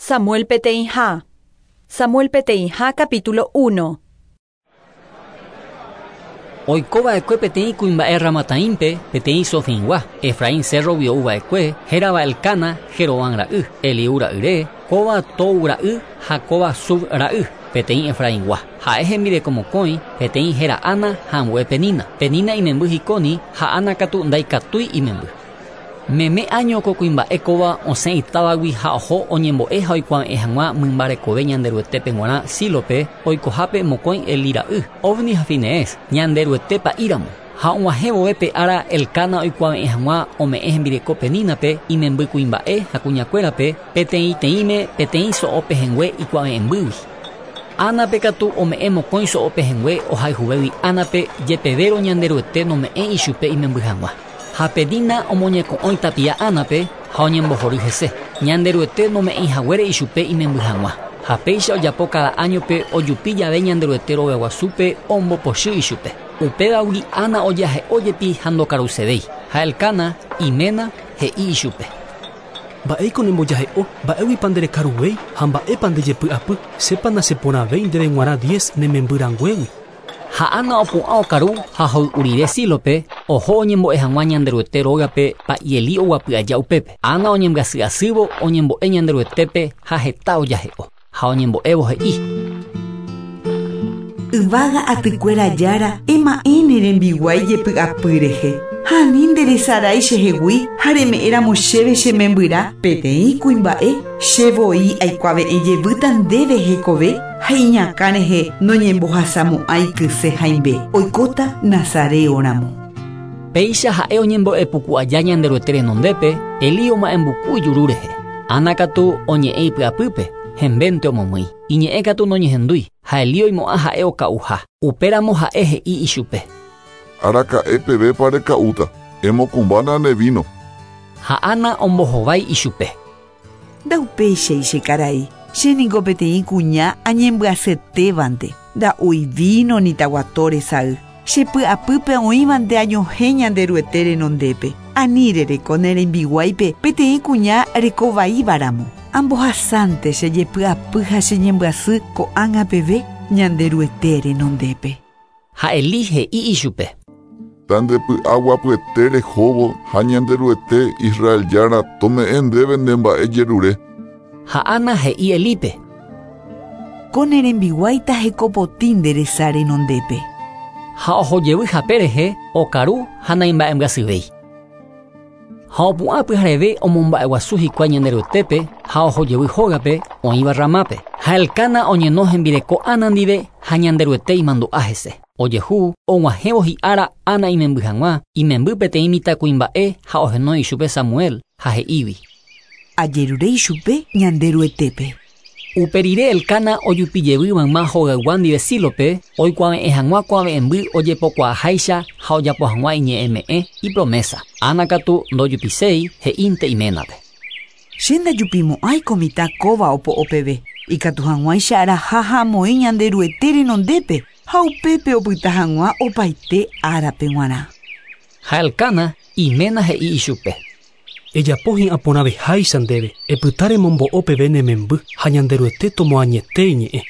Samuel peteĩha. Samuel peteĩha capítulo 1. Oiko va'ekue peteĩ kuimba'e Ramataímpe, peteĩ Sofingua, Efraín cérrogui ou va'ekue, hérava Elcana, Jeroboam ra'y, Eliú ra'yre, kóva Tou ra'y ha kóva Suf ra'y, peteĩ Efraingua. Ha'e hembireko mokõi, peteĩ héra Ana ha ambue Penina. Penina imemby hikóni ha Ana katu ndaikatúi imemby. Meme áño ko kuimba'e kóva osẽ itávagui ha oho oñembo'e ha oikuave'ẽ hag̃ua mymba rekove Ñanderuetépe g̃uarã Sílope, oikohápe mokõi Elí ra'y, Ofni ha Finees, Ñanderuete pa'íramo. Ha og̃uahẽ vove pe ára Elcana oikuave'ẽ hag̃ua ome'ẽ hembireko Penínape, imemby kuimba'e ha kuñakuérape, peteĩteĩme peteĩ so'o pehẽngue ikuave'ẽmbýgui. Ánape katu ome'ẽ mokõi so'o pehẽngue ohayhuvégui Ánape, jepevérõ Ñanderuete nome'ẽ ichupe imemby hag̃ua. Ha Penina omoñeko'õi tapia Ánape ha oñembohory hese, Ñanderuete nome'ẽi haguére ichupe imemby hag̃ua. Ha péicha ojapo káda áñope ojupi jave Ñanderuete rogaguasúpe ombopochy ichupe. Upévagui Ana ojahe'o jepi ha ndokarusevéi. Ha Elcana, iména, he'i ichupe. Mba'éiko nembojahe'o, mba'éguipa nderekaruvéi ha mba'épa ndejepy'apy, chépa nacheporãvéi ndéve g̃uarã diez ne memby ranguégui. Ha Ana opu'ã okaru ha hoy'u rire Sílope, oho oñembo'e hag̃ua Ñanderuete rógape pa'i Elí oguapy aja upépe. Ana oñembyasy asývo oñembo'e Ñanderuetépe ha heta ojahe'o. Ha oñembo'évo he'i. Yvága atykuéra Jára, ema'ẽ ne rembiguái jepy'apy rehe, ha ani nderesarái chehegui ha reme'ẽ ramo chéve che membyrã peteĩ kuimba'e, che voi aikuave'ẽ jevýta ndéve hekove ha iñakã rehe noñembohasamo'ãi kyse hãimbe, oikóta nazareo ramo. Péicha ha'e oñembo'e puku aja Ñanderuete renondépe, Elí oma'ẽmbuku ijuru rehe. Ana katu oñe'ẽ ipy'apýpe, hembénte omomýi. Iñe'ẽ katu noñehendúi, ha Elí oimo'ã ha'e oka'uha. Upéramo ha'e he'i ichupe. Araka'e pevépa reka'úta, emokumbána ne víno. Ha Ana ombohovái ichupe. Ndaupéichai che karai, che niko peteĩ kuña añembyasyetévante, nda'úi víno ni taguato resay. Che py'apýpe oĩvante añohẽ Ñanderuete renondépe. Ani rereko ne rembiguáipe peteĩ kuña reko vaíva ramo. Ambohasánte che jepy'apy ha che ñembyasy ko'ág̃a peve Ñanderuete renondépe. Ha Elí he'i ichupe. Tandepy'aguapyete rehóvo ha Ñanderuete Israel Jára tome'ẽ ndéve ne mba'e jerure. Ha Ana he'i Elípe. Ko ne rembiguáita hekopotĩ nde resa renondépe. Ha oho jevy hape rehe, okaru ha naimba'embyasyvéi. Ha opu'ã pyhareve omomba'eguasu hikuái Ñanderuetépe ha oho jevy hógape oĩva Ramápe. Ha Elcana oñeno hembireko Ana ndive ha Ñanderuete imandu'a hese. Ojehu, og̃uahẽvo hi'ára Ana imemby hag̃ua, imemby peteĩ mitãkuimba'e ha ohenói ichupe Samuel, ha he'ígui. Ajerure ichupe Ñanderuetépe. Upe rire Elcana ojupi jevy mayma hogaygua ndive Sílope, oikuave'ẽ hag̃ua kuave'ẽmby ojepokuaaháicha ha ojapo hag̃ua iñe'ẽme'ẽ, ipromésa. Ana katu ndojupiséi, he'ínte iménape. Che ndajupimo'ãi ko mitã kóva opo'o peve, ikatu hag̃uáicha araha ha amoĩ Ñanderuete renondépe ha upépe opyta hag̃ua opaite árape g̃uarã. Ha Elcana, iména he'i ichupe. Ejapo hi'ã porãveháicha ndéve, epyta remombo'o peve ne memby ha Ñanderuete tomoañete iñe'ẽ.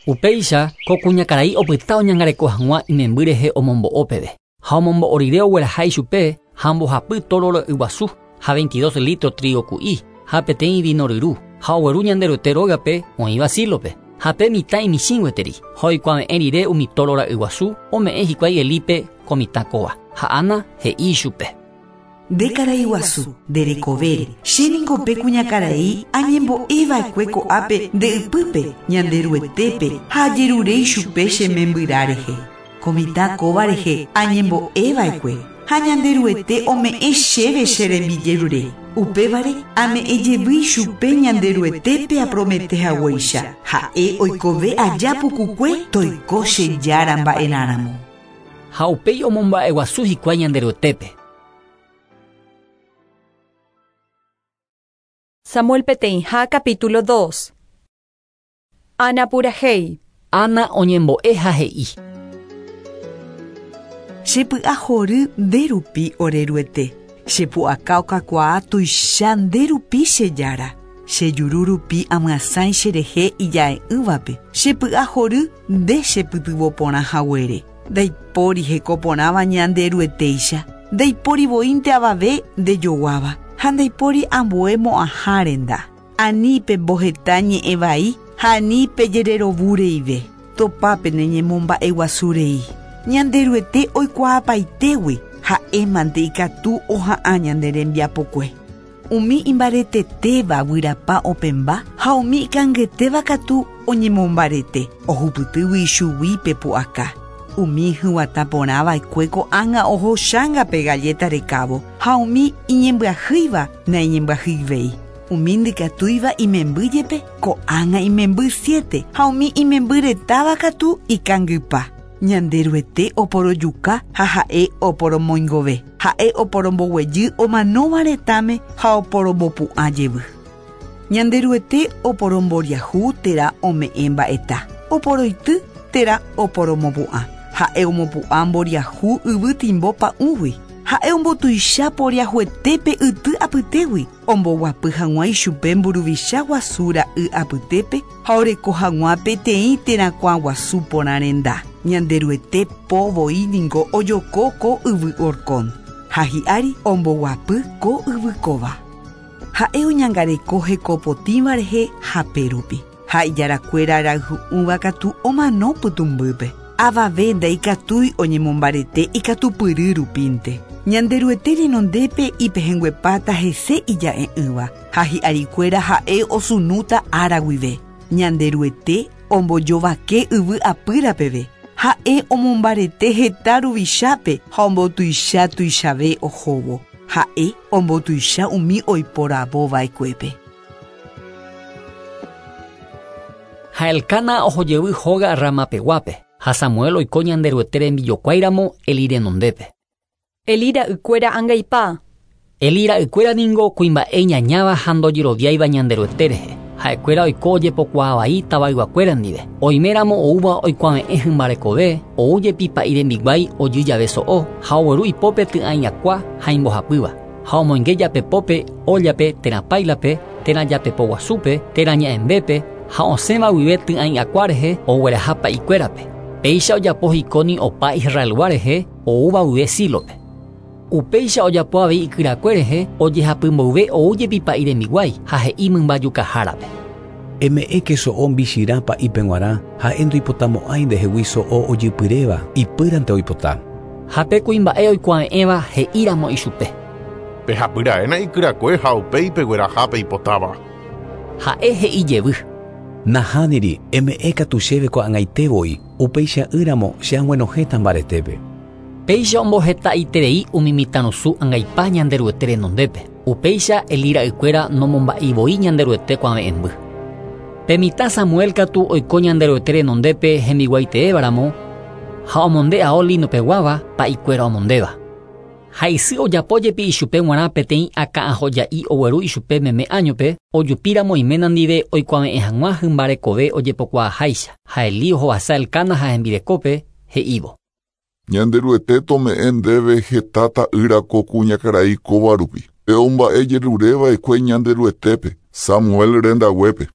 Upéicha ko kuñakarai opyta oñangareko hag̃ua imemby rehe omombo'o peve. Ha omombo'o rire ogueraha ichupe ha mbohapy tóro ro'yguasu ha 22 litro trigo ku'i ha peteĩ vino ryru ha ogueru Ñanderuete rógape oĩva Sílope. Ha pe mitã imichĩ gueteri ha oikuave'ẽ rire umi tóro ra'yguasu ome'ẽ hikuái Elípe ko mitã kóva. Ha Ana he'i ichupe. Nde karai guasu, nde rekovére, che ningo pe kuñakarai añembo'e va'ekue ko'ápe nde ypýpe, Ñanderuetépe, ha ajerure ichupe che membyrã rehe. Ko mitã kóva rehe añembo'e va'ekue, ha Ñanderuete ome'ẽ chéve che rembijerure. Upévare ame'ẽ jevy ichupe Ñanderuetépe apromete haguéicha, ha'e oikove aja pukukue toiko che Jára mba'erãramo. Ha upéi omomba'eguasu hikuái Ñanderuetépe. Samuel peteĩha capítulo 2. Ana purahéi. Ana oñembo'e ha he'i. Che py'a hory nde rupi ore Ruete. Che pu'aka okakuaa tuicha nde rupi che Jára. Che juru rupi amyasãi cherehe ija'e'ỹvape. Chepy'ahory nde chepytyvõ porã haguére. Ndaipóri hekoporãva Ñanderuetéicha. Ndaipóri voínte avave ndejoguáva ha ndaipóri ambue mo'ãha renda. Ani pemboheta ñe'ẽ vai ha ani pejererovureive. Topápe neñemomba'eguasurei. Ñanderuete oikuaapaitégui ha'émante ikatu oha'ã ñane rembiapokue. Umi imbaretetéva guyrapa opẽmba ha umi ikangetéva katu oñemombarete ohupytýgui ichugui pepu'aka. Umi hyguatã porãva'ekue ko'ág̃a oho chángape galleta rekávo ha umi iñembyahýiva naiñembyahyivéi. Umi ndikatúiva imemby jepe ko'ág̃a imemby 7 ha umi imemby retáva katu ikangypa. Ñanderuete oporojuka ha ha'e oporomoingove. Ha'e oporomboguejy omanóva retãme ha oporombopu'ã jevy. Ñanderuete oporomboriahu térã ome'ẽ mba'eta. Oporoity térã oporomopu'ã. Ha'e omopu'ã mboriahu yvy timbo pa'ũgui. Ha'e ombotuicha poriahuetépe yty apytégui. Omboguapy hag̃ua ichupe mburuvicha guasu ra'y apytépe ha oreko hag̃ua peteĩ terakuã guasu porã renda. Ñanderuete po voi ningo ojoko ko yvy orkón. Ha hi'ári omboguapy ko yvy kóva. Ha'e oñangareko hekopotĩva rehe hape rupi. Ha ijarakuéra rayhu'ũva katu omano pytũmbýpe. Avave ndaikatúi oñemombarete ikatupyry rupínte. Ñanderuete renondépe ipehẽnguepáta hese ija'e'ỹva ha hi'arikuéra ha'e osunúta ára guive. Ñanderuete ombojovake yvy apýra peve. Ha'e omombarete heta ruvichápe ha ombotuicha tuichave ohóvo. Ha'e ombotuicha umi oiporavova'ekuépe. Ha Elcana ohojevy hóga Ramapeguápe ha Samuel oiko Ñanderuete rembijokuáiramo Eli renondépe. Eli ra'ykuéra angaipa. Eli ra'ykuéra ningo kuimba'e iñañáva ha ndojeroviáiva Ñanderuete rehe. Ha'ekuéra oiko ojepokuaavai tavayguakuéra ndive. Oiméramo oúva oikuave'ẽ hymbarekove, ou jepi pa'i rembiguái ojy jave so'o ha ogueru ipópe ty'ãiakua ha imbohapýva. Ha omoinge japepópe óllape térã páilape, térã japepo guasúpe, térã ña'ẽmbépe ha osẽva guive ty'ãiakua rehe ogueraha pa'ikuérape. Péicha ojapo hikóni opa Israelgua rehe oúva guive Sílope. Upéicha ojapo avei ikyrakue rehe ojehapymboyve ou jepi pa'i rembiguái ha he'i mymbajukahárape. Eme'ẽke so'o mbichirã pa'ípe g̃uarã ha'e ndoipotamo'ãi ndehegui so'o ojypyréva ipýrante oipota. Ha pe kuimba'e oikuave'ẽva he'íramo ichupe. Pehapyra'éna ikyrakue ha upéi pegueraha peipotáva. Ha'e he'i jevy. Nahániri eme'ẽ katu chéve ko'ag̃aite voi upeicha'ỹramo che ag̃uenohẽta mbaretépe. Péicha omboheta'iterei umi mitãrusu angaipa Ñanderuete renondépe. Upéicha Eli ra'ykuéra nomomba'eivoi Ñanderuete kuave'ẽmby. Pe mitã Samuel katu oiko Ñanderuete renondépe hembiguaiteévaramo ha omonde ao linopeguáva pa'ikuéra omondéva. Ha isy ojapo jepi ichupe g̃uarã peteĩ akã'ahoja'i ogueru ichupe meme áñope ojupíramo iména ndive oikuave'ẽ hag̃ua hymbarekove ojepokuaaháicha. Ha Eli ohovasa Elcana ha hembirekópe he'ívo. Ñanderuete tome'ẽ ndéve heta ta'ýra ko kuñakarai kóva rupi. Pe omba'e jerureva'ekue Ñanderuetépe Samuel rendaguépe.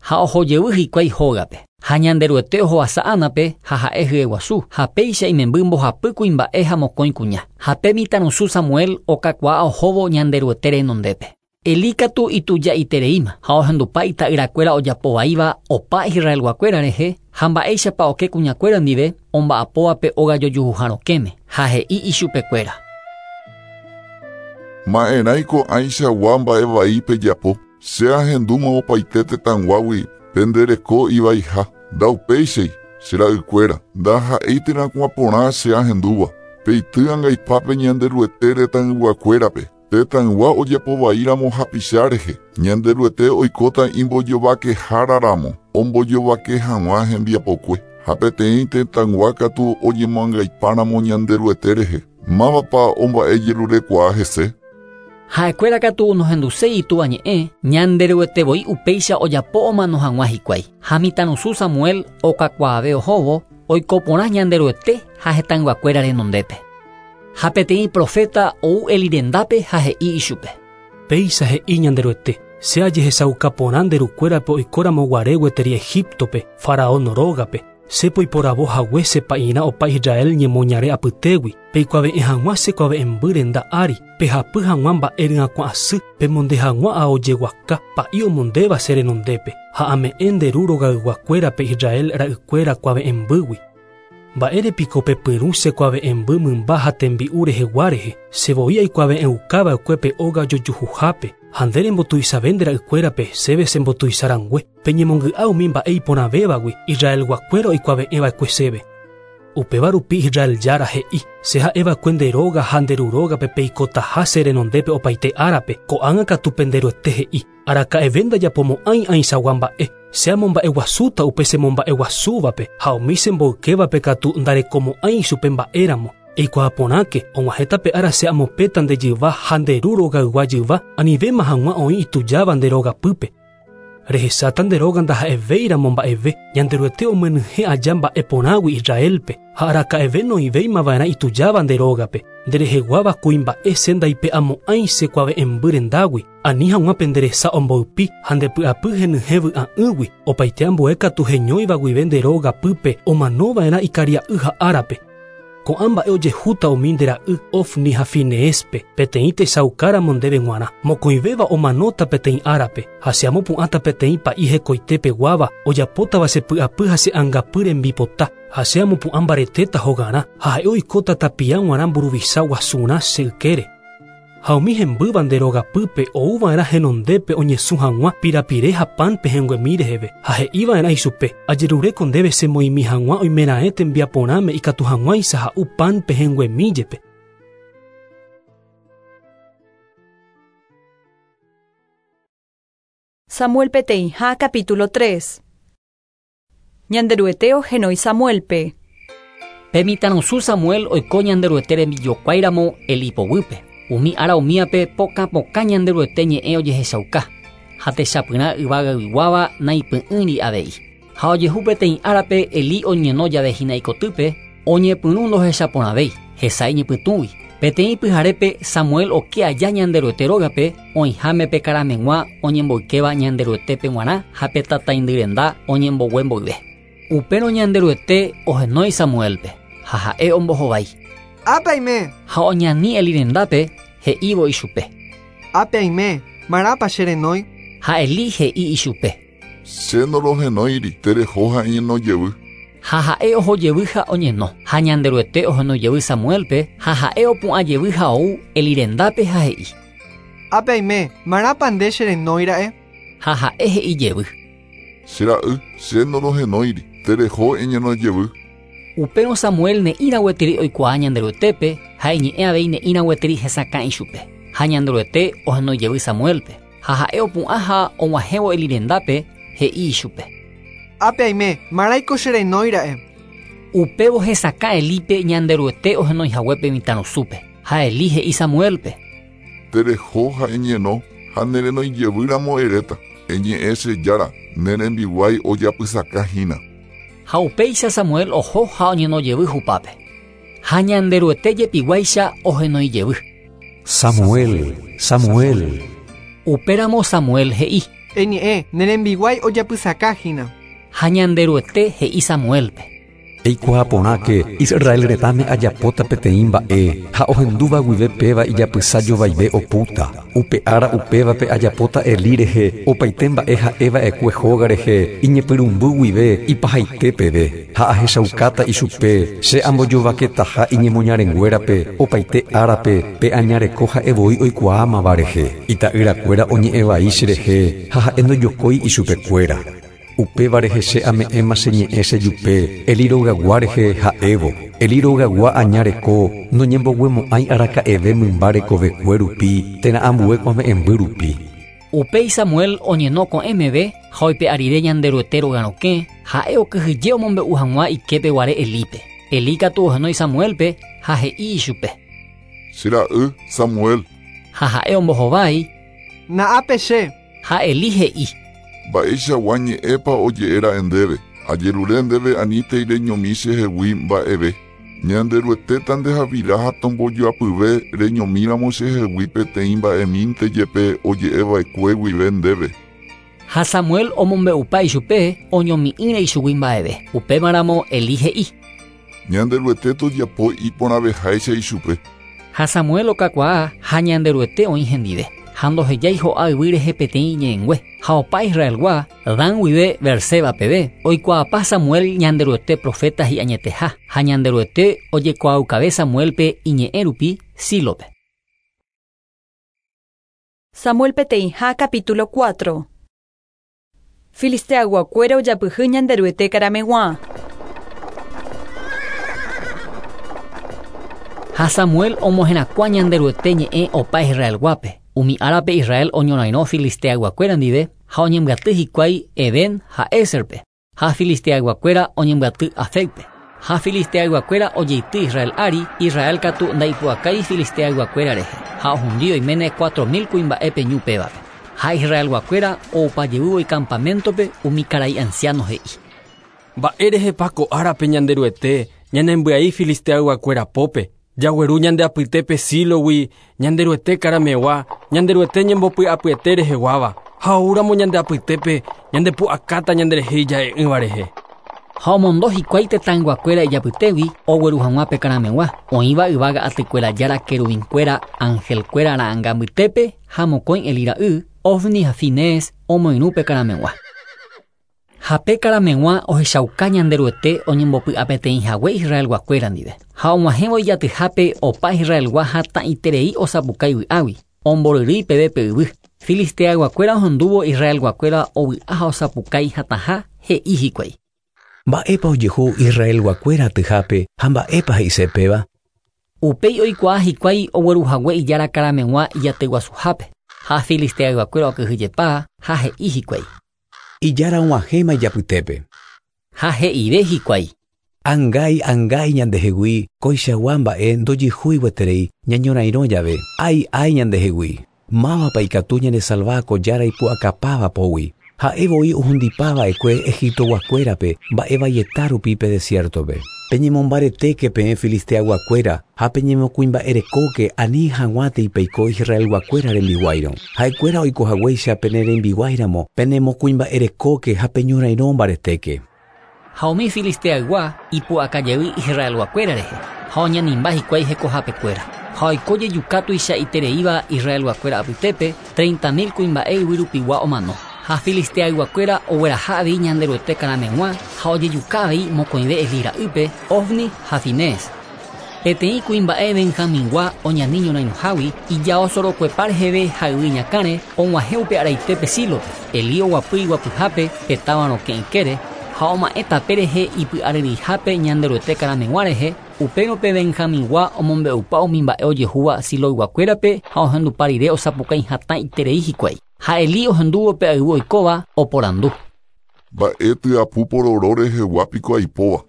Ha ohojevy hikuái hógape. Ha Ñanderuete ohovasa Ánape ha ha'e hyeguasu ha péicha imemby mbohapy kuimba'e ha mokõi kuña. Ha pe mitãrusu Samuel okakuaa ohóvo Ñanderuete renondépe. Eli katu ituja'itereíma ha ohendupa ita'yrakuéra ojapovaíva opa Israelguakuéra rehe ha mba'éichapa oke kuñakuéra ndive omba'apóvape óga jojuhuha rokẽme ha he'i ichupekuéra. Ma'erãiko ãichagua mba'evai pejapo. Che ahendúma opaite tetãguágui pendereko ivaiha. Ndaupéichai che ra'ykuéra ndaha'éi terakuã porã che ahendúva. Peity angaipápe Ñanderuete retãyguakuérape. Tetãygua ojapovaíramo hapicha rehe. Ñanderuete oikóta imbojovakeháraramo ombojovake hag̃ua hembiapokue. Ha peteĩ tetãygua katu oñemoangaipáramo Ñanderuete rehe. Mávapa omba'ejerurekuaa hese. Ha'ekuéra katu nohenduséi itúva ñe'ẽ Ñanderuete voi upéicha ojapo omano hag̃ua hikuái. Ha mitãrusu Samuel okakuaave ohóvo oiko porã Ñanderuete ha hetãyguakuéra renondépe. Ha peteĩ profeta ou Eli rendápe ha he'i ichupe. Péicha he'i Ñanderuete. Che ajehechauka porã nde rukuérape oikóramo guare gueteri Egiptope, Faraón rógape, che poiporavo hague che pa'irã opa Israel ñemoñare apytégui, peikuave'ẽ hag̃ua che kuave'ẽmby renda ári, pehapy hag̃ua mba'e ryakuã asy, pemonde hag̃ua ao jeguaka, pa'i omondéva che renondépe, ha ame'ẽ nde ru rogayguakuérape Israel ra'ykuéra kuave'ẽmbýgui. Mba'érepiko pepyrũ che kuave'ẽmby mymba ha tembi'u rehegua rehe, che voi aikuave'ẽukava'ekue pe óga ojojuhuhápe, ha nde rembotuichave nde ra'ykuérape chéve chembotuicharangue, peñemongy'a umi mba'e iporãvévagui Israelguakuéra oikuave'ẽva'ekue chéve. Upéva rupi Israel Jára he'i, che ha'eva'ekue nde róga ha nde ru rógape peikotaha che renondépe opaite árape, ko'ág̃a katu pende Ruete he'i, araka'eve ndajapomo'ãi ãichagua mba'e, che amomba'eguasúta upe chemomba'eguasúvape ha umi chemboykévape katu ndarekomo'ãi ichupe mba'éramo. Eikuaa porãke, og̃uahẽta pe ára che amopẽta nde jyva ha nde ru rogaygua jyva, anivéma hag̃ua oĩ itujáva nde rogapýpe. Rehecháta nde róga ndaha'evéiramo mba'eve, Ñanderuete omyenyhẽ aja mba'e porãgui Israelpe, ha araka'eve noĩvéimava'erã itujáva nde rógape, ndereheguáva kuimba'e che ndaipe'amo'ãi che kuave'ẽmby rendágui, ani hag̃ua pende resa omboypi ha nde py'apy henyhẽ vy'a'ỹgui, opaite ambue katu heñóiva guive nde rógapýpe omanova'erã ikaria'y ha árape. Ko'ã mba'e ojehúta umi nde ra'y Ofni ha Fineéspe, peteĩ techaukáramo ndéve g̃uarã. Mokõivéva omanóta peteĩ árape, ha che amopu'ãta peteĩ pa'i hekoite peguáva, ojapótava che py'apy ha che angapy rembipota, ha che amopu'ã mbaretéta hogarã, ha ha'e oikóta tapia g̃uarã mburuvicha guasurã che ykére. Ha umi hembýva nde rogapýpe ouva'erã henondépe oñesũ hag̃ua pirapire ha pan pehẽnguemi reheve, ha he'iva'erã ichupe, Ajeruréko ndéve chemoĩmi hag̃ua oimeraẽ tembiaporãme ikatu hag̃uáicha ha'u pan pehẽnguemi jepe. Samuel peteĩha capítulo 3. Ñanderuete ohenói Samuélpe. Pe mitãrusu Samuel oiko Ñanderuete rembijokuáiramo Elí poguýpe. Umi ára umíape pokã pokã Ñanderuete ñe'ẽ ojehechauka, ha techapyrã yvagayguáva naipy'ỹiri avei. Ha ojehu peteĩ árape Elí oñeno jave hína ikotýpe, oñepyrũ ndohechaporãvéi, hesa iñypytũgui. Peteĩ pyharépe Samuel oke aja Ñanderuete rógape, oĩháme pe karameg̃ua oñemboykéva Ñanderuetépe g̃uarã ha pe tataindy renda oñembogue mboyve. Upérõ Ñanderuete ohenói Samuélpe, ha ha'e ombohovái. Ápe aime! Ha oñani Elí rendápe, he'ívo ichupe. Ápe aime, marãpa che renói? Ha Elí he'i ichupe. Che norohenóiri, tereho ha eñeno jevy. Ha ha'e oho jevy ha oñeno. Ha Ñanderuete ohenói jevy Samuélpe, ha ha'e opu'ã jevy ha ou Elí rendápe ha he'i. Ápe aime, marãpa nde che renói ra'e? Ha ha'e he'i jevy. Che ra'y, che norohenóiri, tereho eñeno jevy. Upérõ Samuel ne'ĩra gueteri oikuaa Ñanderuetépe ha iñe'ẽ avei ne'ĩra gueteri hesakã ichupe. Ha Ñanderuete ohenói jevy Samuélpe. Ha ha'e opu'ã ha og̃uahẽvo Elí rendápe, he'i ichupe. Ápe aime, marãiko che renói ra'e? Upévo hesakã Elípe Ñanderuete ohenói hague pe mitãrusúpe. Ha Elí he'i Samuélpe. Tereho ha eñeno, ha ne renói jevy ramo eréta, Eñe'ẽ che Jára, ne rembiguái ojapysaka hína. Ha upéicha Samuel oho ha oñeno jevy hupápe. Ha Ñanderuete jepiguáicha ohenói jevy. Samuel, Samuel. Upéramo Samuel he'i. Eñe'ẽ, ne rembiguái ojapysaka hína. Ha Ñanderuete he'i Samuélpe. Eikuaa porãke, Israel retãme ajapóta peteĩ mba'e, ha ohendúva guive péva ijapysa jovaive opúta. Upe ára upévape ajapóta Elí rehe opaite mba'e ha'e va'ekue hóga rehe iñepyrũmby guive ipahaite peve, ha ahechaukáta ichupe che ambojovaketaha iñemoñarenguérape opaite árape pe aña reko ha'e voi oikuaámava rehe. Ita'yrakuéra oñe'ẽ vai cherehe ha ha'e ndojokói ichupekuéra. Upéva rehe che ame'ẽma che ñe'ẽ che jupe Elí rogagua rehe ha'évo, Elí rogagua aña reko noñemboguemo'ãi araka'eve mymba rekovekue rupi térã ambue kuave'ẽmby rupi. Upéi Samuel oñeno ko'ẽ meve ha oipe'a rire Ñanderuete róga rokẽ, ha'e okyhyje omombe'u hag̃ua iképe guare Elípe. Elí katu ohenói Samuélpe ha he'i ichupe. Che ra'y, Samuel. Ha ha'e ombohovái. Na'ápe che. Ha Elí he'i. Mba'eichagua ñe'ẽpa oje'e ra'e ndéve? Ajerure ndéve anítei reñomi chehegui mba'eve. Ñanderuete ndehavira ha tombojoapyve reñomíramo chehegui peteĩ mba'emínte jepe oje'eva'ekue guive ndéve. Ha Samuel omombe'upa ichupe oñomi'ỹre ichugui mba'eve. Upémaramo Elí he'i. Ñanderuete tojapo iporãveháicha ichupe. Ha Samuel okakuaa ha Ñanderuete oĩ hendive. Ha ndohejái ho'a yvy rehe peteĩ iñe'ẽngue. Ha opa Israelgua, Dan guive Beerseba peve, oikuaapa Samuel Ñanderuete profeta hi'añeteha. Ha Ñanderuete ojekuaaukave Samuelpe iñe'ẽ rupi Sílope. Samuel peteĩha capítulo 4. Filisteayguakuéra ojapyhy Ñanderuete karameg̃ua. Ha Samuel omoherakuã Ñanderuete ñe'ẽ opa Israelguápe. Umi árape Israel oñorairõ Filisteayguakuéra ndive ha oñembyaty hikuái Eben ha Ézerpe. Ha Filisteayguakuéra oñembyaty Afecpe. Ha Filisteayguakuéra ojeity Israel ári, Israel katu ndaipu'akái Filisteayguakuéra rehe. Ha ohundi oiméne 4000 kuimba'épe ñu pévape. Ha Israelguakuéra oupajevývo icampamentope umi karai anciano he'i. Mba'érehepa ko árape Ñanderuete ñanembyai Filisteayguakuéra pópe. Jagueru ñande apytépe Sílogui, Ñanderuete karamegua, Ñanderuete ñembopy'apyete reheguáva. Ha oúramo ñande apytépe ñandepu'akáta ñanderehe ija'e'ỹva rehe. Ha omondo hikuái tetãyguakuéra ijapytégui ogueru hag̃ua pe karamegua. Oĩva yvága atykuéra jára querubinkuéra angelkuéra ra'ãnga mbytépe ha mokõi Elí ra'y, Ofni ha Finees omoirũ pe karamegua. Ha pe karamegua ohechauka Ñanderuete oñembopy'apeteĩhague Israelguakuéra ndive. Ha og̃uahẽvo ijatyhápe opa Israelgua hatãiterei osapukái vy'águi, omboryrýi peve pe yvy. Filisteayguakuéra ohendúvo Israelguakuéra ovy'a ha osapukái hatãha he'i hikuái. Mba'épa ojehu Israelguakuéra atyhápe ha mba'épa he'ise péva? Upéi oikuaa hikuái ogueruhague ijára karameg̃ua ijatyguasuhápe. Ha Filisteayguakuéra okyhyjepa ha he'i hikuái. Ijára og̃uahẽma ijapytépe. Ha he'ive hikuái. Angái, angái ñandehegui, koichagua mba'e ndojehúi gueterei ñañorairõ jave. Ái, ái ñandehegui. Mávapa ikatu ñanesalva ko jára ipu'akapáva pógui. Ha'e voi ohundipava'ekue Egiptoguakuérape mba'evaieta rupi pe desiertope. Peñemombaretéke peẽ Filisteayguakuéra ha peñemokuimba'erekóke ani hag̃uátei peiko Israelguakuéra rembiguáirõ. Ha'ekuéra oikohaguéicha pene rembiguáiramo penemokuimba'erekóke ha peñorairõ mbaretéke. Ha umi Filisteaygua ipu'akajey Israelguakuéra rehe ha oñanimba hikuái hekohapekuéra. Ha oiko jejuka tuichaitereíva Israelguakuéra apytépe 30 000 kuimba'e yvy rupigua omano. Ha Filisteayguakuéra ogueraha avei Ñanderuete karameg̃ua ha ojejuka avei mokõive Elí ra'ýpe, Ofni ha Finees. Peteĩ kuimba'e Benjamingua oñani ñorairõhágui ijaosorokuepa reheve ha yvy ñakãre og̃uahẽ upe araitépe Sílope. Elí oguapy iguapyhápe pe táva rokẽ ykére ha oma'ẽ tape rehe ipy'aryryihápe Ñanderuete karameg̃ua rehe, upérõ pe Benjamingua omombe'upa umi mba'e ojehúva Siloyguakuérape ha ohendupa rire osapukái hatãiterei hikuái. Ha Elí ohendúvo pe ayvu oikóva oporandu. Mba'e tyapu pororo rehegua piko aipóva.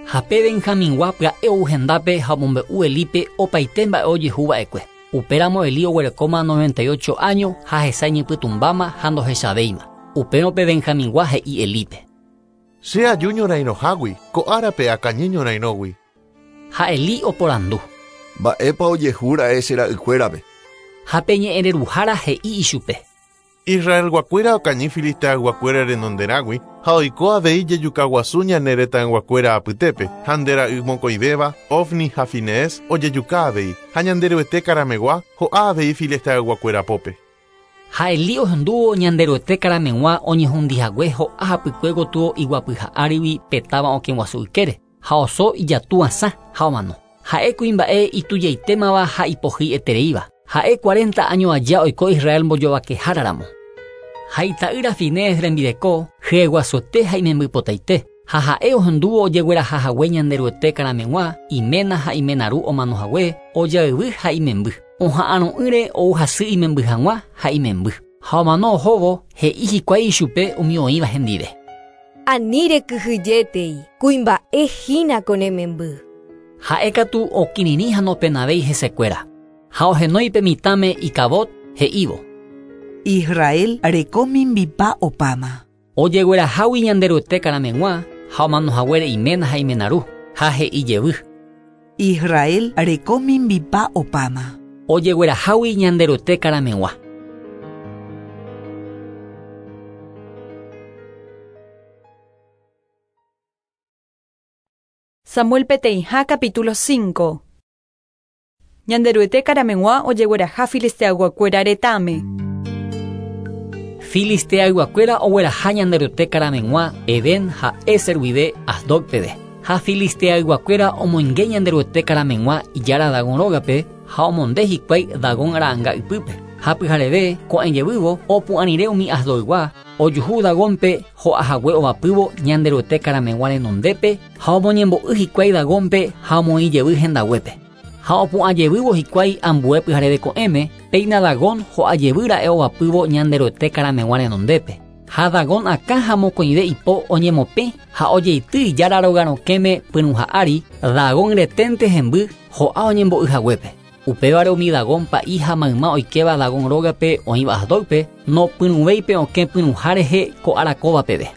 Ha pe Benjamingua pya'e ou hendápe ha omombe'u Elípe opaite mba'e ojehuva'ekue. Upéramo Elí oguerekóma 98 año ha hesa iñypytũmbáma ha ndohechavéima. Upérõ pe Benjamingua he'i Elípe. Che aju ñorairõhágui, ko árape akañy ñorairõgui. Ha Elí oporandu. Mba'épa ojehúra'e che ra'ykuérape. Ha pe ñe'ẽreruhára he'i ichupe. Israelguakuéra okañy Filisteayguakuéra renonderãgui ha oiko avei jejukaguasu ñane retãyguakuéra apytépe ha nde ra'y mokõivéva, Ofni ha Finees ojejuka avei ha Ñanderuete karamegua ho'a avei Filisteayguakuéra pópe. Ha Elí ohendúvo Ñanderuete karameg̃ua oñehundihague ho'a hapykue gotyo iguapyha árigui pe táva okẽguasu ykére ha oso ijatúasã ha omano. Ha'e kuimba'e itujaitémava ha ipohýietereíva. Ha'e 40 año aja oiko Israel mbojovakeháraramo. Ha ita'ýra Finees rembireko hyeguasuete ha imembypotaite. Ha ha'e ohendúvo ojeguerahahague Ñanderuete karameg̃ua, iména ha imenaru omanohague, ojayvy ha imemby. Oha'arõ'ỹre ou hasy imemby hag̃ua ha imemby. Ha omano ohóvo he'i hikuái ichupe umi oĩva hendive. Ani rekyhyjétei, kuimba'e hína ko ne memby. Ha'e katu okirirĩ ha nopenavéi hesekuéra. Ha ohenói pe mitãme Icabod he'ívo. Israel reko mimbipa opáma. Ojeguerahágui Ñanderuete karameg̃ua ha omanohaguére iména ha imenaru ha he'i jevy. Israel reko mimbipa opáma. Ojeguerahágui Ñanderuete karameg̃ua. Samuel peteĩha capítulo 5. Ñanderuete karameg̃ua ojegueraha Filisteayguakuéra retãme. Filisteayguakuéra ogueraha Ñanderuete karameg̃ua Eben ha Eser guive Asdod peve. Ha Filisteayguakuéra omoinge Ñanderuete karameg̃ua ijára Dagón rógape ha omonde hikuái Dagón ra'ãnga ypýpe. Ha pyhareve ko'ẽjevývo opu'ãrire umi Asdodgua ojuhu Dagónpe ho'ahague ovapývo Ñanderuete karameg̃ua renondépe ha omoñembo'y hikuái Dagónpe ha omoĩjevy hendaguépe. Ha opu'ãjevývo hikuái ambue pyhareve ko'ẽme péina Dagón ho'ajevýra'e ovapývo Ñanderuete karameg̃ua renondépe. Ha Dagón akã ha mokõive ipo oñemopẽ ha ojeity ijára rogarokẽme pyrũha ári Dagón reténte hemby ho'a oñembo'yhaguépe. Upévare umi Dagón pa'i ha mayma oikéva Dagón rógape oĩva Asdodpe nopyrũvéipe okẽ pyrũha rehe ko'ára kóva peve.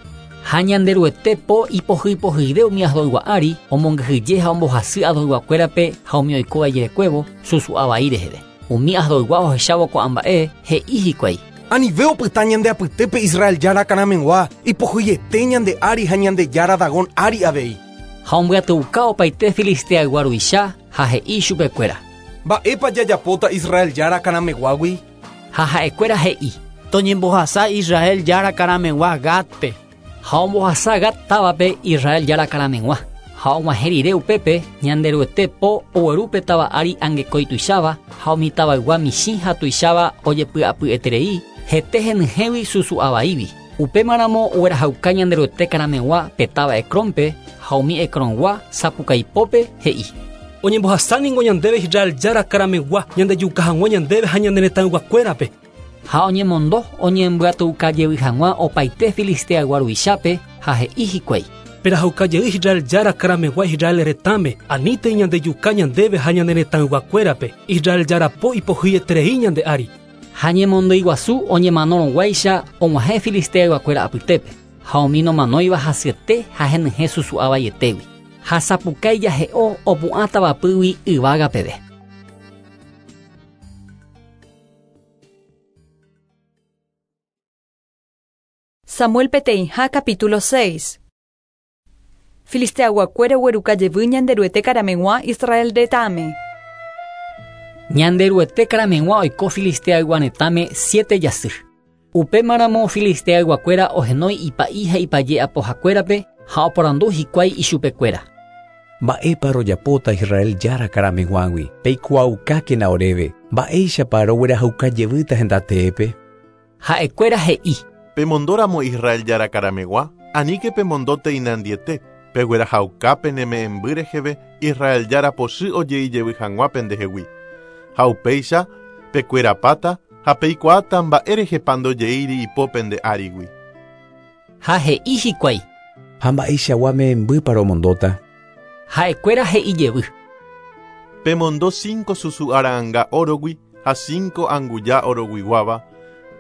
Ha Ñanderuete po ipohýipohýive umi Asdodgua ári omongyhyje ha ombohasy Asdodguakuérape ha umi oikóva ijerekuévo susu'a vai reheve. Umi Asdodgua ohechávo ko'ã mba'e he'i hikuái. Anive opyta ñande apytépe Israel jára karameg̃ua ipohýiete ñande ári ha Ñandejára Dagón ári avei. Ha ombyatyuka opaite Filisteaygua ruvicha ha he'i chupekuéra. Mba'épa jajapóta Israel jára karameg̃uágui? Ha ha'ekuéra he'i. Toñembohasa Israel jára karameg̃ua Gatpe. Ha ombohasa Gat távape Israel jára karameg̃ua. Ha og̃uahẽ rire upépe Ñanderuete po oguerúpe táva ári angekói tuicháva ha umi tavaygua michĩ ha tuicháva ojepy'apyeterei hete henyhẽgui susu'a vaígui. Upémaramo oguerahauka Ñanderuete karameg̃ua pe táva Ecrónpe ha umi Ecrongua sapukaipópe he'i. Oñembohasáningo ñandéve Israel jára karameg̃ua ñandejuka hag̃ua ñandéve ha ñane retãyguakuérape. Ha oñemondo oñembyatyukajevy hag̃ua opaite Filisteaygua ruvichápe ha he'i hikuái. Perahauka jey Israel jára karameg̃ua Israel retãme anítei ñandejuka ñandéve ha ñane retãyguakuérape. Israel jára po ipohýieterei ñande ári. Ha ñemondyiguasu oñemanorõguáicha og̃uahẽ Filisteayguakuéra apytépe. Ha umi nomanóiva hasyete ha henyhẽ susu'a vaietégui. Ha sapukái jahe'o opu'ã tavapýgui yvága peve. Samuel peteĩha capítulo 6. Filisteayguakuéra oguerukajevy Ñanderuete karameg̃ua Israel retãme. Ñanderuete karameg̃ua oiko Filisteaygua retãme 7 jasy. Upémaramo Filisteayguakuéra ohenói ipa'i ha ipaje apohakuérape ha oporandu hikuái ichupekuéra. Mba'épa rojapóta Israel jára karameg̃uágui peikuaaukákena oréve mba'éichapa roguerahaukajevýta hendateépe. Ha'ekuéra he'i. Pemondóramo Israel jára karameg̃ua aníke pemondóte inandiete peguerahauka neme'ẽmby reheve Israel jára pochy ojeijevy hag̃ua pendehegui. Ha upéicha pekuerapáta ha peikuaáta mba'érehepa ndojeíri ipo pende árigui. Ha he'i hikuái. Ha mba'eichagua me'ẽmbýpa romondóta. Ha'ekuéra he'ijevy. Pemondo 5 susu'a ra'ãnga órogui ha 5 anguja oroguiguáva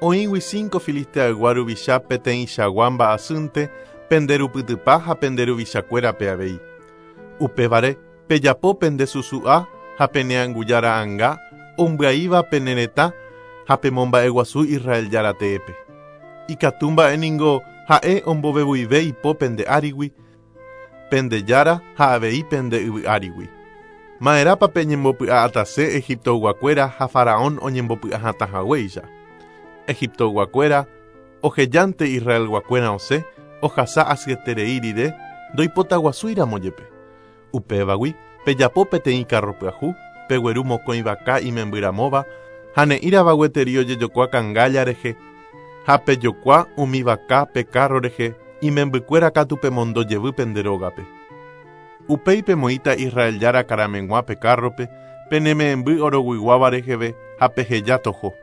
oĩgui 5 Filisteaygua ruvicha peteĩchagua mba'asýnte penderupytypa ha penderuvichakuérape avei. Upévare pejapo pende susu'a ha pene anguja ra'ãnga ombyaíva pene retã ha pemomba'eguasu Israel jára teépe. Ikatu mba'éningo ha'e ombovevuive ipo pende árigui, pende jára ha avei pende yvy árigui. Ma'erãpa peñembopy'a'atase Egiptoyguakuéra ha Faraón oñembopy'ahatãhaguéicha. Egiptoyguakuéra ohejánte Israelguakuéra osẽ ohasa asyeterei rire ndoipotaguasúiramo jepe. Upévagui pejapo peteĩ carro pyahu, pegueru mokõi vaka imembyramóva ha ne'írava gueteri ojejokua kangálla rehe ha pejokua umi vaka pe carro rehe imembykuéra katu pemondojevy pende rógape. Upéi pemoĩta Israel jára karameg̃ua pe carrope peneme'ẽmby oroguiguáva reheve ha peheja toho.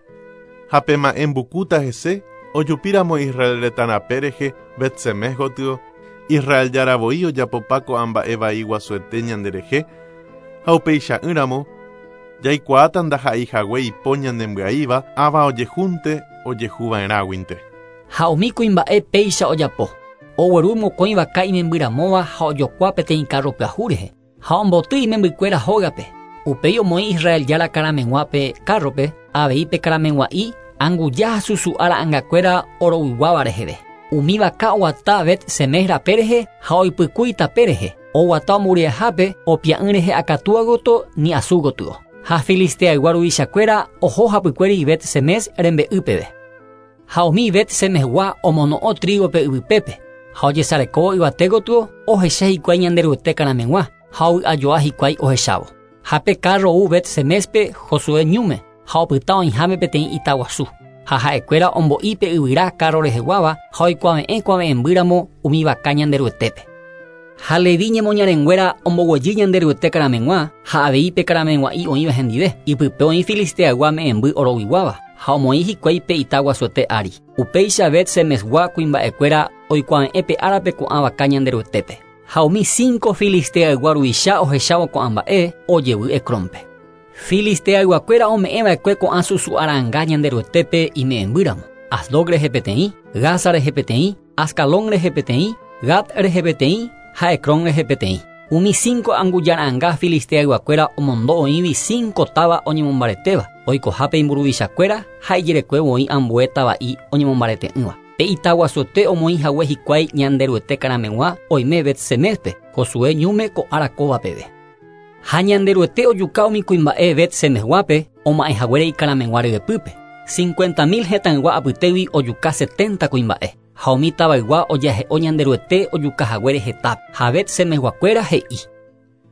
Ha pema'ẽmbukúta hese ojupíramo Israel retãrape rehe Betsemes gotyo Israel jára voi ojapopa ko'ã mba'e vai guasuete ñanderehe ha upeicha'ỹramo jaikuaáta ndaha'eihague ipo ñandembyaíva ãva ojehúnte ojehuva'erãguinte. Ha umi kuimba'e péicha ojapo. Ogueru mokõi vaka imembyramóva ha ojokua peteĩ carro pyahu rehe. Ha omboty imembykuéra hógape. Upéi omoĩ Israel Jára karameg̃ua pe kárrope, avei pe karameg̃ua'i anguja ha susu'a ra'angakuéra oroguiguáva reheve. Umi vaka oguata Bet-Semes rape rehe ha oipykúi tape rehe, oguata ombory'ahápe opia'ỹ rehe akatúa gotyo ni asu gotyo. Ha Filisteaygua ruvichakuéra oho hapykuéri Bet-Semes rembe'y peve. Ha umi Bet-Semesgua omono'õ trigo pe yvypépe, ha ojesarekóvo yvate gotyo ohecha hikuái Ñanderuete karameg̃ua ha ovy'ajoa hikuái ohechávo. Ha pe kárro ou Bet-Semespe Josué ñúme ha opyta oĩháme peteĩ ita guasu. Ha ha'ekuéra ombo'i pe yvyra kárro reheguáva ha oikuave'ẽ kuave'ẽmbýramo umi vaka Ñanderuetépe. Ha Leví ñemoñarenguéra omboguejy Ñanderuete karameg̃ua ha avei pe karameg̃ua'i oĩva hendive, ipype oĩ Filisteaygua me'ẽmby oroguiguáva, ha omoĩ hikuái pe ita guasuete ári. Upéicha Bet-Semesgua kuimba'ekuéra oikuave'ẽ pe árape ko'ã vaka Ñanderuetépe. Ha umi cinco Filisteaygua ruvicha ohechávo ko'ã mba'e, ojevy Ecrónpe. Filisteayguakuéra ome'ẽva'ekue ko'ã susu'ara'anga Ñanderuetépe ime'ẽmbýramo, Asdod rehe peteĩ, Gaza rehe peteĩ, Ascalón rehe peteĩ, Gat rehe peteĩ ha Ecrón rehe peteĩ. Umi cinco angujara'anga Filisteayguakuéra omondo oĩgui cinco táva oñemombaretéva, oikohápe imburuvichakuéra ha ijerekuévo oĩ ambue tava'i oñemombarete'ỹva. Pe ita guasuete omoĩ hague hikuái Ñanderuete karameg̃ua oime Bet-Semespe, Josué ñúme ko ára kóva peve. Ha Ñanderuete ojuka umi kuimba'e Bet-Semesguápe oma'ẽ haguére ikarameg̃ua ryepýpe. 50.000 hetãygua apytégui ojuka 70 kuimba'e. Ha umi tavaygua ojahe'o Ñanderuete ojuka haguére hetápe. Ha Bet-Semesguakuéra he'i: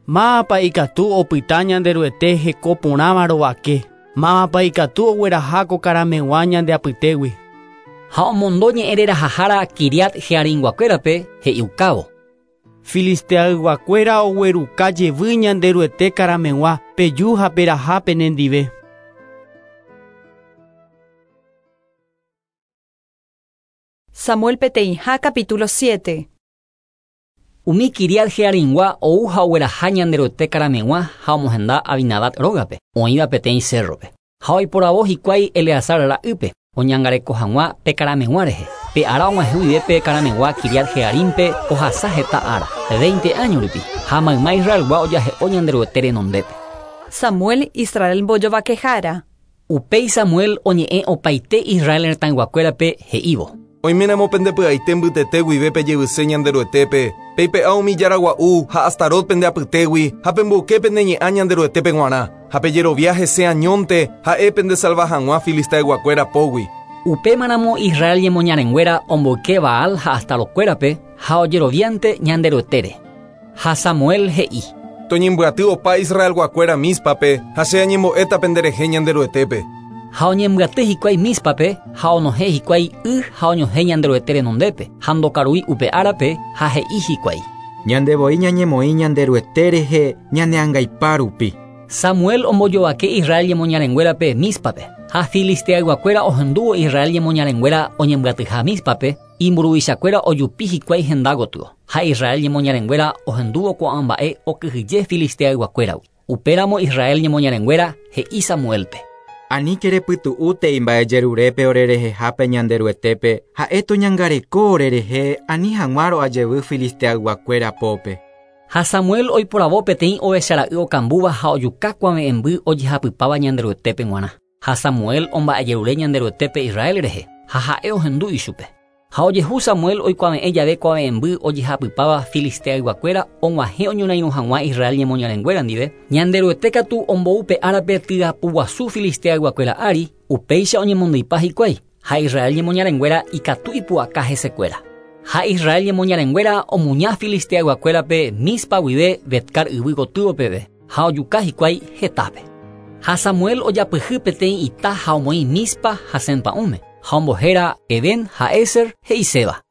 Mávapa ikatu opyta Ñanderuete heko porãva rovake. Mávapa ikatu ogueraha ko karameg̃ua ñande apytégui. Ha omondo ñe'ẽrerahahára Kiriat-Jearimguakuérape he'iukávo: Filisteayguakuéra ogueruka jevy Ñanderuete karameg̃ua peju ha peraha penendive. Samuel peteĩha capítulo 7. Umi Kiriat-Jearimgua ou ha ogueraha Ñanderuete karameg̃ua ha omohenda Abinadab rógape, oĩva peteĩ cérrope. Ha oiporavo hikuái Eleazar ra'ýpe, oñangareko hag̃ua pe karameg̃ua rehe. Pe ára og̃uahẽ guive pe karameg̃ua Kiriat-Jearimpe ohasa heta ára, 20 año rupi, ha mayma Israelgua ojahe'o Ñanderuete renondépe. Samuel Israel mbojovakehára. Upéi Samuel oñe'ẽ opaite Israel retãyguakuérape he'ívo: Oiméramo pendepy'aite mbytete guive pejevyse Ñanderuetépe, peipe'a umi jára gua'u ha Astarot pende apytégui ha pemboyke pende ñe'ã Ñanderuetépe g̃uarã, ha pejerovia hese añónte ha'e pendesalva hag̃ua Filisteayguakuéra pógui. Upémaramo Israel ñemoñarenguéra omboyke Baal ha Astarokuérape ha ojeroviánte Ñanderuetére. Ha Samuel he'i: Toñembyaty opa Israelguakuéra Míspape ha che añembo'éta penderehe Ñanderuetépe. Ha oñembyaty hikuái Míspape ha onohẽ hikuái y ha oñohẽ Ñanderuete renondépe, ha ndokarúi upe árape ha he'i hikuái: Ñandevoi ñañemoĩ Ñanderuete rehe ñaneangaipa rupi. Samuel ombojovake Israel ñemoñarenguérape Míspape, ha Filisteayguakuéra ohendúvo Israel ñemoñarenguéra oñembyatyha Míspape, imburuvichakuéra ojupi hikuái henda gotyo, ha Israel ñemoñarenguéra ohendúvo ko'ã mba'e okyhyje Filisteayguakuéragui. Upéramo Israel ñemoñarenguéra he'i Samuelpe: Aníke repytu'útei mba'ejerurépe orerehehápe Ñanderuetépe, ha'e toñangareko orerehe ani hag̃ua ro'ajevy Filisteayguakuéra pópe. Ha Samuel oiporavo peteĩ ovechara'y okambúva ha ojuka kuave'ẽmby ojehapypáva Ñanderuetépe g̃uarã. Ha Samuel omba'ejerure Ñanderuetépe Israel rehe, ha ha'e ohendu ichupe. Ha ojehu Samuel oikuave'ẽ jave kuave'ẽmby ojehapypáva Filisteayguakuéra og̃uahẽ oñorairõ hag̃ua Israel ñemoñarenguéra ndive, Ñanderuete katu ombou pe árape tyapuguasu Filisteayguakuéra ári, upéicha oñemondyipa hikuái, ha Israel ñemoñarenguéra ikatu ipu'aka hesekuéra. Ha Israel ñemoñarenguéra omuña Filisteayguakuérape Mispa guive Betcar yvy gotyo peve, ha ojuka hikuái hetápe. Ha Samuel ojapyhy peteĩ ita ha omoĩ Mispa ha Sempa'ũme, ha ombohéra Eben ha Eser he'iséva.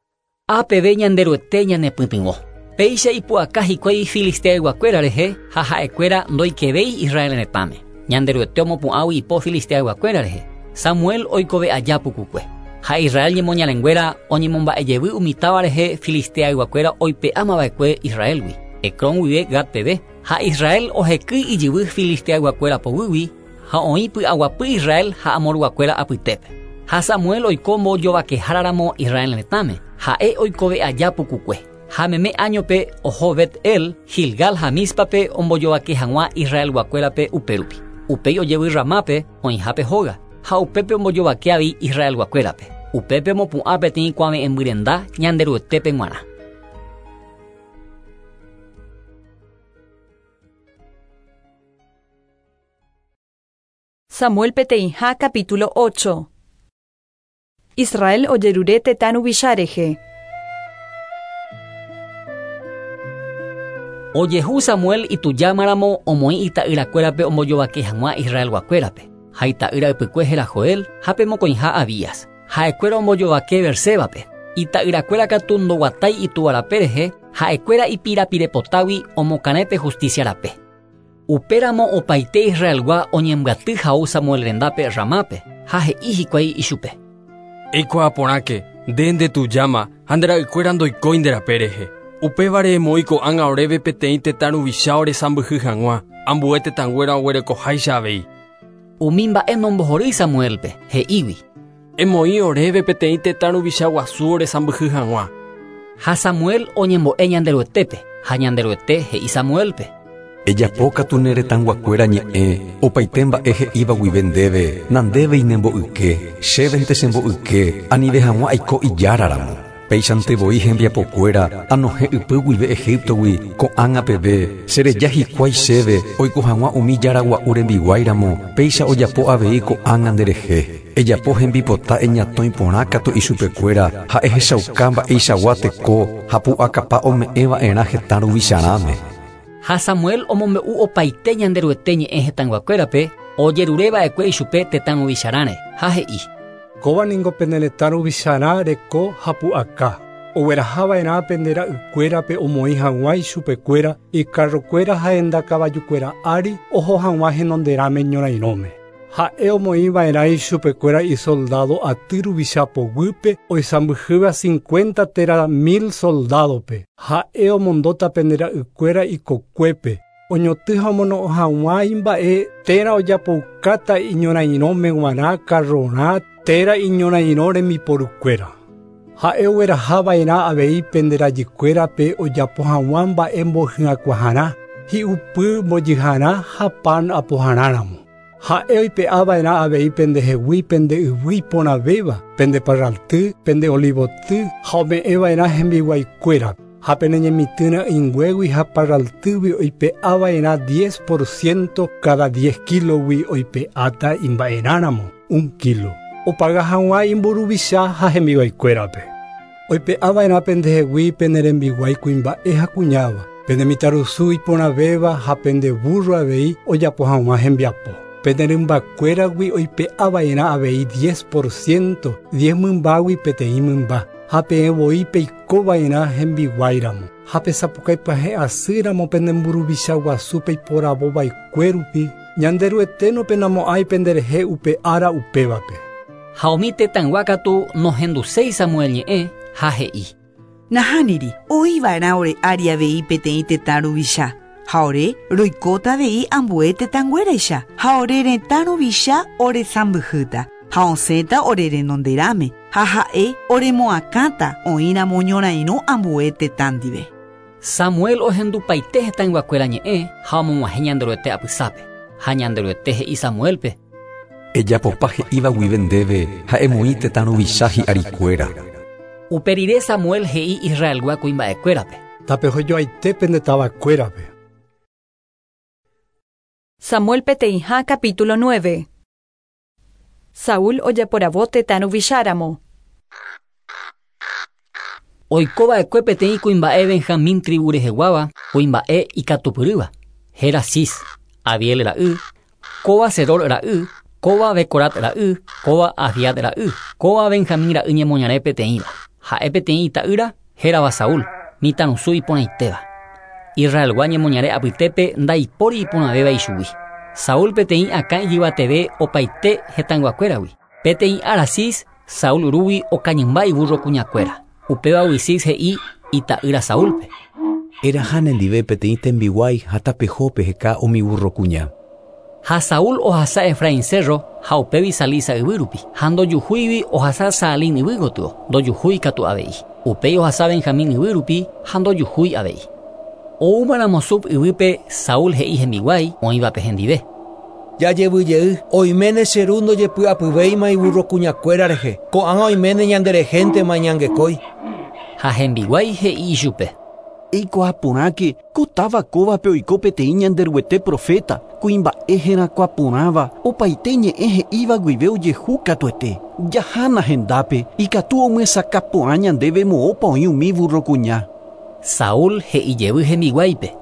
Ápeve Ñanderuete ñanepytyvõ. Péicha ipu'aka hikuái Filisteayguakuéra rehe ha ha'ekuéra ndoikevéi Israel retãme. Ñanderuete omopu'ãgui ipo Filisteayguakuéra rehe. Samuel oikove aja pukukue. Ha Israel ñemoñarenguéra oñemomba'ejevy umi táva rehe Filisteayguakuéra oipe'ámava'ekue Israelgui, Ecrón guive Gat peve, ha Israel ohekýi ijyvy Filisteayguakuéra poguýgui ha oĩ py'aguapy Israel ha Amorguakuéra apytépe. Ha Samuel oiko mbojovakeháraramo Israel retãme, ha'e oikove aja pukukue. Ha meme áñope oho Bet-El, Gilgal ha Mízpape ombojovake hag̃ua Israelguakuérape upérupi. Upéi ojevy Ramápe oĩhápe hóga, ha upépe ombojovake avei Israelguakuérape. Upépe omopu'ã peteĩ kuave'ẽmbyrenda Ñanderuetépe g̃uarã. Samuel peteĩha capítulo 8. Israel ojerure tetã ruvicha rehe. Ojehu Samuel itujámaramo omoĩ ita'yrakuérape ombojovake hag̃ua Israelguakuérape. Ha ita'ýra ypykue héra Joel ha pe mokõiha Abías. Ha'ekuéra ombojovake Beersébape. Ita'yrakuéra katu ndoguatái itúva rape rehe, ha'ekuéra ipirapirepotágui omokarẽ pe justicia rape. Upéramo opaite Israelgua oñembyaty ha ou Samuel rendápe Ramápe, ha he'i hikuái ichupe. Eikuaa porãke, nde ndetujáma ha nde ra'ykuéra ndoikói nde rape rehe. Upévare emoĩ ko'ág̃a oréve peteĩ tetã ruvicha oresãmbyhy hag̃ua, ambue tetãnguéra oguerekoháicha avei. Umi mba'e nombohorýi Samuélpe, he'ígui. Emoĩ oréve peteĩ tetã ruvicha guasu oresãmbyhy hag̃ua. Ha Samuel oñembo'e Ñanderuetépe, ha Ñanderuete he'i Samuélpe. Ejapo katu ne retãyguakuéra ñe'ẽ, opaite mba'e he'íva guive ndéve, nandévei nembo'yke, chévente chembo'yke, anive hag̃ua aiko Ijára ramo. Péichante voi hembiapokuéra anohẽ ypy guive Egíptogui ko'ág̃a peve, chereja hikuái chéve oiko hag̃ua umi jára gua'u rembiguái ramo, péicha ojapo avei ko'ág̃a nderehe. Ejapo hembipota eñatõi porã katu ichupekuéra ha ehechauka mba'eichagua teko ha pu'akapa ome'ẽ va'erã hetã ruvicharãme. Ha Samuel omombe'u opaite Ñanderuete ñe'ẽ hetãyguakuérape, ojerure va'ekue ichupe tetã ruvicharãre, ha he'i. Kóva ningo pene retã ruvicharã reko ha pu'aka, ogueraha va'erã pende ra'ykuérape omoĩ hag̃ua ichupekuéra ikarrokuéra ha henda kavajukuéra ári oho hag̃ua henonderãme ñorairõme. Ha'e omoĩ va'erã ichupekuéra isoldádo aty ruvicha poguýpe oisãmbyhýva cincuenta térã mil soldádope. Ha'e omondóta pende ra'ykuéra ikokuépe, oñotỹ ha omono'õ hag̃ua imba'e térã ojapoukáta iñorairõme g̃uarã karrorã térã iñorairõ rembiporukuéra. Ha'e ogueraha va'erã avei pende rajykuérape ojapo hag̃ua mba'e mbohy'akuaharã, hi'upy mbojyharã ha pan apoharãramo. Ha'e oipe'a va'erã avei pendehegui pende yvy iporãvéva, pende parralty, pende olivoty ha ome'ẽ va'erã hembiguaikuérape. Ha pene ñemitỹ ra'ỹinguégui ha parraltýgui oipe'a va'erã diez por ciento káda diez kílogui oipe'áta imba'erãramo un kílo, opaga hag̃ua imburuvicha ha hembiguaikuérape. Oipe'a va'erã pendehegui pene rembiguái kuimba'e ha kuñáva, pende mitãrusu iporãvéva ha pende vúrro avei ojapo hag̃ua hembiapo. Pene rymbakuéragui oipe'a va'erã avei diez por ciento, diez mymbágui peteĩ mymba, ha peẽ voi peiko va'erã hembiguáiramo. Ha pesapukaipyahẽ asýramo pende mburuvicha guasu peiporavo va'ekue rupi, Ñanderuete nopenamo'ãi penderehe upe ára upévape. Ha umi tetãygua katu nohenduséi Samuel ñe'ẽ ha he'i. Nahániri, oĩ va'erã ore ári avei peteĩ tetã ruvicha, ha ore roikóta avei ambue tetãnguéraicha, ha ore retã ruvicha oresãmbyhýta, ha osẽta ore renonderãme, ha ha'e oremoakãta oĩramo ñorairõ ambue tetã ndive. Samuel ohendupaite hetãyguakuéra ñe'ẽ ha omog̃uahẽ Ñanderuete apysápe. Ha Ñanderuete he'i Samuélpe. Ejapopa he'íva guive ndéve ha emoĩ tetã ruvicha hi'arikuéra. Upe rire Samuel he'i Israelgua kuimba'ekuérape. Tapehojoaite pende tavakuérape. Samuel peteĩha capítulo 9. Saúl ojeporavo tetã ruvicháramo. Oiko va'ekue peteĩ kuimba'e Benjamín tribu reheguáva, kuimba'e ikatupyrýva, héra Cis, Abiel ra'y, kóva Seror ra'y, kóva Becorat ra'y, kóva Afiat ra'y, kóva Benjamín ra'y ñemoñare peteĩva. Ha'e peteĩ ita'ýra, hérava Saúl, mitãrusu iporãitéva. Israelgua ñemoñare apytépe ndaipóri iporãvéva ichugui. Saúl peteĩ akã ijyvateve opaite hetãyguakuéragui. Peteĩ ára Cis, Saúl rúgui okañymba ivúrro kuñakuéra. Upévagui Cis he'i ita'ýra Saúlpe. Eraha nendive peteĩ tembiguái ha tapeho peheka umi vúrro kuña. Ha Saúl ohasa Efraín cerro ha upégui Salisa yvy rupi, ha ndojuhúigui ohasa Saalín yvy gotyo, ndojuhúi katu avei. Upéi ohasa Benjamín yvy rupi ha ndojuhúi avei. Oúmaramo Zuf yvýpe Saúl he'i hembiguái oĩvape hendive. Jajevy jey, oiméne che ru ndojepy'apyvéima iburrokuñakuéra rehe, ko'ág̃a oiméne ñanderehéntema iñangekói. Ha hembiguái he'i ichupe. Eikuaa porãke, ko táva kóvape oiko peteĩ Ñanderuete proféta, kuimba'e herakuã porãva, opaite ñe'ẽ he'íva guive ojehu katuete. Jahána hendápe, ikatu omyesakã porã ñandéve moõpa oĩ umi burrokuña. Saúl he'i jevy hembiguáipe.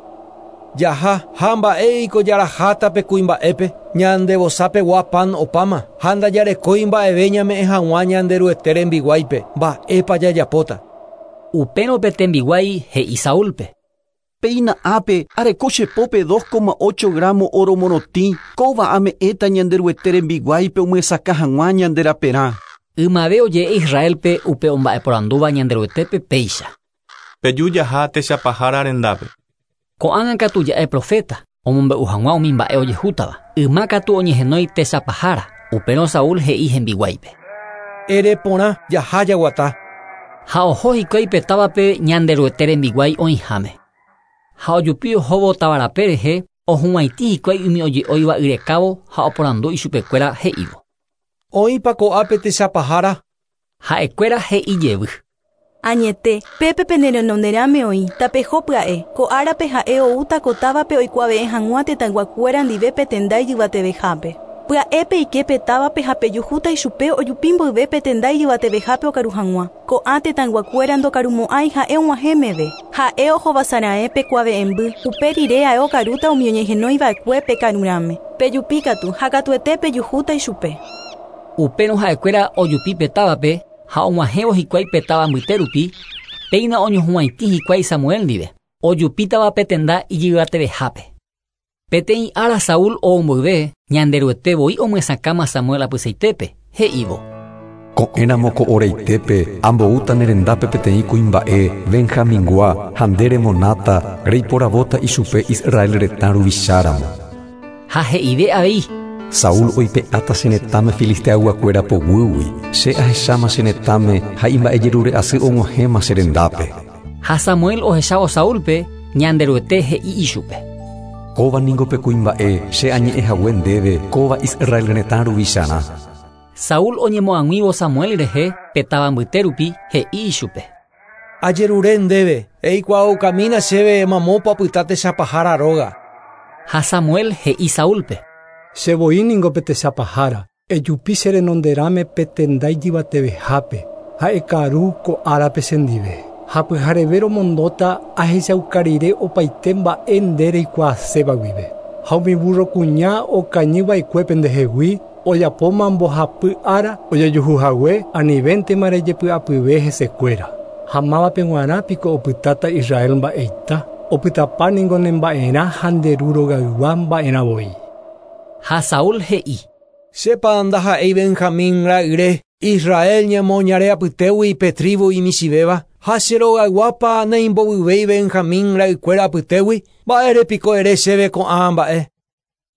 Jaha, ha mba'éiko jaraháta pe kuimba'épe, ñande vosápegua pan opáma, ha ndajarekói mba'eve ñame'ẽ hag̃ua Ñanderuete rembiguáipe, mba'épa jajapóta. Upérõ pe tembiguái he'i Saúlpe. Péina ápe, areko che pópe 2,8 gramo óro morotĩ, kóva ame'ẽta Ñanderuete rembiguáipe omyesakã hag̃ua ñande raperã. Ymave oje'e Israélpe upe omba'eporandúva Ñanderuetépe péicha. Peju jaha techapahára rendápe. Ko'ág̃a katu ja'e proféta, omombe'u hag̃ua umi mba'e ojehútava. Yma katu oñehenói techapahára, upérõ Saúl he'i hembiguáipe. Ere porã, jaha jaguata. Ha oho hikuái pe távape Ñanderuete rembiguái oĩháme. Ha ojupi ohóvo táva rape rehe, ohuvaitĩ hikuái umi oje'óiva yrekávo ha oporandu ichupekuéra he'ívo. Oĩpa ko'ápe techapahára? Ha'ekuéra he'i jevy. Añete, pépe pene renonderãme oĩ, tapeho pya'e, ko árape ha'e oúta ko távape oikuave'ẽ hag̃ua tetãyguakuéra ndive pe tenda ijyvatevehápe. Pya'e peike pe távape ha pejuhúta ichupe ojupi mboyve pe tenda ijyvatevehápe okaru hag̃ua. Ko'ã tetãyguakuéra ndokarumo'ãi ha'e og̃uahẽ meve. Ha'e ohovasara'ẽ pe kuave'ẽmby, upe rire ae okarúta umi oñehenóiva'ekue pe karurãme. Pejupi katu, ha katuete pejuhúta ichupe. Upérõ ha'ekuéra ojupi pe távape ha og̃uahẽvo hikuái pe táva mbyte rupi, péina oñohuvaitĩ hikuái Samuel ndive, ojupítava pe tenda ijyvatevehápe. Peteĩ ára Saúl ou mboyve, Ñanderuete voi omyesakãma Samuel apysaitépe, he'ívo. Ko'ẽramo ko oraitépe amboúta ne rendápe peteĩ kuimba'e Benjamingua ha nde remonáta reiporavóta ichupe Israel retã ruvicháramo. Ha he'ive avei. Saúl oipe'áta che retãme filisteayguakuéra poguýgui, che ahecháma che retãme ha imba'ejerure'asy og̃uahẽma che rendápe. Ha Samuel ohechávo Saúlpe, Ñanderuete he'i ichupe. Kóva ningo pe kuimba'e che añe'ẽ hague ndéve kóva Israel retã ruvicharã. Saúl oñemoag̃uívo Samuel rehe pe táva mbyte rupi, he'i ichupe. Ajerure ndéve, eikuaaukamína chéve mamópa opyta techapahára róga. Ha Samuel he'i Saúlpe. Che voi ningo pe techapahára, ejupi che renonderãme pe tenda ijyvatevehápe, ha ekaru ko árape chendive. Ha pyhareve romondóta ahechauka rire opaite mba'e nde reikuaaséva guive. Ha umi burrokuña okañyva'ekue pendehegui, ojapóma mbohapy ára ojejuhuhague anivéntema rejepy'apyve hesekuéra. Ha mávape g̃uarã piko opytáta Israel mba'eita, opytapa ningo ne mba'erã ha nde ru rogaygua mba'erã voi. Ha Saúl he'i. Chépa ndaha'éi Benjamín ra'yre, Israel ñemoñare apytégui pe tribu imichĩvéva, ha che rogayguápa neimbovyvéi Benjamín ra'ykuéra apytégui, mba'ére piko ere chéve ko'ã mba'e.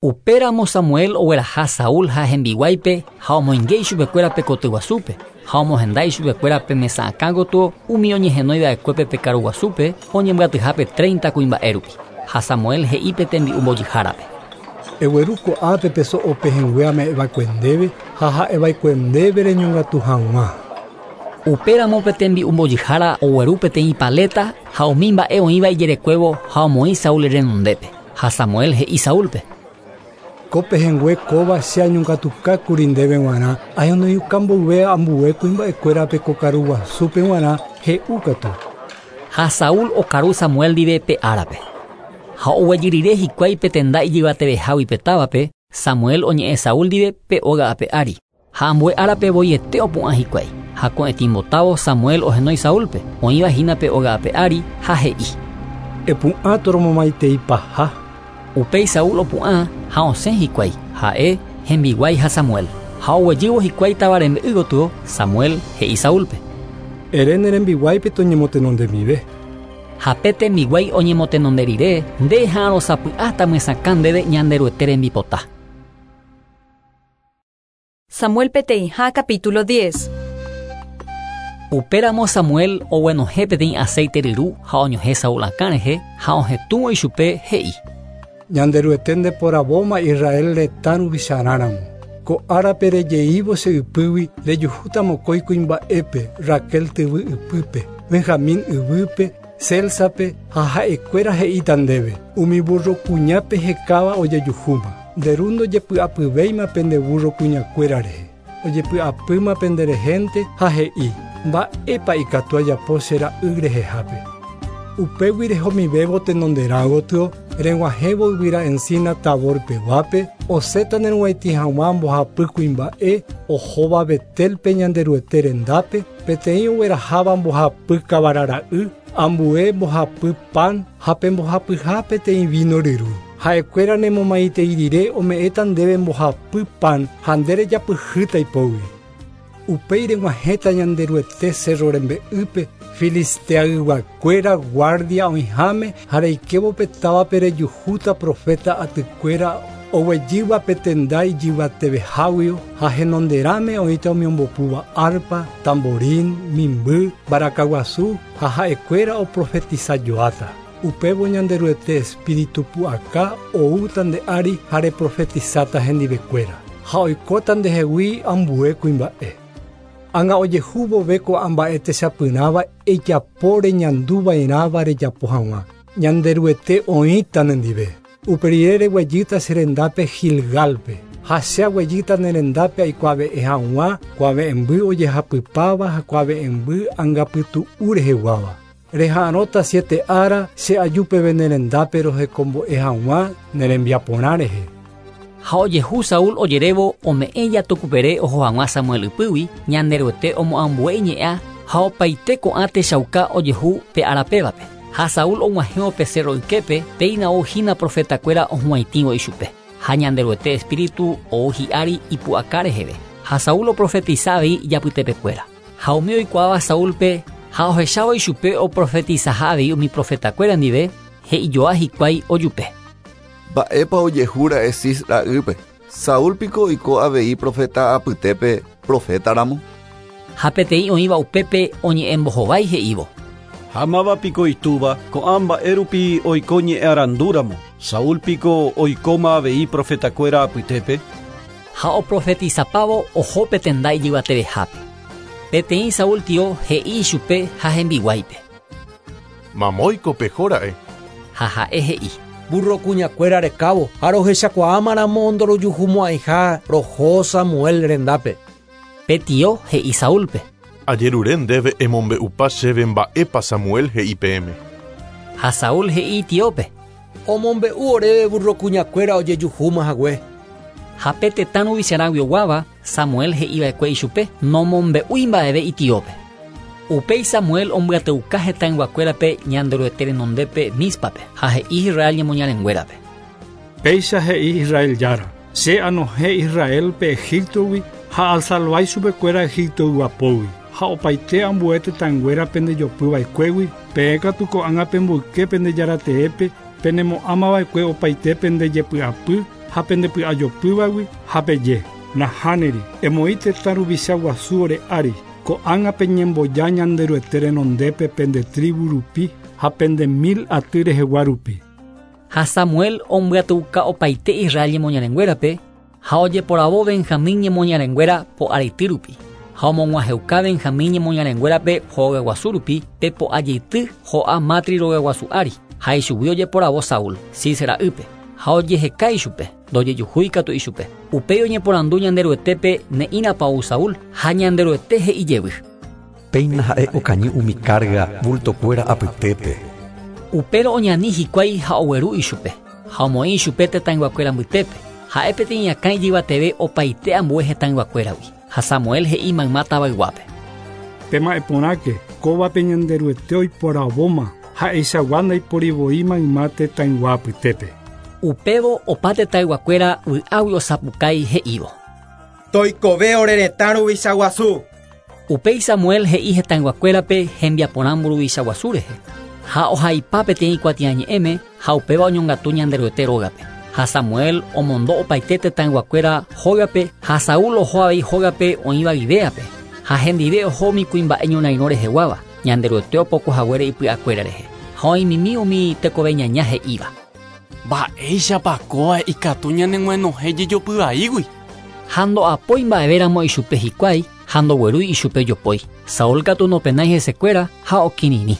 Upéramo Samuel ogueraha Saúl ha hembiguáipe ha omoinge ichupekuéra pe koty guasúpe, ha omohenda ichupekuéra pe mesa akã gotyo umi oñehenóiva'ekuépe pe karu guasúpe oñembyatyhápe 30 kuimba'e rupi. Ha Samuel he'i pe tembi'u mbojyhárape. Egueru ko'ápe pe so'o pehẽngue ame'ẽva'ekue ndéve ha ha'eva'ekue ndéve reñongatu hag̃ua. Upéramo pe tembi'u mbojyhára ogueru peteĩ paleta ha umi mba'e oĩva ijerekuévo ha omoĩ Saúl renondépe. Ha Samuel he'i Saúlpe. Ko pehẽngue kóva che añongatukákuri ndéve g̃uarã, ahenóiuka mboyve ambue kuimba'ekuérape ko karu guasúpe g̃uarã he'u katu. Ha Saúl okaru Samuel ndive pe árape. Ha oguejy rire hikuái pe tenda ijyvatevehágui pe távape, Samuel oñe'ẽ Saúl ndive pe óga ape ári. Ha ambue árape voiete opu'ã hikuái. Ha ko'ẽtĩmbotávo Samuel ohenói Saúlpe, oĩva hína pe óga ape ári, ha he'i. Epu'ã toromomaiteipaha. Upéi Saúl opu'ã ha osẽ hikuái, ha'e, hembiguái ha Samuel. Ha oguejývo hikuái táva rembe'y gotyo, Samuel he'i Saúlpe. Ere ne rembiguáipe toñemotenondemive. Ha pe tembiguái oñemotenonde rire, nde eha'arõ sapy'áta myesakã ndéve Ñanderuete rembipota. Samuel peteĩha capítulo 10. Upéramo Samuel oguenohẽ peteĩ aceite ryru ha oñohẽ Saúl akã rehe ha ohetũvo ichupe he'i. Ñanderuete ndeporavóma Israel retã ruvicharãramo. Ko árape rejeívo che ypýgui rejuhúta mokõi kuimba'épe Raquel tyvy ypýpe, Benjamín yvýpe, Selsape ha ha'ekuéra he'íta ndéve. Umi burro kuñápe hekáva ojejuhúma. Nde ru ndojepy'apyvéima pende burro kuñakuéra rehe. Ojepy'apýma penderehénte ha he'i, Mba'épa ikatu ajapo che ra'y rehehápe. Upégui rehomivévo tenonderã gotyo, reg̃uahẽvo yvyra encina Tabor peguápe, osẽta nerug̃uaitĩ hag̃ua mbohapy kuimba'e ohóva Betelpe Ñanderuete rendápe, peteĩ ogueraháva mbohapy kavara ra'y, ambue mbohapy pan ha pe mbohapyha peteĩ vino ryru. Ha'ekuéra nemomaitei rire ome'ẽta ndéve mbohapy pan ha nde rejapyhýta ipógui. Upéi reg̃uahẽta Ñanderuete cerro rembe'ýpe, Filisteayguakuéra guardia oĩháme ha reikévo pe távape rejuhúta profeta atykuéra oguejýva pe tenda ijyvateveháguio ha henonderãme oĩta umi ombopúva arpa, tamborín, mimby, mbarakaguasu ha ha'ekuéra oprofetisajoáta. Upévo Ñanderuete espíritu pu'aka oúta nde ári ha reprofetisáta hendivekuéra. Ha oikóta ndehegui ambue kuimba'e. Ág̃a ojehu vove ko'ã mba'e techapyrãva ejapo reñanduva'erãva rejapo hag̃ua. Ñanderuete oĩta nendive. Upe rire reguejýta che rendápe Gilgálpe, ha che aguejýta ne rendápe aikuave'ẽ hag̃ua kuave'ẽmby ojehapypáva ha kuave'ẽmby angapytu'u reheguáva. Reha'arõta siete ára che aju peve ne rendápe rohekombo'e hag̃ua ne rembiaporã rehe. Ha ojehu Saúl ojerévo ome'ẽ jatukupere oho hag̃ua Samuel ypýgui, Ñanderuete omoambue iñe'ã ha opaite ko'ã techauka ojehu pe ára pévape. Ha Saúl og̃uahẽvo pe cerro yképe, péina ou hína profetakuéra ohuvaitĩvo ichupe. Ha Ñanderuete espíritu ou hi'ári ipu'aka reheve. Ha Saúl oprofetisa avei ijapytepekuéra. Ha umi oikuaáva Saúlpe ha ohechávo ichupe oprofetisaha avei umi profetakuéra ndive, he'ijoa hikuái ojupe. Mba'épa ojehúra'e Cis ra'ýpe? Saúl piko oiko avei profeta apytépe profétaramo? Ha peteĩ oĩva upépe oñe'ẽmbohovái he'ívo. Ha máva piko itúva, ko'ã mba'e rupi oiko ñe'ẽarandúramo? Saúl piko oikóma avei profetakuéra apytépe? Ha oprofetisapávo oho pe tenda ijyvatevehápe. Peteĩ Saúl tio he'i ichupe ha hembiguáipe. Mamóiko pehóra'e. Ha ha'e he'i. Burro kuñakuéra rekávo ha rohechakuaámaramo ndorojuhumo'ãiha roho Samuel rendápe. Pe tio he'i Saúlpe. Ajerure ndéve emombe'upa chéve mba'épa Samuel he'i peẽme. Ha Saúl he'i itiópe. Omombe'u oréve burro kuñakuéra ojejuhúma hague. Ha pe tetã ruvicharãguioguáva, Samuel he'iva'ekue ichupe nomombe'úi mba'eve itiópe. Upéi Samuel ombyateuka hetãyguakuérape Ñanderuete renondépe Míspape, ha he'i Israel ñemoñarenguérape. Péicha he'i Israel Jára, Che anohẽ Israélpe Egíptogui ha asalvái chupekuéra Egiptoygua pógui, ha opaite ambue tetãnguéra pendejopyva'ekuégui, peẽ katu ko'ág̃a pemboyke pende Jarateépe, penemo'ãmava'ekue opaite pende jepy'apy ha pendepy'ajopývagui, ha peje, Nahániri, emoĩ tetã ruvicha guasu ore ári, ko'ág̃a peñemboja Ñanderuete renondépe pende tribu rupi ha pende mil aty rehegua rupi. Ha Samuel ombyatyuka opaite Israel ñemoñarenguérape, ha ojeporavo Benjamín ñemoñarenguéra po'areity rupi, ha omog̃uahẽuka Benjamín ñemoñarenguérape hogaguasu rupi pe po'ajeity ho'a Matri rogaguasu ári, ha ichugui ojeporavo Saúl, Cis ra'ýpe, ha ojeheka ichupe, ndojejuhúi katu ichupe. Upéi oñeporandu Ñanderuetépe ne'ĩrapa ou Saúl, ha Ñanderuete he'i jevy. Péina ha'e okañy umi kárga vultokuéra apytépe. Upérõ oñani hikuái ha ogueru ichupe, ha omoĩ ichupe tetãyguakuéra mbytépe, ha'e peteĩ akã ijyvateve opaite ambue hetãyguakuéragui. Ha Samuel he'i mayma tavayguápe. Pema'ẽ porãke, kóvape Ñanderuete oiporavóma, ha'eichagua ndaipóri voi mayma tetãygua apytépe. Upévo opa tetãyguakuéra vy'águi osapukái he'ívo. Toikove ore retã ruvicha guasu. Upéi Samuel he'i hetãyguakuérape hembiaporã mburuvicha guasu rehe, ha ohaipa peteĩ kuatiañe'ẽme ha upéva oñongatu Ñanderuete rógape. Ha Samuel omondo opaite tetãyguakuéra hógape ha Saúl oho avei hógape oĩva Gibeápe. Ha hendive oho umi kuimba'e ñorairõ reheguáva, Ñanderuete opoko haguére ipy'akuéra rehe. Ha oĩmimi umi tekove ñaña he'íva. Mba'éichapa kóva ikatu ñaneg̃uenohẽ jejopy vaígui? Ha ndo'apói mba'evéramo ichupe hikuái ha ndoguerúi ichupe jopói. Saúl katu nopenái hesekuéra ha okirirĩ.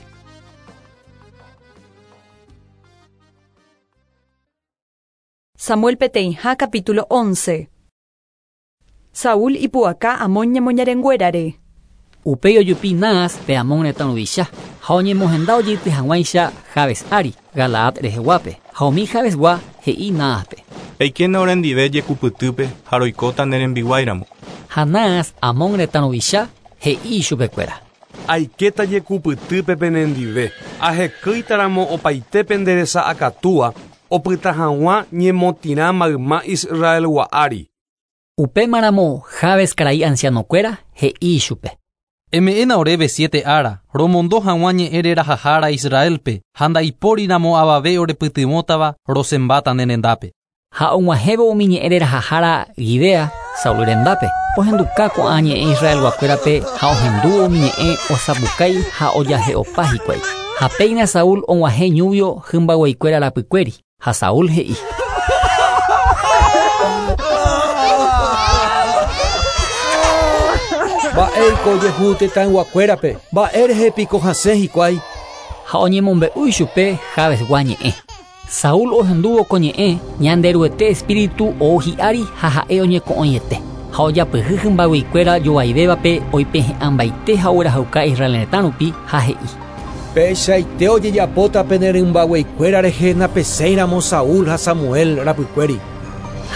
Samuel peteĩha capítulo 11. Saúl ipu'aka Amón ñemoñarenguérare. Upéi ojupi Naas pe Amón retã ruvicha, ha oñemohenda ojeity hag̃uáicha Jabes ári, Galaad reheguápe. Ha umi Jabesgua he'i Náaspe. Eikéna orendive jekupytýpe ha roikóta ne rembiguáiramo. Ha Naas, Amón retã ruvicha, he'i ichupekuéra. Aikéta jekupytýpe penendive, ahekýitaramo opaite pende resa akatúa, opyta hag̃ua ñemotĩrã mayma Israelgua ári. Upémaramo Jabes karai ancianokuéra he'i ichupe. Eme'ẽna oréve siete ára, romondo hag̃ua ñe'ẽ rerahahára Israélpe, ha ndaipóriramo avave orepytyvõtava rosẽmbáta ne rendápe. Ha og̃uahẽvo umi ñe'ẽ rerahahára Gibea, Saúl rendápe, ohenduka ko'ã ñe'ẽ Israelguakuérape ha ohendúvo umi ñe'ẽ osapukái ha ojahe'opa hikuái. Ha péina Saúl og̃uahẽ ñúvio hymbagueikuéra rapykuéri, ha Saúl he'i. Mba'éiko ojehu tetãyguakuérape, mba'e rehe piko hasẽ hikuái? Ha oñemombe'u ichupe Jabesgua ñe'ẽ. Saúl ohendúvo ko ñe'ẽ, Ñanderuete espíritu ou hi'ári ha ha'e oñeko'õiete. Ha ojapyhy hymbagueikuéra jovaivévape oipehe'ãmbaite ha oguerahauka Israel retã rupi, ha he'i. Peichaite ojejapóta pene rymbagueikuéra rehe napesẽiramo Saúl ha Samuel rapykuéri.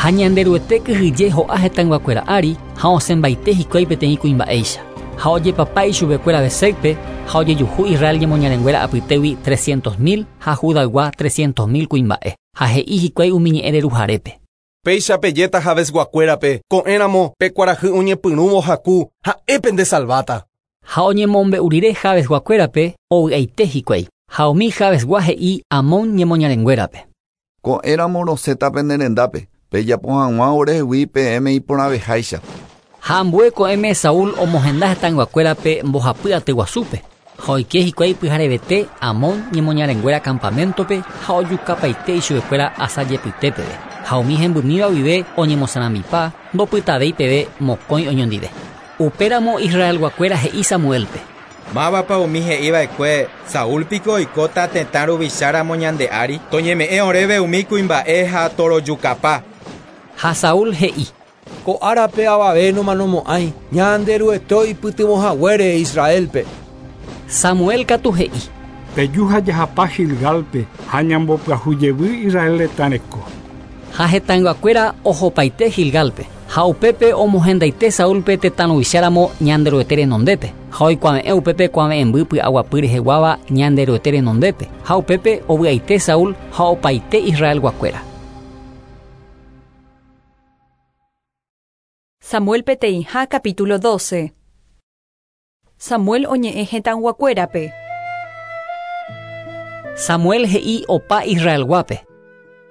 Ha Ñanderuete kyhyje ho'a hetãyguakuéra ári ha osẽmbaite hikuái peteĩ kuimba'éicha. Ha ojepapa ichupekuéra Besécpe, ha ojejuhu Israel ñemoñarenguéra apytégui trescientos mil ha Judaygua trescientos mil kuimba'e. Ha he'i hikuái umi ñe'ẽ reruharépe. Péicha pejéta Jabesguakuérape, ko'ẽramo pe kuarahy oñepyrũvo haku, ha'e pendesalváta. Ha oñemombe'u rire Jabesguakuérape, ovy'aite hikuái. Ha umi Jabesgua he'i Amón ñemoñarenguérape. Ko'ẽramo rosẽta pene rendápe, pejapo hag̃ua orehegui peẽme iporãveháicha. Ha ambue ko'ẽme Saúl omohenda hetãyguakuérape mbohapy aty guasúpe, ha oike hikuái pyharevete Amón ñemoñarenguéra campaméntope ha ojukapaite ichupekuéra asajepyte peve, ha umi hembymíva guive oñemosãrambipa ndopytavéi peve mokõi oñondive. Upéramo Israelguakuéra he'i Samuélpe. Mávapa umi he'i va'ekue, Saúl piko oikóta tetã ruvicha ramo ñande ári? Toñeme'ẽ oréve umi kuimba'e ha torojukapa. Ha Saúl he'i. Ko árape avave nomanomo'ãi, Ñanderuete oipytyvõ haguére Israélpe. Samuel katu he'i. Peju ha jahapa Gilgálpe ha ñambopyahu jevy Israel retã reko. Ha hetãyguakuéra ohopaite Gilgálpe, ha upépe omohendaite Saúlpe tetã ruvicháramo Ñanderuete renondépe, ha oikuave'ẽ upépe kuave'ẽmby py'aguapy reheguáva Ñanderuete renondépe, ha upépe ovy'aite Saúl ha opaite Israelguakuéra. Samuel peteĩha capítulo 12. Samuel oñe'ẽ hetãyguakuérape. Samuel he'i opa Israelguápe.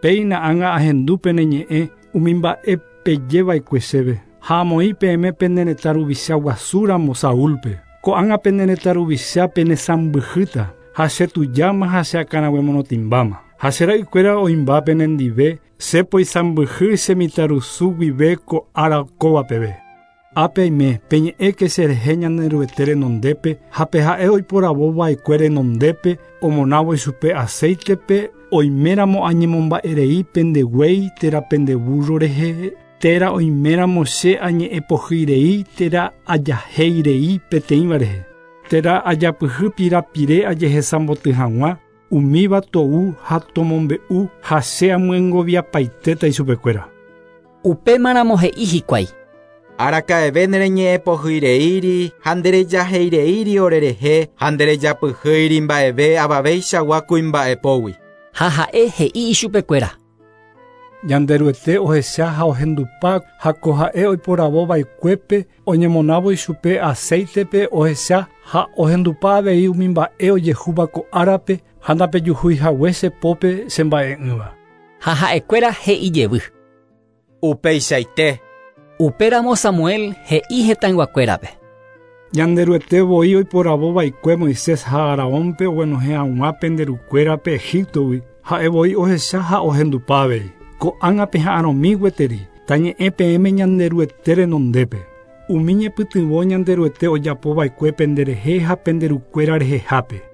Péina ág̃a ahendu pene ñe'ẽ umi mba'e peje va'ekue chéve, ha amoĩ peẽme pene retã ruvicha guasu ramo Saúlpe. Ko'ág̃a pene retã ruvicha penesãmbyhýta, ha che tujáma ha che akãraguemonotĩmbáma. Ha che ra'ykuéra oĩmba penendive, che poisãmbyhy che mitãrusu guive ko ára kóva peve. Ápe aime, peñe'ẽke cherehe Ñanderuete renondépe ha pe ha'e oiporavo va'ekue renondépe, omonávo ichupe acéitepe, oiméramo añemomba'erei pende guéi térã pende búrro rehe, térã oiméramo che añe'ẽpohýirei térã ajahéirei peteĩva rehe, térã ajapyhy pirapire ajehesamboty hag̃ua, umíva tou ha tomombe'u ha che amyengoviapaitéta ichupekuéra. Upémaramo he'i hikuái. Araka'eve nereñe'ẽpohyireíri ha nderejaheireíri orerehe ha nderejapyhýiri mba'eve avaveichagua kuimba'epógui. Ha ha'e he'i ichupekuéra. Ñanderuete ohecha ha ohendupa ha ko ha'e oiporavo va'ekuépe oñemonávo ichupe acéitepe ohecha ha ohendupa avei umi mba'e ojehúva ko árape ha ndapejuhúi hague che pópe che mba'e'ỹva. Ha ha'ekuéra he'i jevy. Upeichaite. Upéramo Samuel he'i hetãyguakuérape. Ñanderuete voi oiporavova'ekue Moisés ha Aarónpe oguenohẽ hag̃ua pende rukuérape Egiptogui, ha'e voi ohecha ha ohendupa avei. Ko'ág̃a peha'arõmi gueteri, tañe'ẽ peẽme Ñanderuete renondépe. Umi ñepytyvõ Ñanderuete ojapova'ekue penderehe ha pende rukuéra rehehápe.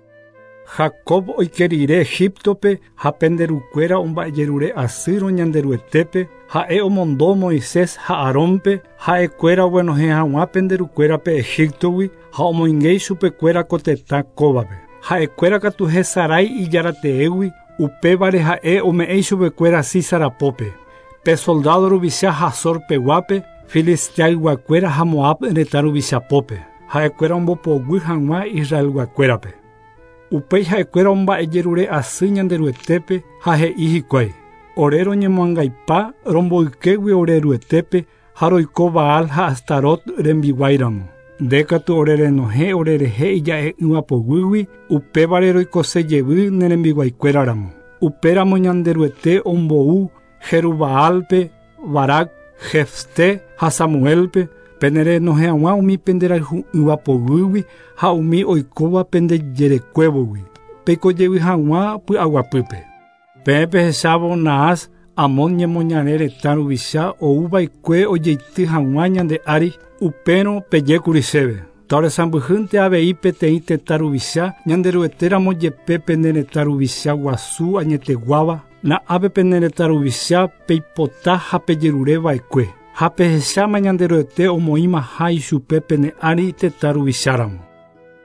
Jacob oike rire Egiptope ha pende rukuéra omba'ejerure asýrõ Ñanderuetépe, ha'e omondo Moisés ha Aarónpe, ha'ekuéra oguenohẽ hag̃ua pende rukuérape Egiptogui ha omoingéi chupekuéra ko tetã kóvape. Ha'ekuéra katu hesarái ijarateégui, upévare ha'e ome'ẽ chupekuéra Sísarapópe. Pe soldado ruvicha Hazor peguápe, Filisteayguakuéra ha Moab retã ruvichapópe. Ha'ekuéra ombopoguy hag̃ua Israelguakuérape. Upéi ha'ekuéra omba'ejerure asy Ñanderuetépe ha he'i hikuái. Ore roñemoangaipa romboykégui ore Ruetépe ha roiko Baal ha Astarot rembiguáiramo. Nde katu ore renohẽ orerehe ija'e'ỹva poguýgui, upévare roikose jevy ne rembiguaikuéraramo. Upéramo Ñanderuete ombou Jerubaalpe, Barak, Jefté ha Samuelpe, pene renohẽ hag̃ua umi penderayhu'ỹva poguýgui ha umi oikóva pendejerekuévogui. Peiko jevy hag̃ua py'aguapýpe. Peẽ pehechávo Naas, Amón ñemoñare retã ruvicha ouva'ekue ojeity hag̃ua ñande ári, upérõ pejékuri chéve. Taoresãmbyhýnte avei peteĩ tetã ruvicha Ñanderuetéramo jepe pene retã ruvicha guasu añeteguáva, na'ápe pene retã ruvicha peipota ha pejerureva'ekue. Ha pehecháma Ñanderuete omoĩmaha ichupe pene ári tetã ruvicháramo.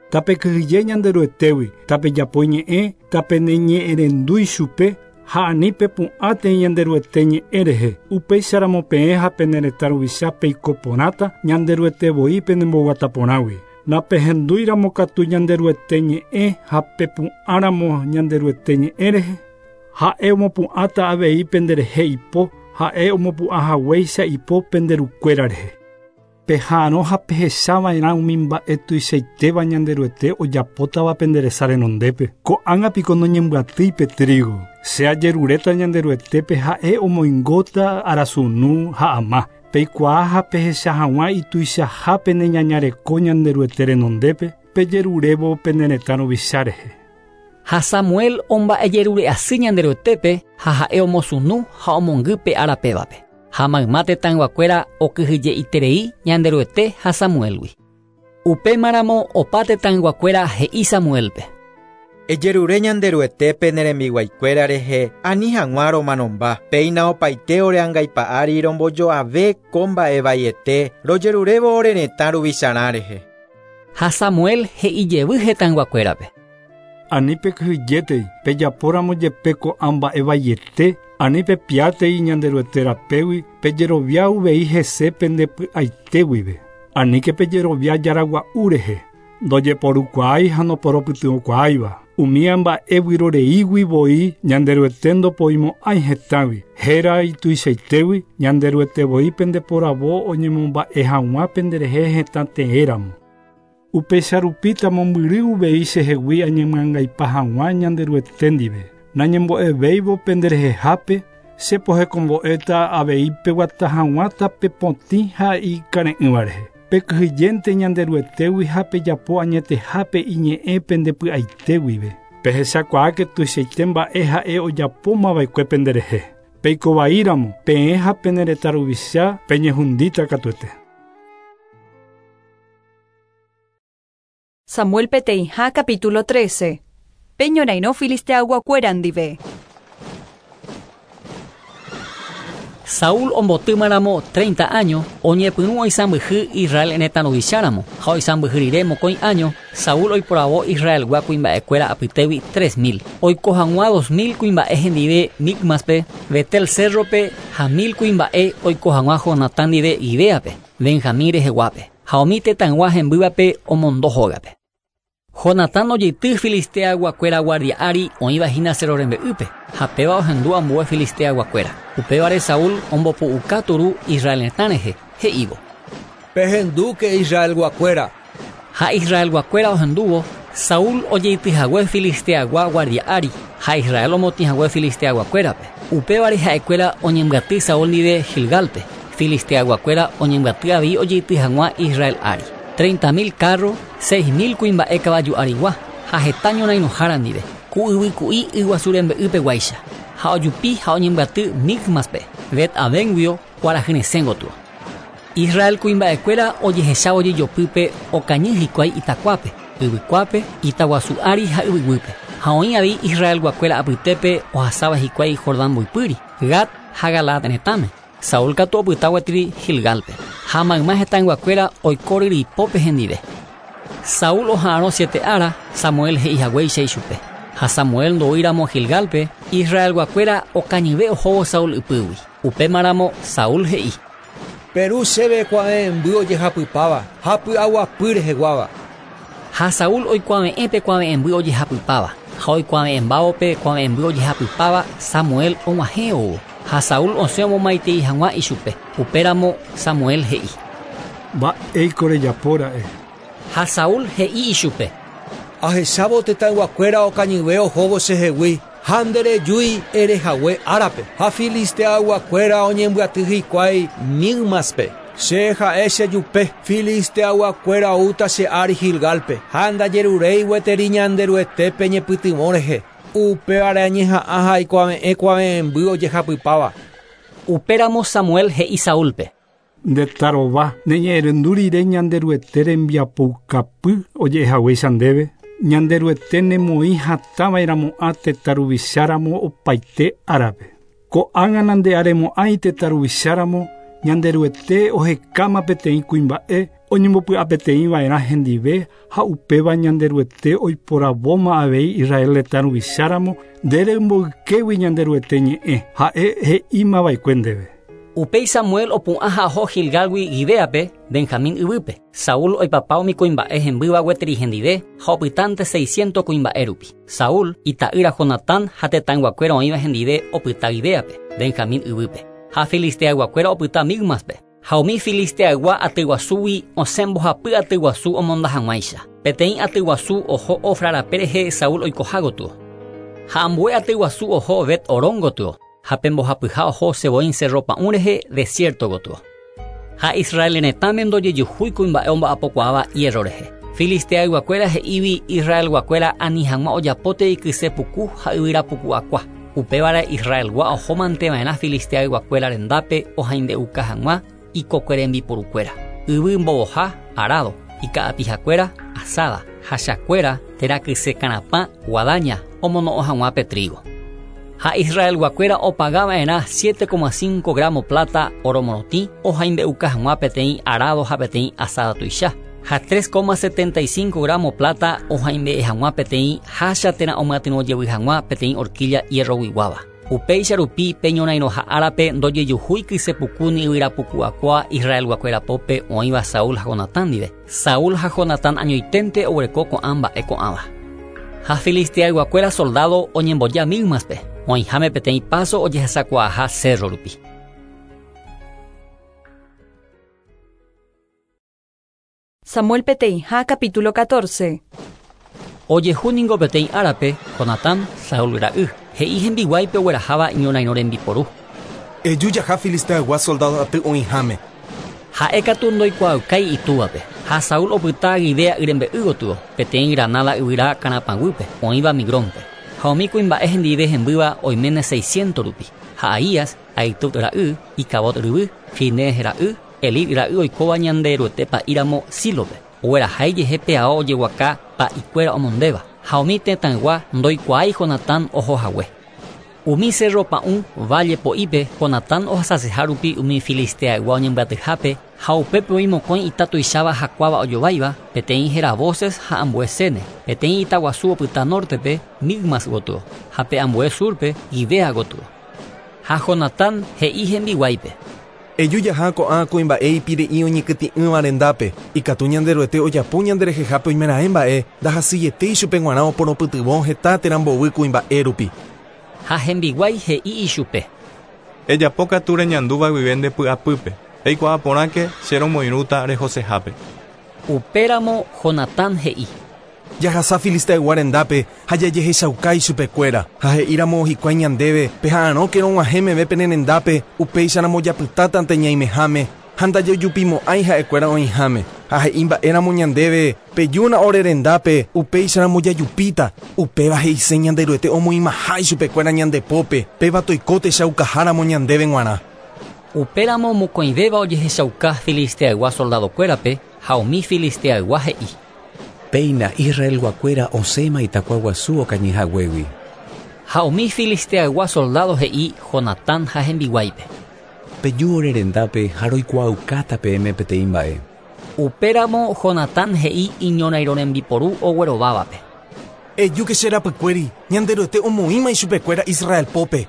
Tapekyhyje Ñanderuetégui, tapejapo ñe'ẽ, tapeneñe'ẽrendu ichupe, ha ani pepu'ãtei Ñanderuete ñe'ẽ rehe. Upéicharamo peẽ ha pene retã ruvicha peiko porãta Ñanderuete voi penemboguataporãgui. Napehendúiramo katu Ñanderuete ñe'ẽ ha pepu'ãramo Ñanderuete ñe'ẽ rehe, ha'e omopu'ãta avei penderehe ipo, ha'e omopu'ãhaguéicha ipo penderukuéra rehe. Peha'arõ ha pehechava'erã umi mba'e tuichaitéva Ñanderuete ojapótava penderesa renondépe. Ko'ág̃a piko noñembyatýi pe trigo. Che ajeruréta Ñanderuetépe ha'e omoingóta arasunu ha ama. Peikuaa ha pehecha hag̃ua ituichaha pene ñañareko Ñanderuete renondépe, pejerurévo pene retã ruvicha rehe. Ha Samuel omba'ejerure asy Ñanderuetépe ha ha'e omosunu ha omongy pe árapévape. Ha mayma tetãyguakuéra okyhyje'iterei Ñanderuete ha Samuelgui. Upémaramo opa tetãyguakuéra he'i Samuelpe. Ejerure Ñanderuetépe ne rembiguaikuéra rehe ani hag̃ua romanomba. Péina opaite ore angaipa'ári rombojoave ko mba'evaiete rojerurévo ore retã ruvicharã rehe. Ha Samuel he'i jevy hetãyguakuérape. Ani pekyhyjétei, pejapóramo jepe ko'ã mba'evaiete, ani pepiátei Ñanderuete rapégui, pejerovia uvei hese pendepy'aite guive. Aníke pejerovia jaragua'u rehe, ndojeporukuaái ha noporopytyvõkuaáiva. Umi mba'evyroreígui voi Ñanderuete ndopoimo'ãi hetãgui. Héra ituichaitégui Ñanderuete voi pendeporavo oñemomba'e hag̃ua penderehe hetã teéramo. Upéicha mombyry uvei chehegui añemyangaipa hag̃ua Ñanderuete ndive. Nañembo'evéivo penderehehápe, che pohekombo'éta avei peguata hag̃ua tapepotĩ ha ikare'ỹva rehe. Pekyhyjénte Ñanderuetégui ha pejapo añetehápe iñe'ẽ pendepy'aite guive. Pehechakuaáke tuichaite mba'e ha'e ojapómava'ekue penderehe. Peikovaíramo, peẽ ha pene retã ruvicha peñehundíta katuete. Samuel peteĩha capítulo 13. Peñorairõ Filisteayguakuéra ndive. Saúl ombotýmaramo 30 años, oñepyrũ oisãmbyhy Israel retã ruvicháramo, ha oisãmbyhy rire mokõi año, Saúl oiporavo Israelgua kuimba'ekuéra apytégui 3000. Oiko hag̃ua 2000 kuimba'e hendive Micmaspe, Betel cérrope ha 1000 kuimba'e oiko hag̃ua Jonatán ndive Gibeape, Benjamín reheguápe. Ha umi tetãygua hembývape omondo hógape. Jonatán ojeity Filisteayguakuéra guardia ári oĩvahína cerro rembe'ýpe, ha péva ohendu ambue Filisteayguakuéra. Upévare Saúl ombopu'uka turu Israel retã rehe, he'ívo. Pehendúke Israelguakuéra. Ha Israelguakuéra ohendúvo, Saúl ojeityhague Filisteagua guardia ári, ha Israel omotĩhague Filisteaguakuérape. Upévare ha'ekuéra oñembyaty Saúl ndive Gilgálpe. Filisteayguakuéra oñembyaty avei ojeity hag̃ua Israel ári. 30.000 kárro, 6.000 kuimba'e kavaju arigua ha heta ñorairõhára ndive, ku yvyku'i yguasu rembe'ypeguáicha. Ha ojupi ha oñembyaty Micmaspe, Bet-Avénguio kuarahyresẽ gotyo. Israel kuimba'ekuéra ojehechávo ojejopýpe okañy hikuái itakuápe, yvykuápe, itaguasu ári ha yvyguýpe. Ha oĩ avei Israelguakuéra apytépe ohasáva hikuái Jordán mboypýri, Gad ha Galaad retãme. Saúl katu opyta gueteri Gilgálpe. Ha mayma hetãyguakuéra oiko ryryipópe hendive. Saúl oha'arõ siete ára, Samuel he'ihaguéicha ichupe. Ha Samuel ndoúiramo Gilgálpe, Israelguakuéra okañyve ohóvo Saúl ypýgui. Upémaramo Saúl he'i: Peru chéve kuave'ẽmby ojehapypáva ha py'aguapy reheguáva. Ha Saúl oikuave'ẽ pe kuave'ẽmby ojehapypáva, ha oikuave'ẽmbávo pe kuave'ẽmby ojehapypáva, Samuel og̃uahẽ oúvo. Ha Saúl osẽ omomaitei hag̃ua ichupe. Upéramo Samuel he'i: Mba'éiko rejapóra'e. Ha Saúl he'i ichupe: Ahechávo tetãyguakuéra okañyve ohóvo chehegui, ha nderejúi erehague árape, ha filisteayguakuéra oñembyaty hikuái Micmaspe. Che ha'e chejupe, filisteayguakuéra oúta che ári Gilgálpe, ha ndajeruréi gueteri Ñanderuetépe ñepytyvõ rehe. Upévare añeha'ã ha aikuave'ẽ kuave'ẽmby ojehapypáva. Upéramo Samuel he'i Saúlpe: Ndetarova, neñe'ẽrendu rire Ñanderuete rembiapoukapy oje'ehaguéicha ndéve, Ñanderuete nemoĩ hatãva'erãmo'ã tetã ruvicháramo opaite árape. Ko'ág̃a nande'aremo'ãi tetã ruvicháramo, Ñanderuete ohekáma peteĩ kuimba'e oñembopy'apeteĩva'erã hendive ha upéva Ñanderuete oiporavóma avei Israel retã ruvicháramo nde remboykégui Ñanderuete ñe'ẽ, ha'e he'ímava'ekue ndéve. Upéi Samuel opu'ã ha oho Gilgálgui Gibeápe, Benjamín yvýpe. Saúl oipapa umi kuimba'e hembýva gueteri hendive ha opytánte seiscientos kuimba'e rupi. Saúl, ita'ýra Jonatán ha tetãyguakuéra oĩva hendive opyta Gibeápe, Benjamín yvýpe. Ha filisteayguakuéra opyta Micmaspe. Ha umi filisteaygua atyguasúgui osẽ mbohapy atyguasu omonda hag̃uáicha. Peteĩ atyguasu oho Ofra rape rehe Saúl oikoha gotyo. Ha ambue atyguasu oho Bet-Horón gotyo, ha pe mbohapyha oho Seboín cerro pa'ũ rehe desierto gotyo. Ha Israel retãme ndojejuhúi kuimba'e omba'apokuaáva hierro rehe. Filisteayguakuéra he'ígui Israelguakuéra ani hag̃ua ojapótei kyse puku ha yvyra puku akua. Upévare Israelgua ohómanteva'erã filisteayguakuéra rendápe ohaimbe'uka hag̃ua ikokue rembiporukuéra. Yvy mbovoha, arado, ika'apihakuéra, asada, hachakuéra, térã kyse karapã, guadaña, omono'õ hag̃ua pe trigo. Ha Israelguakuéra opagava'erã 7,5 gramo plata oro morotĩ ohaimbe'uka hag̃ua peteĩ arado ha peteĩ asada tuicha, ha 3,75 gramo plata ohaimbe'e hag̃ua peteĩ hácha térã omyatyrõ jevy hag̃ua peteĩ horquilla hierroguiguáva. Upéicha rupi pe ñorairõha árape ndojejuhúi kyse puku ni yvyra puku akua Israelguakuéra pópe oĩva Saúl ha Jonatán ndive. Saúl ha Jonatán añoiténte oguereko ko'ã mba'e ko'ãva. Ha filisteayguakuéra soldado oñemboja Micmaspe, oĩháme peteĩ paso ojehesakuaaha cerro rupi. Samuel peteĩha capítulo 14. Ojehu ningo peteĩ árape, Jonatán, Saúl ra'y, he'i hembiguáipe ogueraháva iñorairõ rembiporu. Eju jaha filisteaygua soldado aty oĩháme. Ha'e katu ndoikuaaukái itúvape. Ha Saúl opyta Gibea yrembe'y gotyo, peteĩ granada yvyra karapãguýpe, oĩva Migrónpe. Ha umi kuimba'e hendive hembýva oiméne 600 rupi. Ha Ahías, Ahitub ra'y, Icabod ryvy, Finees ra'y, Elí ra'y oikóva Ñanderuete pa'íramo Sílope. Oguerahái jehe pe ao ojeguaka pa'ikuéra omondéva. Ha umi tetãygua ndoikuaái Jonatán ohohague. Umi cerro pa'ũ valle po'ípe Jonatán ohasaseha rupi umi filisteaygua oñembyatyhápe ha upépe oĩ mokõi ita tuicháva hakuáva ojováiva, peteĩ héra Boses ha ambue Sene, peteĩ ita guasu opyta nortepe, Micmas gotyo, ha pe ambue surpe, Gibea gotyo. Ha Jonatán he'i hembiguáipe: Eju jaha ko'ã kuimba'e ipire'i oñekytĩ'ỹva rendápe, ikatu Ñanderuete ojapo ñanderehehápe oimeraẽ mba'e, ndahasyiete ichupe g̃uarã oporopytyvõ heta térã mbovy kuimba'e rupi. Ha hembiguái he'i ichupe: Ejapo katu reñandúva guive nde py'apýpe, eikuaa porãke che romoirũta rehosehápe. Upéramo Jonatán he'i: Jahasa Filisteaygua rendápe ha jajehechauka ichupekuéra. Ha he'íramo hikuái ñandéve, Peha'arõke rog̃uahẽ meve pene rendápe, upéicharamo japytátante ñaimeháme ha ndajajupimo'ãi ha'ekuéra oĩháme. Ha he'i mba'éramo ñandéve, Pejúna ore rendápe, upéicharamo jajupíta. Upéva he'ise Ñanderuete omoĩmaha ichupekuéra ñande pópe, péva toiko techaukaháramo ñandéve g̃uarã. Upéramo mokõivéva ojehechauka Filisteaygua soldadokuérape ha umi Filisteaygua he'i. Péina Israelguakuéra osẽma itakua guasu okañy haguégui. Ha umi Filisteaygua soldádo he'i Jonatán ha hembiguáipe. Peju ore rendápe ha roikuaaukáta peẽme peteĩ mba'e. Upéramo Jonatán he'i iñorairõ rembiporu oguerovávape. Ejúke che rapykuéri, Ñanderuete omoĩma ichupekuéra Israel pópe.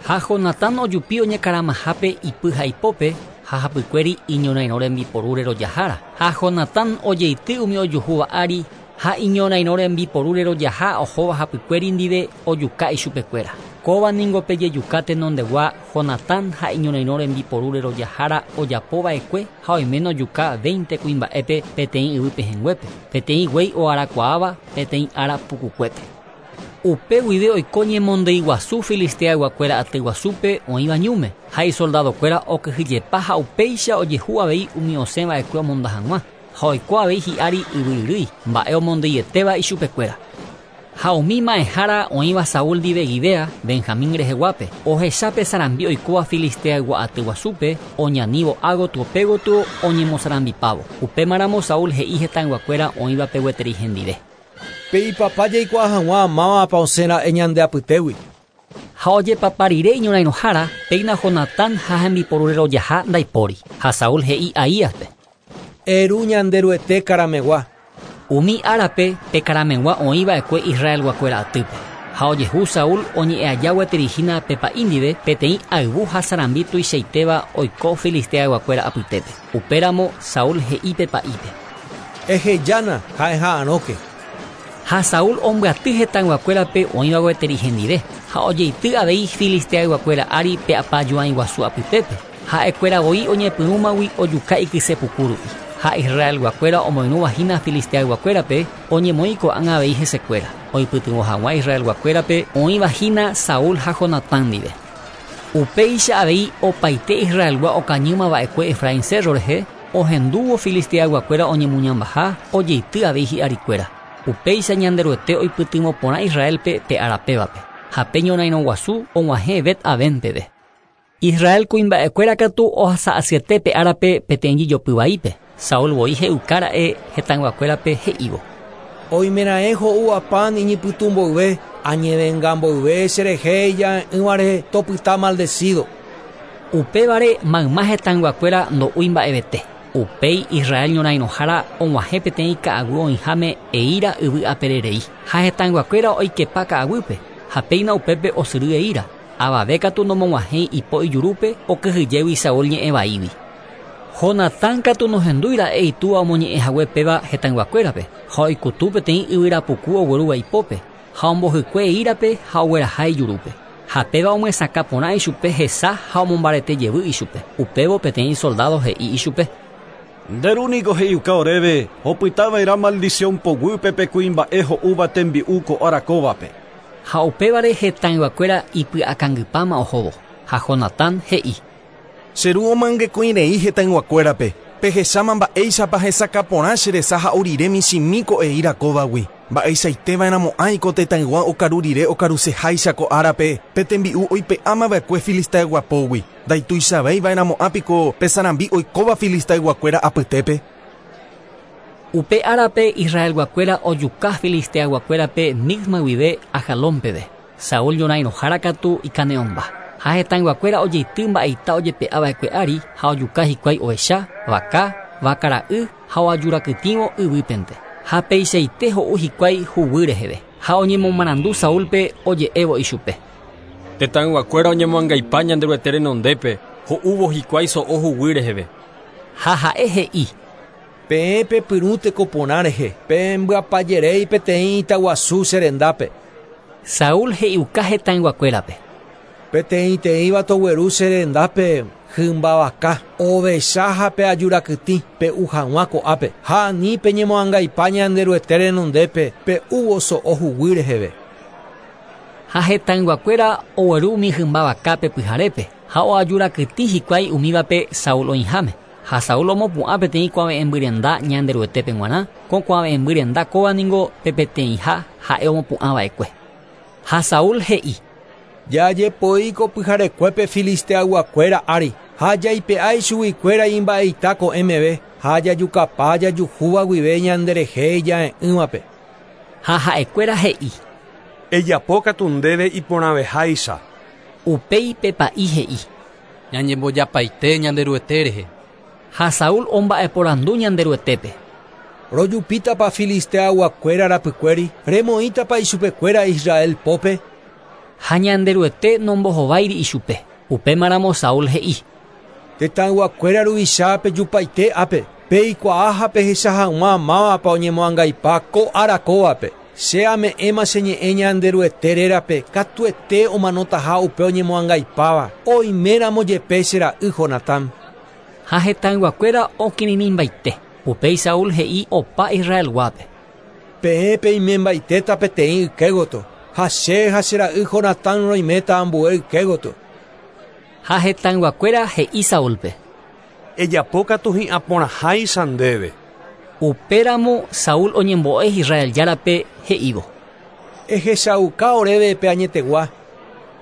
Ha Jonatán ojupi oñekaramahápe ipy ha ipópe, ha hapykuéri iñorairõ rembiporu rerojahára. Ha Jonatán ojeity umi ojuhúva ári, ha iñorairõ rembiporu rerojaha ohóva hapykuéri ndive ojuka ichupekuéra. Kóva ningo pe jejuka tenondegua Jonatán ha iñorairõ rembiporu rerojahára ojapo va'ekue ha oiméne ojuka veinte kuimba'épe peteĩ yvy pehẽnguépe, peteĩ guéi oarakuaáva peteĩ ára pukukuépe. Upe guive oiko ñemondýi guasu Filisteayguakuéra aty guasúpe oĩva ñúme, ha isoldadokuéra okyhyjepa ha upéicha ojehu avei umi osẽ va'ekue omonda hag̃ua, ha oiko avei hi'ári yvy ryrýi, mba'e omondyietéva ichupekuéra. Ha umi ma'ẽhára oĩva Saúl ndive Gibea, Benjamín reheguápe, ohecha pe sarambi oikóva Filisteaygua aty guasúpe, oñanívo ágotyo pégotyo oñemosarambipávo. Upémaramo Saúl he'i hetãyguakuéra oĩvape gueteri hendive. Peipapa jaikuaa hag̃ua mávapa osẽ ra'e ñande apytégui. Ha ojepapa rire iñorairõhára, péina Jonatán ha hembiporu rerojaha ndaipóri. Ha Saúl he'i Ahíaspe. Eru Ñanderuete karamegua. Umi árape pe karamegua oĩ va'ekue Israelguakuéra atýpe. Ha ojehu Saúl oñe'ẽ aja gueteri hína pe pa'i ndive, peteĩ ayvu ha sarambi tuichaitéva oiko Filisteayguakuéra apytépe. Upéramo Saúl he'i pe pa'ípe. Ehejána ha eha'arõke. Ha Saúl ombyaty hetãyguakuérape oĩva gueteri hendive, ha ojeity avei Filisteayguakuéra ári pe apajuãi guasu apytépe, ha'ekuéra voi oñepyrũmagui ojuka ikyse puku rupi. Ha Israelguakuéra omoirũva hína Filisteayguakuérape oñemoĩ ko'ág̃a avei hesekuéra, oipytyvõ hag̃ua Israelguakuérape oĩva hína Saúl ha Jonatán ndive. Upéicha avei opaite Israelgua okañýma va'ekue Efraín cérro rehe, ohendúvo Filisteayguakuéra oñemuñambaha, ojeity avei hi'arikuéra. Upéicha Ñanderuete oipytyvõ porã Israélpe pe ára pévape, ha pe ñorairõ guasu og̃uahẽ Bet-Aven peve. Israel kuimba'ekuéra katu ohasa asyete pe árape peteĩ jejopy vaípe, Saúl voi he'uka ra'e hetãyguakuérape he'ívo. Oimeraẽ ho'úva pan iñypytũ mboyve, añevenga mboyve cherehe ija'e'ỹva rehe topyta maldecido. Upévare mayma hetãyguakuéra ndo'úi mba'evete. Upéi Israel ñorairõhára og̃uahẽ peteĩ ka'aguy oĩháme eíra yvy apere rei, ha hetãyguakuéra oikepa ka'aguýpe, ha péina upépe osyry eíra. Avave katu nomog̃uahẽi ipo ijurúpe okyhyjégui Saúl ñe'ẽ vaígui. Jonatán katu nohendúi ra'e itúva omoñe'ẽ hague péva hetãyguakuérape, ha oikutu peteĩ yvyra puku oguerúva ipópe, ha ombohykue eírape ha ogueraha ijurúpe. Ha péva omyesakã porã ichupe hesa ha omombarete jevy ichupe. Upévo peteĩ soldádo he'i ichupe. Nde ru niko he'iuka oréve, opytava'erã maldición poguýpe pe kuimba'e ho'úva tembi'u ko ára kóvape. Ha upévare hetãyguakuéra ipy'akangypáma ohóvo. Ha Jonatán he'i. Che ru omyangekõi rei hetãyguakuérape, pehecháma mba'éichapa hesakã porã che resa ha'u rire michĩmi ko eíra kóvagui. Mba'eichaiteva'erãmo'ãi ko tetãygua okaru rire okaruseháicha ko árape pe tembi'u oipe'ámava'ekue Filisteaygua pógui. Ndaituichavéiva'erãmo'ã piko pe sarambi oikóva Filisteayguakuéra apytépe? Upe árape Israelguakuéra ojuka Filisteayguakuérape Micma guive Ajalón peve. Saúl ñorãirõhára katu ikane'õmba. Ha hetãyguakuéra ojeity mba'eita ojepe'a va'ekue ári ha ojuka hikuái ovecha, vaka, vaka ra'y ha oajurakytĩvo yvýpente. Ha peichaite ho'u hikuái huguy reheve. Ha oñemomarandu Saúlpe oje'évo ichupe. Tetãyguakuéra oñemoangaipa Ñanderuete renondépe, ho'úvo hikuái so'o huguy reheve. Ha ha'e he'i. Peẽ pepyrũ teko porã rehe, pembyapajeréi peteĩ itaguasu che rendápe. Saúl he'iuka hetãyguakuérape. Peteĩteĩva togueru che rendápe hymba vaka, ovecha ha pe ajurakytĩ pe'u hag̃ua ko'ápe, ha ani peñemoangaipa Ñanderuete renondépe pe'úvo so'o huguy reheve. Ha hetãyguakuéra ogueru umi hymba vakápe pyharépe ha oajurakytĩ hikuái umívape Saúl oĩháme. Ha Saúl omopu'ã peteĩ kuave'ẽmby renda Ñanderuetépe g̃uarã, ko kuave'ẽmby renda kóva ningo pe peteĩha ha'e omopu'ãva'ekue. Ha Saúl he'i: Jajepoi ko pyharekuépe filisteayguakuéra ári, ha jaipe'a ichuguikuéra imba'eita ko'ẽ meve, ha jajukapa jajuhúva guive ñanderehe ija'e'ỹvape. Ha ha'ekuéra he'i: Ejapókatu ndéve iporãveháicha. Upéi pe pa'i he'i: Ñañembojapaite Ñanderuete rehe. Ha Saúl omba'eporandu Ñanderuetépe: Rojupítapa filisteayguakuéra rapykuéri, remoĩtapa ichupekuéra Israel pópe? Ha Ñanderuete nombohováiri ichupe. Upémaramo Saúl he'i: Tetãyguakuéra ruvicha pejupaite ápe, peikuaa ha pehecha hag̃ua mávapa oñemoangaipa ko ára kóvape. Che ame'ẽma che ñe'ẽ Ñanderuete rérape katuete omanotaha upe oñemoangaipáva, oiméramo jepe che ra'y Jonatán. Ha hetãyguakuéra okirirĩmbaite. Upéi Saúl he'i opa Israelguápe: Peẽ peimembaitéta peteĩ ykégoto, ha che ha che ra'y Jonatán roiméta ambue ykégoto. Ha hetãyguakuéra he'i Saúlpe: Ejapókatu hi'ãporãháicha ndéve. Upéramo Saúl oñembo'e Israel járape he'ívo: Ehechauka oréve pe añetegua.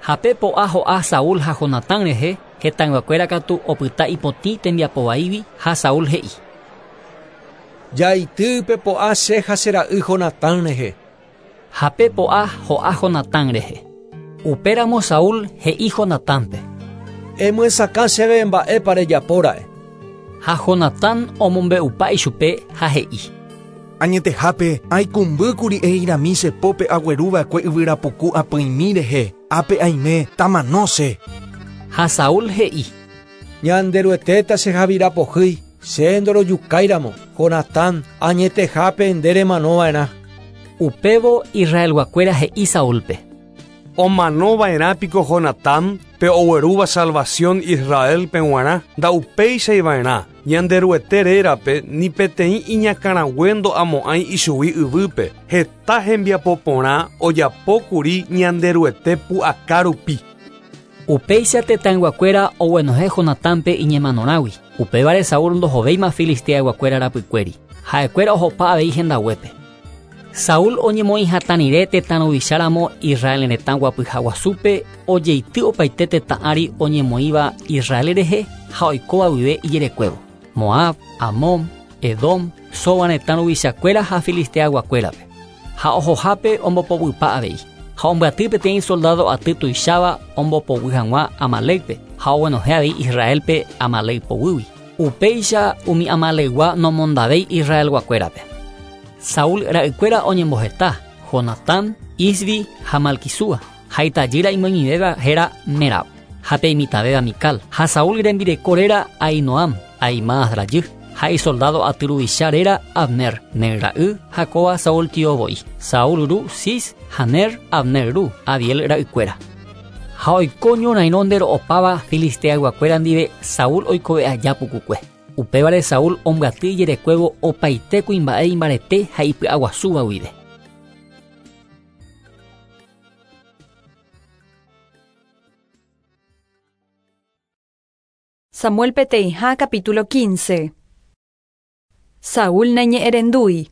Ha pe po'a ho'a Saúl ha Jonatán rehe, hetãyguakuéra katu opyta ipotĩ tembiapovaígui ha Saúl he'i: Jaity pe po'a che ha che ra'y Jonatán rehe. Ha pe po'a ho'a Jonatán rehe. Upéramo Saúl he'i Jonatánpe: Emyesakã chéve mba'épa rejapóra'e. Ha Jonatán omombe'upa ichupe ha he'i: Añetehápe aikumbýkuri eirami che pópe agueruva'ekue yvyrapuku apỹimi rehe, ápe aime tamano che. Ha Saúl he'i: Ñanderuetéta che javirapohýi, che ndorojukáiramo, Jonatán, añetehápe nde remanova'erã. Upévo Israelguakuéra he'i Saúlpe: Omanova'erã piko Jonatán pe oguerúva salvación Israelpe g̃uarã, ndaupéichaiva'erã, Ñanderuete rérape ni peteĩ iñakãrague ndo'amo'ãi ichugui yvýpe, heta hembiapo porã ojapókuri Ñanderuete pu'aka rupi. Upéicha tetãyguakuéra oguenohẽ Jonatánpe iñemanorãgui. Upévare Saúl ndohovéima filisteayguakuéra rapykuéri. Ha'ekuéra ohopa avei hendaguépe. Saúl oñemoĩ hatã rire tetã ruvicháramo Israel retã guapyha guasúpe ojeity opaite tetã ári oñemoĩva Israel rehe ha oikóva guive ijerekuévo. Moab, Amón, Edom, Soba retã ruvichakuéra ha filisteayguakuérape. Ha ohohápe ombopoguýpa avei. Ha ombyaty peteĩ soldado aty tuicháva ombopoguy hag̃ua Amalékpe ha oguenohẽ avei Israelpe Amalek poguýgui. Upéicha umi Amaleygua nomondavéi Israelguakuérape. Saúl ra'ykuéra oñemboheta: Jonatán, Isvi ha Malquisúa. Ha itajýra imoñivéva héra Merab. Ha pe imitãvéva Mical. Ha Saúl rembireko réra Ahinoam, Ahimaas rajy. Ha isoldado aty ruvicha réra Abner, Ner ra'y ha kóva Saúl tio voi. Saúl ru Cis ha Ner, Abner ru, Abiel ra'ykuéra. Ha oiko ñorairõ ndero'opáva filisteayguakuéra ndive Saúl oikove aja pukukue. Upévare Saúl ombyaty ijerekuévo opaite kuimba'e imbarete ha ipy'aguasúva guive. Samuel peteĩha capítulo 15. Saúl naiñe'ẽrendúi.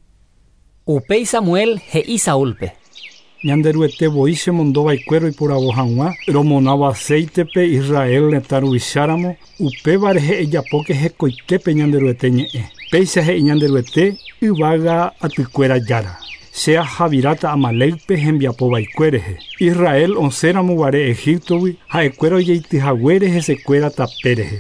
Upéi Samuel he'i Saúlpe: Ñanderuete voi chemondova'ekue roiporavo hag̃ua romonávo aceitepe Israel retã ruvicháramo, upéva rehe ejapóke hekoitépe Ñanderuete ñe'ẽ. Péicha he'i Ñanderuete yvága atykuéra jára. Che ahaviráta Amalékpe hembiapovaekue rehe. Israel osẽramo guare Egiptogui ha'ekuéra ojeityhaguére hesekuéra tape rehe.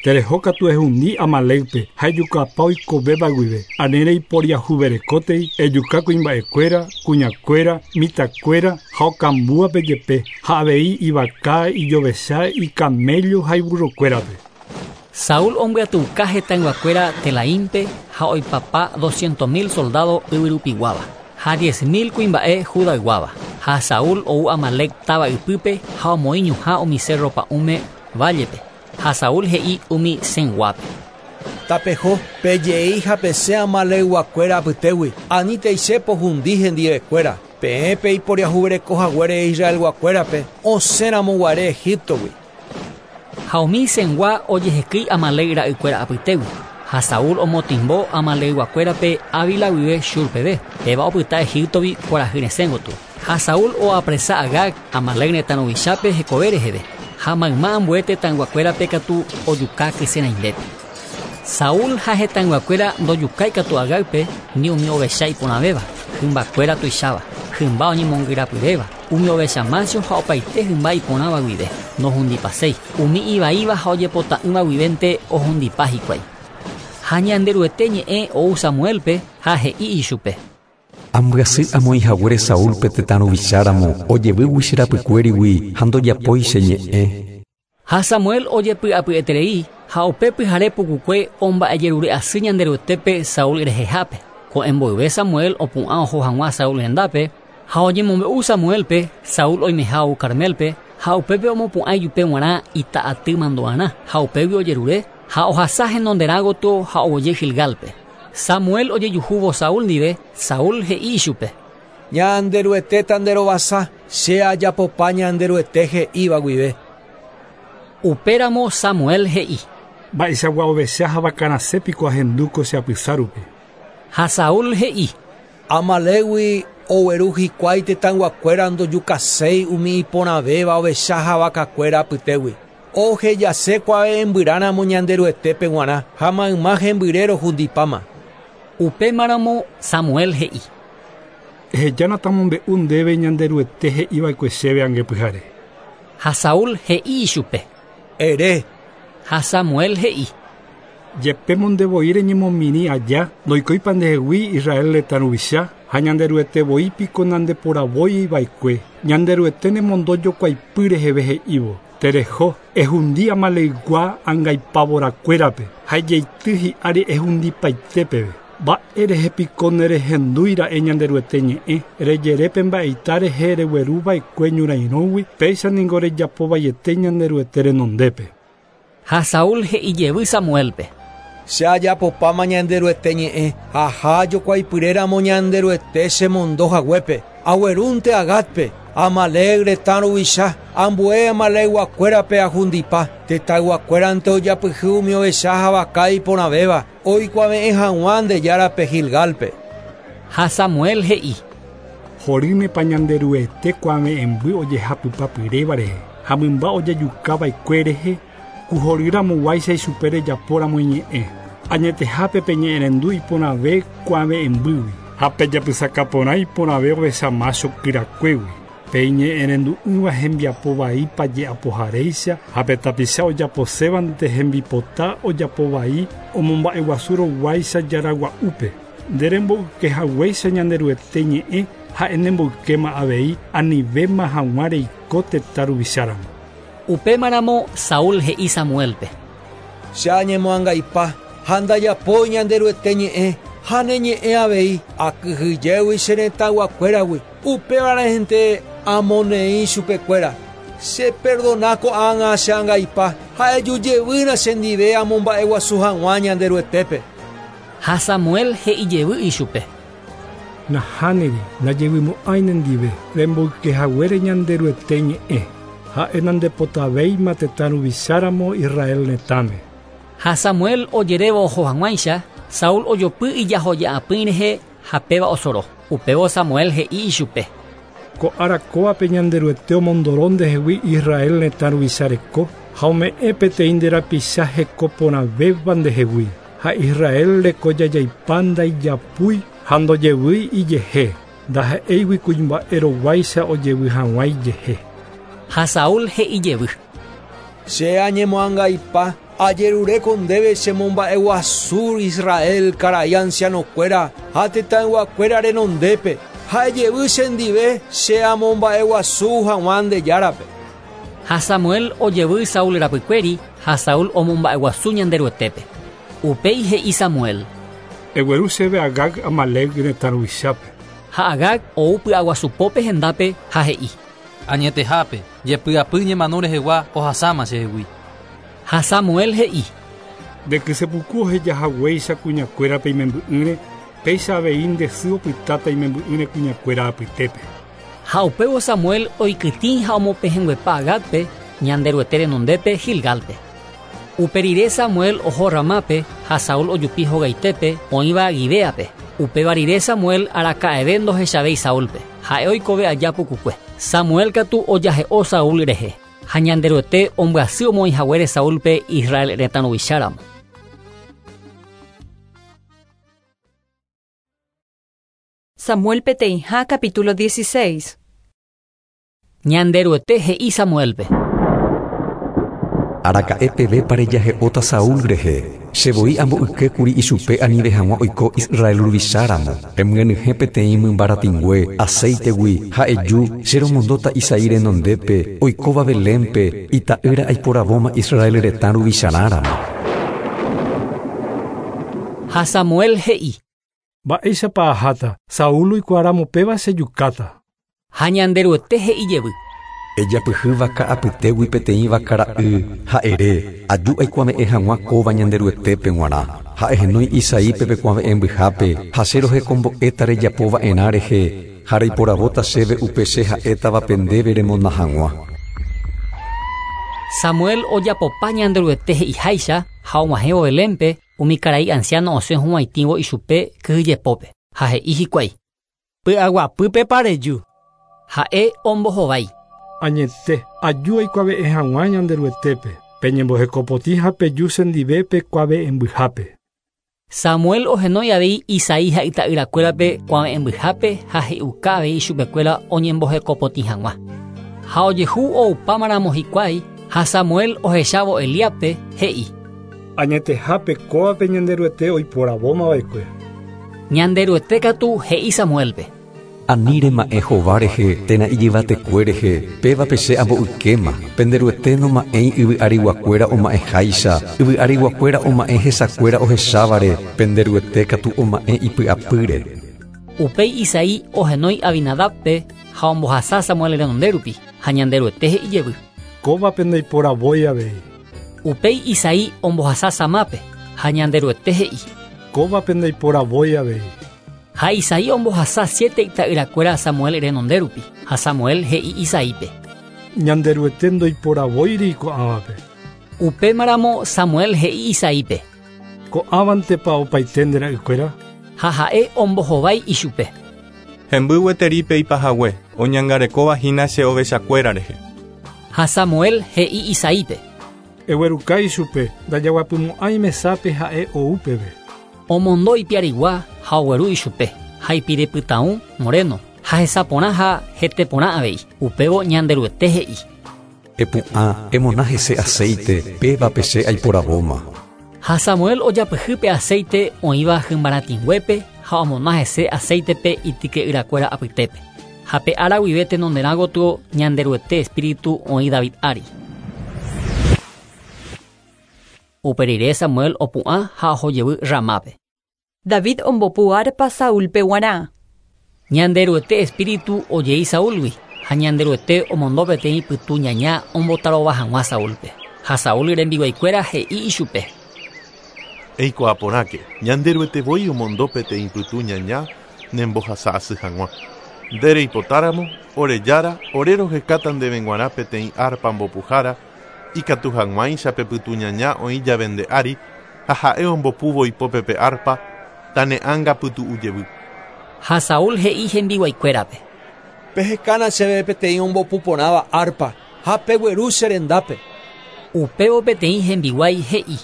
Terehókatu ehundi Amalékpe ha ejukapa oikovéva guive, ani reiporiahuverekótei ejuka kuimba'ekuéra, kuñakuéra, mitãkuéra ha okambúvape jepe ha avei ivaka, ijovecha, icamello ha iburrokuérape. Saúl ombyatyuka hetãyguakuéra Telaínpe ha oipapa 200.000 soldado yvyrupiguáva ha 10.000 kuimba'e Judayguáva. Ha Saúl ou Amalek táva ypýpe ha omoĩ ñuhã umi cerro pa'ũme vállepe. Ha Saúl he'i umi Cenguápe. Tapeho, pejei ha pesẽ Amalekguakuéra apytégui, anítei che pohundi hendivekuéra. Peẽ peiporiahuverekohaguére Israelguakuérape osẽramoguare Egiptogui. Ha umi Cengua ojehekýi Amalec ra'ykuéra apytégui. Ha Saúl omotimbo Amalecguakuérape Ávila guive Shur peve, péva opyta Egiptogui kuarahy resẽ gotyo. Ha Saúl oapresa Agag, Amalec retã ruvichápe hekove reheve, ha mayma ambue tetãyguakuérape katu ojuka kyse rãimbépe. Saúl ha hetãyguakuéra ndojukái katu Agágpe ni umi ovecha iporãvéva, hymbakuéra tuicháva, hymba oñemongyrapyréva, umi ovecha mácho ha opaite hymba iporãva guive, nohundipaséi, umi ivaíva ha ojepota'ỹva guivénte ohundipa hikuái. Ha Ñanderuete ñe'ẽ ou Samuelpe ha he'i ichupe. Ambyasy amoĩhaguére Saúlpe tetã ruvicháramo ojevýgui che rapykuérigui ha ndojapói che ñe'ẽ. Ha Samuel ojepy'apyeterei ha upe pyhare pukukue omba'ejerure'asy Ñanderuetépe Saúl rehehápe. Ko'ẽ mboyve Samuel opu'ã oho hag̃ua Saúl rendápe ha oñemombe'u Samuelpe Saúl oimeha ou Carmelpe ha upépe omopu'ã ijupe g̃uarã ita'aty mandu'arã ha upégui ojerure ha ohasa henonderã gotyo ha oguejy Gilgalpe. Samuel ojejuhúvo Saúl ndive, Saúl he'i ichupe. Ñanderuetéta nderovasa, che ajapopa Ñanderuete he'íva guive. Upéramo Samuel he'i. Mba'eichagua ovecha ha vakarasẽ piko ahendu ko che apysa rupi. Ha Saúl he'i. Amalégui ogueru hikuái tetãyguakuéra ndojukaséi umi iporãvéva ovecha ha vakakuéra apytégui. Ohejase kuave'ẽmbyrãramo Ñanderuetépe g̃uarã ha mayma hembyre rohundipáma. Upémaramo Samuel he'i. Ehejána tamombe'u ndéve Ñanderuete he'iva'ekue chéve angepyhare. Ha Saúl he'i ichupe. Ere. Ha Samuel he'i. Jepémo ndevoi reñemomirĩ aja ndoikóipa ndehegui Israel retã ruvicha ha Ñanderuete voi piko nandeporavóiva'ekue. Ñanderuete nemondo jokuaipy reheve he'ívo. Tereho, ehundi Amaleygua angaipavorakuérape ha ejeity hi'ári ehundipaite peve. Mba'e rehe piko nerehendúira'e Ñanderuete ñe'ẽ rejerépe mba'eita rehe regueruva'ekue ñorairõgui péicha niko rejapovaiete Ñanderuete renondépe. Ha Saúl he'i jevy Samuelpe. Che ajapopáma Ñanderuete ñe'ẽ aha jokuaipyréramo Ñanderuete chemondo haguépe. Aguerúnte Agágpe, Amalec retã ruvicha, ambue Amalekguakuérape ahundipa, tetãyguakuérante ojapyhy umi ovecha ha vaka iporãvéva, oikuave'ẽ hag̃ua nde járape Gilgalpe. Ha Samuel he'i. Horýnepa Ñanderuete kuave'ẽmby ojehapypapyréva rehe ha mymba ojejukava'ekue rehe ku horýramoguáicha ichupe rejapóramo iñe'ẽ. Añetehápe peñe'ẽrendu iporãve kuave'ẽmbýgui ha pejapysakaporã iporãve ovecha mácho kyrakuégui. Pe iñe'ẽrendu'ỹva hembiapo vai paje'apoharéicha ha pe tapicha ojaposévante hembipota ojapovai omomba'eguasuroguáicha jaragua'úpe. Nde remboykehaguéicha Ñanderuete ñe'ẽ ha'e nemboykéma avei anivéma hag̃ua reiko tetã ruvicháramo. Upémaramo Saúl he'i Samuelpe. Che añemoangaipa ha ndajapói Ñanderuete ñe'ẽ ha ne ñe'ẽ avei akyhyjégui che retãyguakuéragui. Upéva rehente amoneĩ chupekuéra. Cheperdona ko'ág̃a che angaipa ha ejujevýna chendive amomba'eguasu hag̃ua Ñanderuetépe. Ha Samuel he'i jevy ichupe. Nahániri, ndajevymo'ãi nendive remboykehaguére Ñanderuete ñe'ẽ. Ha'e nandepotavéima tetã ruvicháramo Israel retãme. Ha Samuel ojerévo oho hag̃uáicha, Saúl ojopy ijahoja'apỹi rehe ha péva osoro. Upévo Samuel he'i ichupe. Ko ára kóvape Ñanderuete omondoro ndehegui Israel retã ruvicha reko ha ome'ẽ peteĩ nde rapicha heko porãvéva ndehegui. Ha Israel reko jajaipa ndaijapúi ha ndojevýi ijehe. Ndaha'éigui kuimba'e roguáicha ojevy hag̃ua ijehe. Ha Saúl he'i jevy. Che añemoangaipa ajerureko ndéve chemomba'eguasu Israel karai ancianokuéra ha tetãyguakuéra renondépe ha ejevy chendive che amomba'eguasu hag̃ua nde járape. Ha Samuel ojevy Saúl rapykuéri ha Saúl omomba'eguasu Ñanderuetépe. Upéi he'i Samuel. Egueru chéve Agag Amalec retã ruvichápe. Ha Agag ou py'aguasupópe hendápe ha he'i. Añetehápe, jepy'apy ñemano rehegua ohasáma chehegui. Ha Samuel he'i. Nde kysepuku ohejahaguéicha kuñakuérape imemby'ỹre, péicha avei nde sy opytáta imemby'ỹre kuñakuéra apytépe. Ha upévo Samuel oikytĩ ha omopehẽnguepa Agágpe, Ñanderuete renondépe Gilgálpe. Upe rire Samuel oho Ramápe ha Saúl ojupi hogaitépe oĩva Gibéape. Upéva rire Samuel araka'eve ndohechavéi Saúlpe, ha'e oikove aja pukukue. Samuel katu ojahe'o Saúl rehe, ha Ñanderuete ombyasy omoĩ haguére Saúlpe Israel retã ruvicháramo. Samuel peteĩha capítulo 16. Ñanderuete he'i Samuélpe. Araka'e pevépa rejahe'óta Saúl rehe? Che voi amboykékuri ichupe anive hag̃ua oiko Israel ruvicháramo. Emyenyhẽ peteĩ mymba ratĩngue acéitegui ha eju, che romondóta Isaí renondépe, oikóva Belénpe, ita'ýra aiporavóma Israel retã ruvicharãramo. Ha Samuel he'i. Mba'éichapa aháta, Saúl oikuaáramo péva chejukáta. Ha Ñanderuete he'i jevy. Ejapyhy vaka apytégui peteĩ vaka ra'y, ha ere, Aju aikuave'ẽ hag̃ua kóva Ñanderuetépe g̃uarã. Ha ehenói Isaípe pe kuave'ẽmbyhápe, ha che rohekombo'éta rejapo va'erã rehe, ha reiporavóta chéve upe che ha'étavape ndéve remona hag̃ua. Samuel ojapopa Ñanderuete he'iháicha ha og̃uahẽvo Belénpe, umi karai ansiáno osẽ hug̃uaitĩvo ichupe kyhyjepópe, ha he'i hikuái. Py'aguapýpepa reju. Ha'e ombohovái. Añete, aju aikuave'ẽ hag̃ua Ñanderuetépe, peñembohekopotĩ ha peju chendive pe kuave'ẽmbyhápe. Samuel ohenói avei Isaí ha ita'yrakuérape kuave'ẽmbyhápe ha he'iuka avei ichupekuéra oñembohekopotĩ hag̃ua. Ha ojehu oupámaramo hikuái, ha Samuel ohechávo Eliábpe, he'i. Añetehápe kóvape Ñanderuete oiporavómava'ekue. Ñanderuete katu he'i Samuélpe. Ani rema'ẽ hova rehe térã ijyvatekue rehe, pévape che amboykéma. Pende Ruete noma'ẽi yvy ariguakuéra oma'ẽháicha, yvy ariguakuéra oma'ẽ hesakuéra ohechávare, pende Ruete katu oma'ẽ ipy'apýre. Upéi Isaí ohenói Abinadábpe ha ombohasa Samuel renonde rupi, ha Ñanderuete he'i jevy. Kóvape ndaiporavói avei. Upéi Isaí ombohasa Samápe, ha Ñanderuete he'i. Kóvape ndaiporavói avei. Ha Isaí ombohasa siete ita'yrakuéra Samuel renonde rupi, ha Samuel he'i Isaípe. Ñanderuete ndoiporavóiri ko'ãvape. Upémaramo Samuel he'i Isaípe. Ko'ãvantepa opaite nde ra'ykuéra? Ha ha'e ombohovái ichupe. Hemby gueteri pe ipahague, oñangarekóva hína che ovechakuéra rehe. Ha Samuel he'i Isaípe. Egueruka ichupe, ndajaguapymo'ãi mesápe ha'e ou peve. Omondo ipiarigua ha ogueru ichupe, ha ipirepytãũ, moreno, ha hesa porã ha hete porã avei. Upévo Ñanderuete he'i. Epu'ã, emona hese aceite, pévape che aiporavóma. Ha Samuel ojapyhy pe aceite oĩva hymbaratĩnguépe ha omona hese aceite-pe ityke'yrakuéra apytépe. Ha pe ára guive tenonderã gotyo Ñanderuete espíritu oĩ David ári. Upe rire Samuel opu'ã ha oho jevy Ramápe. David ombopu árpa Saúlpe guarã. Ñanderuete espíritu ojei Saúlgui, ha Ñanderuete omondo peteĩ pytu ñaña ombotarova hag̃ua Saúlpe. Ha Saúl rembiguaikuéra he'i ichupe. Eikuaa porãke, Ñanderuete voi omondo peteĩ pytu ñaña nembohasa asy hag̃ua. Nde reipotáramo, ore Jára, ore rohekáta ndéve g̃uarã peteĩ árpa mbopuhára, ikatu hag̃uáicha pe pytu ñaña oĩ jave nde ári ha ha'e ombopúvo ipópe pe árpa, tane'ãnga pytu'u jevy. Ha Saúl he'i hembiguaikuérape. Pehekána chéve peteĩ ombopu porãva árpa ha pegueru che rendápe. Upévo peteĩ hembiguái he'i.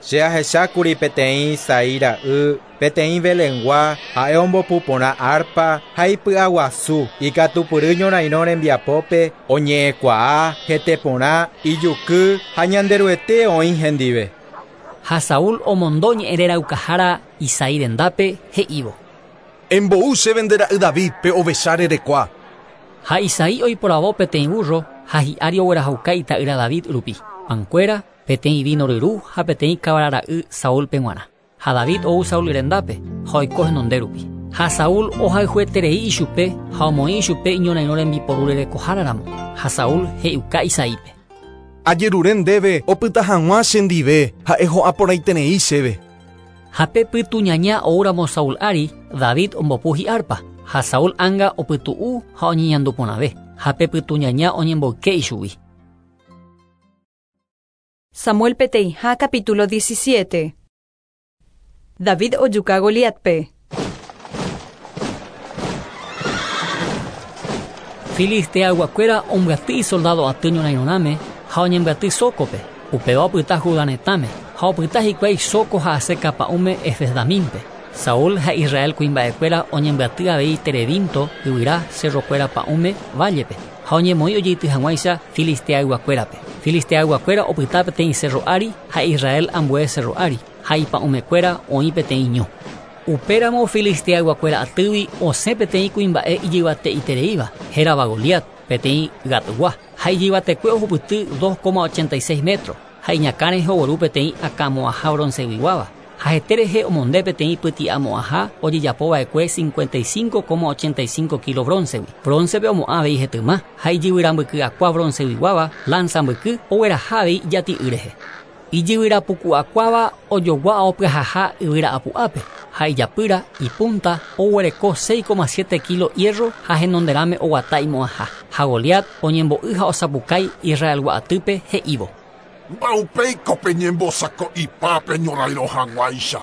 Che ahechákuri peteĩ Isaí ra'y, peteĩ Belengua, ha'e ombopu porã árpa ha ipy'aguasu, ikatupyry ñorairõ rembiapópe, oñe'ẽkuaa, hete porã, ijuky ha Ñanderuete oĩ hendive. Ha Saúl omondo ñe'ẽreraukahára Isaí rendápe he'ívo. Embou chéve nde ra'y David pe ovecha rerekua. Ha Isaí oiporavo peteĩ vúrro ha hi'ári oguerahauka ita'ýra David rupi, pankuéra, peteĩ víno ryru ha peteĩ kavara ra'y Saúlpe g̃uarã. Ha David ou Saúl rendápe ha oiko henonde rupi. Ha Saúl ohayhueterei ichupe ha omoĩ ichupe iñorairõ rembiporu rerekohára ramo. Ha Saúl he'iuka Isaípe. Ajerure ndéve opyta hag̃ua chendive ha'e ho'a porãiterei chéve. Ha pe pytuñaña oúramo Saúl ári, David ombopu hi'árpa, ha Saúl ánga opytu'u ha oñeñandu porãve, ha pe pytuñaña oñemboyke ichugui. Samuel peteĩha capítulo 17. David ojuka Goliatpe. Filisteayguakuéra ombyaty isoldado aty ñorairõrãme ha oñembyaty Sócope, upéva opyta Judá retãme, ha opyta hikuái Soco ha Aseca pa'ũme Efesdamínpe. Saúl ha Israel kuimba'ekuéra oñembyaty avei Terebinto yvyra cerrokuéra pa'ũme vállepe, ha oñemoĩ ojeity hag̃uáicha Filisteayguakuérape. Filisteayguakuéra opyta peteĩ cerro ári ha Israel ambue cerro ári, ha ipa'ũmekuéra oĩ peteĩ ñu. Upéramo Filisteayguakuéra atýgui osẽ peteĩ kuimba'e ijyvate'itereíva, hérava Goliat, peteĩ Gatgua, ha ijyvatekue ohupyty 2,86 metro, ha iñakã rehe ogueru peteĩ akãmo'ãha bronceguiguáva, ha hete rehe omonde peteĩ pyti'amo'ãha ojejapova'ekue 55,85 kilo broncegui. Broncepe omo'ã avei hetyma, ha ijyvyrambyky'akua bronceguiguáva lanza mbyky ogueraha avei ijati'y rehe. Ijyvyrapuku'akuáva ojogua opyahaha yvyra'apu'ápe, ha ijapýra ipunta oguereko 6,7 kilo hierro ha henonderãme oguata imo'ãha. Ha Goliat oñembo'y ha osapukái Israelgua atýpe he'ívo. Mba'upéiko peñembosako'ipa peñorairõ hag̃uáicha.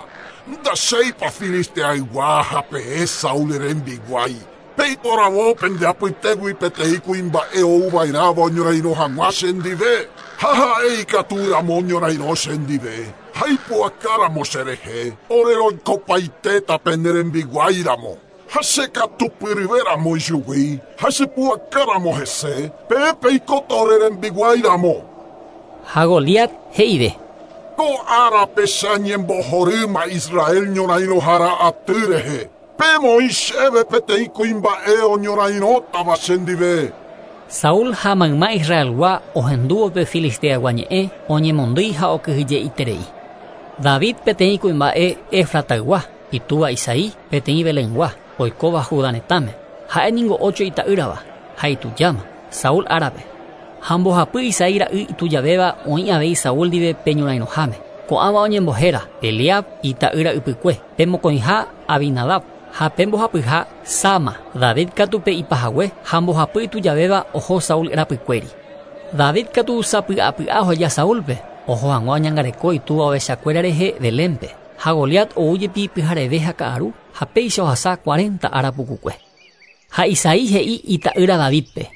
Ndachéipa Filisteaygua ha peẽ Saúl rembiguái. Peiporavo pende apytégui peteĩ kuimba'e ouva'erãva oñorairõ hag̃ua chendive. Ha ha'e ikatúramo oñorairõ chendive. Ha ipu'akáramo cherehe, ore roikopaitéta pene rembiguáiramo. Ha chekatupyryvéramo ichugui, ha chepu'akáramo hese, peẽ peikóta ore rembiguáiramo. Ha Goliat he'ive. Ko árape che añembohorýma Israel ñorairõhára aty rehe. Pemoĩ chéve peteĩ kuimba'e oñorairõtava chendive. Saúl ha mayma Israelgua ohendúvo pe Filisteagua ñe'ẽ oñemondýi ha okyhyje'iterei. David peteĩ kuimba'e Efrataygua, itúva Isaí peteĩ Belengua, oikóva Judá retãme. Ha'e ningo ocho ita'ýrava, ha itujáma, Saúl árape. Ha mbohapy Isaí ra'y itujavéva oĩ avei Saúl ndive pe ñorairõháme. Ko'ãva oñembohéra Eliab ita'ýra ypykue, pe mokõiha Abinadab, ha pe mbohapyha Sama. David katu pe ipahague ha mbohapy itujavéva oho Saúl rapykuéri. David katu sapy'apy'a oheja Saúlpe, oho hag̃ua oñangareko itúva ovechakuéra rehe Belénpe. Ha Goliat oújepi pyhareve ha ka'aru ha péicha ohasa 40 ára pukukue. Ha Isaí he'i ita'ýra Davidpe.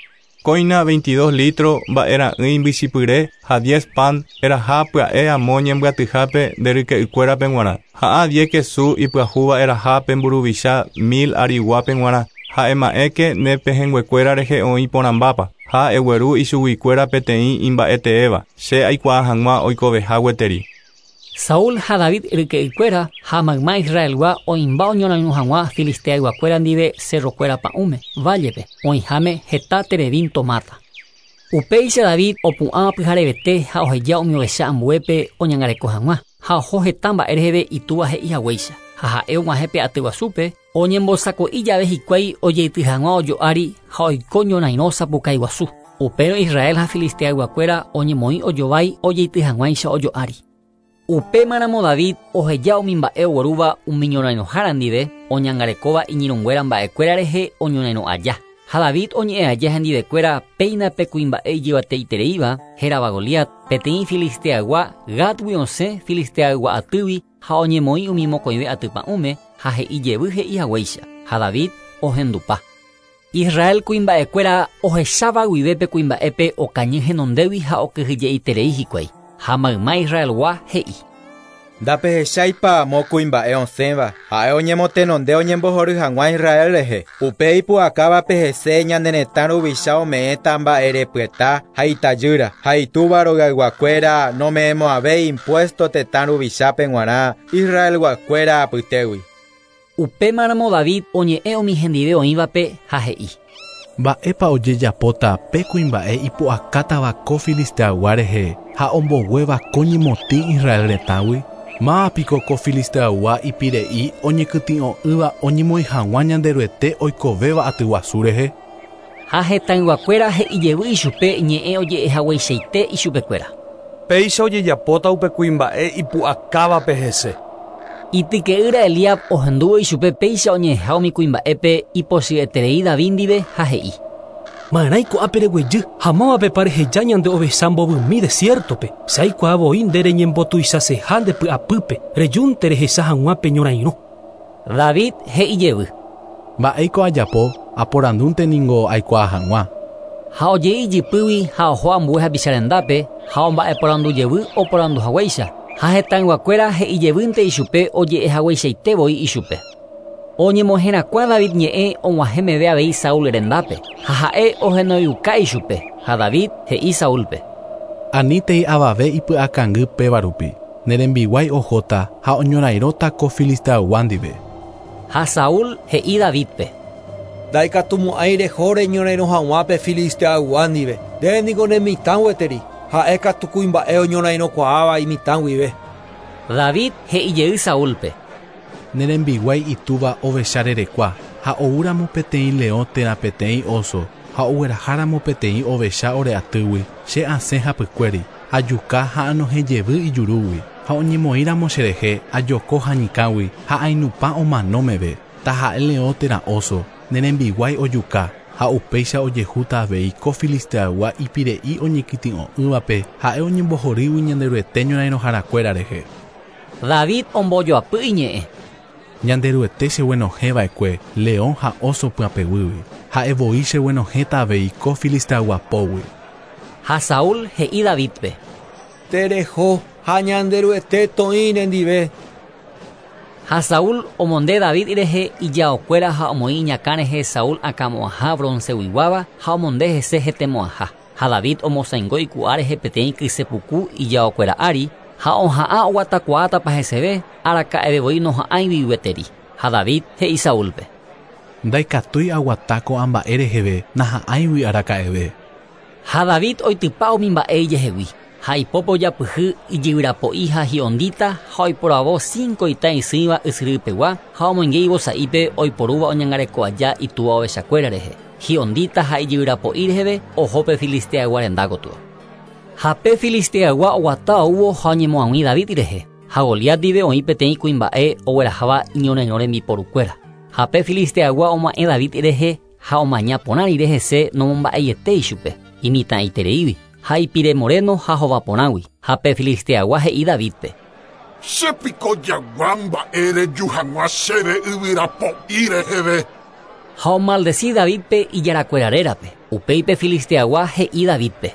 Kóina 22 litro mba'era'ỹi mbychipyre ha 10 pan eraha pya'e amo ñembyatyhápe nde ryke'ykuérape g̃uarã. Ha 10 kesu ipyahúva eraha pe mburuvicha 1000 ariguápe g̃uarã. Ha ema'ẽke ne pehẽnguekuéra rehe oĩ porãmbápa. Ha egueru ichuguikuéra peteĩ imba'eteéva. Che aikuaa hag̃ua oikoveha gueteri. Saúl ha David ryke'ykuéra ha mayma Israelgua oĩmba oñorairõ hag̃ua Filisteayguakuéra ndive cerrokuéra pa'ũme, vállepe, oĩháme heta terebinto máta. Upéicha David opu'ã pyharevete ha oheja umi ovecha ambuépe oñangareko hag̃ua, ha oho heta mba'e reheve itúva he'i haguéicha. Ha ha'e og̃uahẽ pe aty guasúpe, oñembosako'i jave hikuái ojeity hag̃ua ojo'ári ha oiko ñorairõ sapukái guasu. Upérõ Israel ha Filisteayguakuéra oñemoĩ ojovái ojeity hag̃uáicha ojo'ári. Upémaramo David oheja umi mba'e oguerúva umi ñorairõhára ndive oñangarekóva iñirũnguéra mba'ekuéra rehe oñorairõ aja. Ha David oñe'ẽ aja hendivekuéra péina pe kuimba'e ijyvate'itereíva, hérava Goliat, peteĩ Filisteaygua Gatgui osẽ Filisteaygua atýgui ha oñemoĩ umi mokõive aty pa'ũme ha he'i jevy he'i haguéicha. Ha David ohendupa. Israel kuimba'ekuéra ohecháva guive pe kuimba'épe okañy henondégui ha okyhyje'iterei hikuái. Ha mayma Israelgua he'i. Ndapehecháipa amo kuimba'e osẽva, ha'e oñemotenonde oñembohory hag̃ua Israel rehe. Upe ipu'akávape hese ñane retã ruvicha ome'ẽta mba'erepyeta ha itajýra, ha itúva rogayguakuéra nome'ẽmo'ãvéi impuesto tetã ruvichápe g̃uarã Israelguakuéra apytégui. Upémaramo David oñe'ẽ umi hendive oĩvape ha he'i. Mba'épa ojejapóta pe kuimba'e ipu'akátava ko Filisteaygua rehe ha omboguéva ko ñemotĩ Israel retãgui? Mávapiko ko Filisteaygua ipire'i oñekytĩ'o'ỹva oñemoĩ hag̃ua Ñanderuete oikovéva aty guasu rehe? Ha hetãyguakuéra he'ijevy ichupe ñe'ẽ oje'ehagueichaite ichupekuéra. Péicha ojejapóta upe kuimba'e ipu'akávape hese. Ityke'ýra Eliab ohendúvo ichupe péicha oñe'ẽha umi kuimba'épe ipochyeterei David ndive ha he'i. Ma'erãi ko'ápe reguejy ha mávapepa reheja ñande ovecha mbovymi desierto-pe, che aikuaa voi nde reñembotuichaseha nde py'apýpe, rejúnte rehecha hag̃ua pe ñorairõ. David he'i jevy. Mba'éiko ajapo, aporandúnte ningo aikuaa hag̃ua. Ha ojei ijypýgui ha oho ambue hapicha rendápe ha omba'eporandu jevy oporandu haguéicha, ha hetãyguakuéra he'i jevýnte ichupe oje'ehagueichaite voi ichupe. Oñemoherakuã David ñe'ẽ og̃uahẽ meve avei Saúl rendápe, ha ha'e ohenoiuka ichupe, ha David he'i Saúlpe. Anítei avave ipy'akangy péva rupi, ne rembiguái ohóta ha oñorairõta ko Filisteaygua ndive. Ha Saúl he'i Davídpe. Ndaikatumo'ãi reho reñorairõ hag̃ua pe Filisteaygua ndive, nde niko ne mitã gueteri, ha'e katu kuimba'e oñorairõkuaáva imitã guive. David he'i jey Saúlpe. Ne rembiguái itúva ovecha rerekua, ha oúramo peteĩ leõ térã peteĩ óso, ha ogueraháramo peteĩ ovecha ore atýgui, che asẽ hapykuéri, ajuka ha anohẽ jevy ijurúgui, ha oñemoĩramo cherehe, ajoko hañykãgui ha ainupã omano meve, taha'e leõ térã óso, ne rembiguái ojuka, ha upéicha ojehúta avei ko Filisteaygua ipire'i oñekytĩ'o'ỹvape, ha'e oñembohorýgui Ñanderuete ñorairõharakuéra rehe. David ombojoapy iñe'ẽ. Ñanderuete cheguenohẽ va'ekue leõ ha óso pyapegýgui. Ha'e voi cheguenohẽta avei ko Filisteaygua pógui. Ha Saúl he'i Davídpe. Tereho ha Ñanderuete toĩ nendive. Ha Saúl omonde David rehe ijaokuéra ha omoĩ iñakã rehe Saúl akãmo'ãha bronceguiguáva ha omonde hese hetemo'ãha. Ha David omosãingo iku'a rehe peteĩ kysepuku ijaokuéra ári ha oha'ã oguatakuaátapa heseve araka'eve voi noha'ãigui gueteri. Ha David he'i Saúlpe. Ndaikatúi aguata ko'ã mba'e reheve naha'ãigui araka'eve. Ha David oitypa umi mba'e ijehegui. Ha ipópe ojapyhy ijyvyrapo'i ha hi'ondíta ha oiporavo cinco ita isỹiva ysyrypegua ha omoinge ivosa'ípe oiporúva oñangareko aja itúva ovechakuéra rehe. Hi'ondíta ha ijyvyrapo'i reheve oho pe Filisteaygua renda gotyo. Ha pe Filisteaygua oguata oúvo ha oñemoag̃ui David rehe. Ha Goliat ndive oĩ peteĩ kuimba'e ogueraháva iñorairõ rembiporukuéra. Ha pe Filisteaygua oma'ẽ David rehe ha omaña porã rire hese nomomba'eiete ichupe, imitãitereígui, ha ipire moreno ha hova porãgui. Ha pe Filisteaygua he'i Davídpe. Che piko jagua mba'e reju hag̃ua chéve yvyrapo'i reheve. Ha omaldeci Davídpe ijarakuéra rérape. Upéi pe Filisteaygua he'i Davídpe.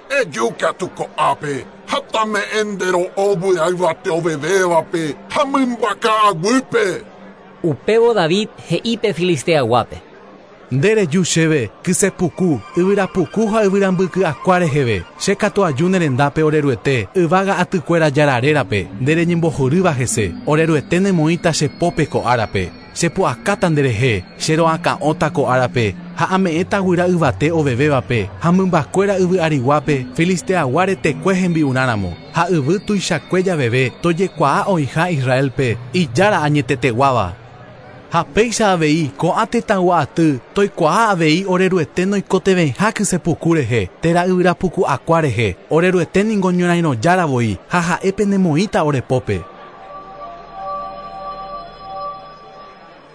Eju katu ko'ápe, ha tame'ẽ nde ro'o guyra yvate ovevévape ha mymba ka'aguýpe. Upévo David he'i pe Filisteayguápe. Nde reju chéve kysepuku, yvyrapuku ha yvyrambyky'akua reheve, che katu aju ne rendápe ore Ruete, yvága atykuéra Jára rérape, nde reñembohorýva hese, ore Ruete nemoĩta che pópe ko árape, chepu'akáta nderehe, che roakã'óta ko árape, ha ame'ẽta guyra yvate ovevévape, ha mymbakuéra yvy ariguápe, Filisteaygua retekue hembi'urãramo, ha yvy tuichakue javeve tojekuaa oĩha Israelpe, ijára añeteteguáva. Ha péicha avei ko'ã tetãygua aty toikuaa avei ore Ruete noikotevẽiha kysepuku rehe, térã yvyrapuku'akua rehe, ore Ruete ningo ñorairõjára voi ha ha'e penemoĩta ore pópe.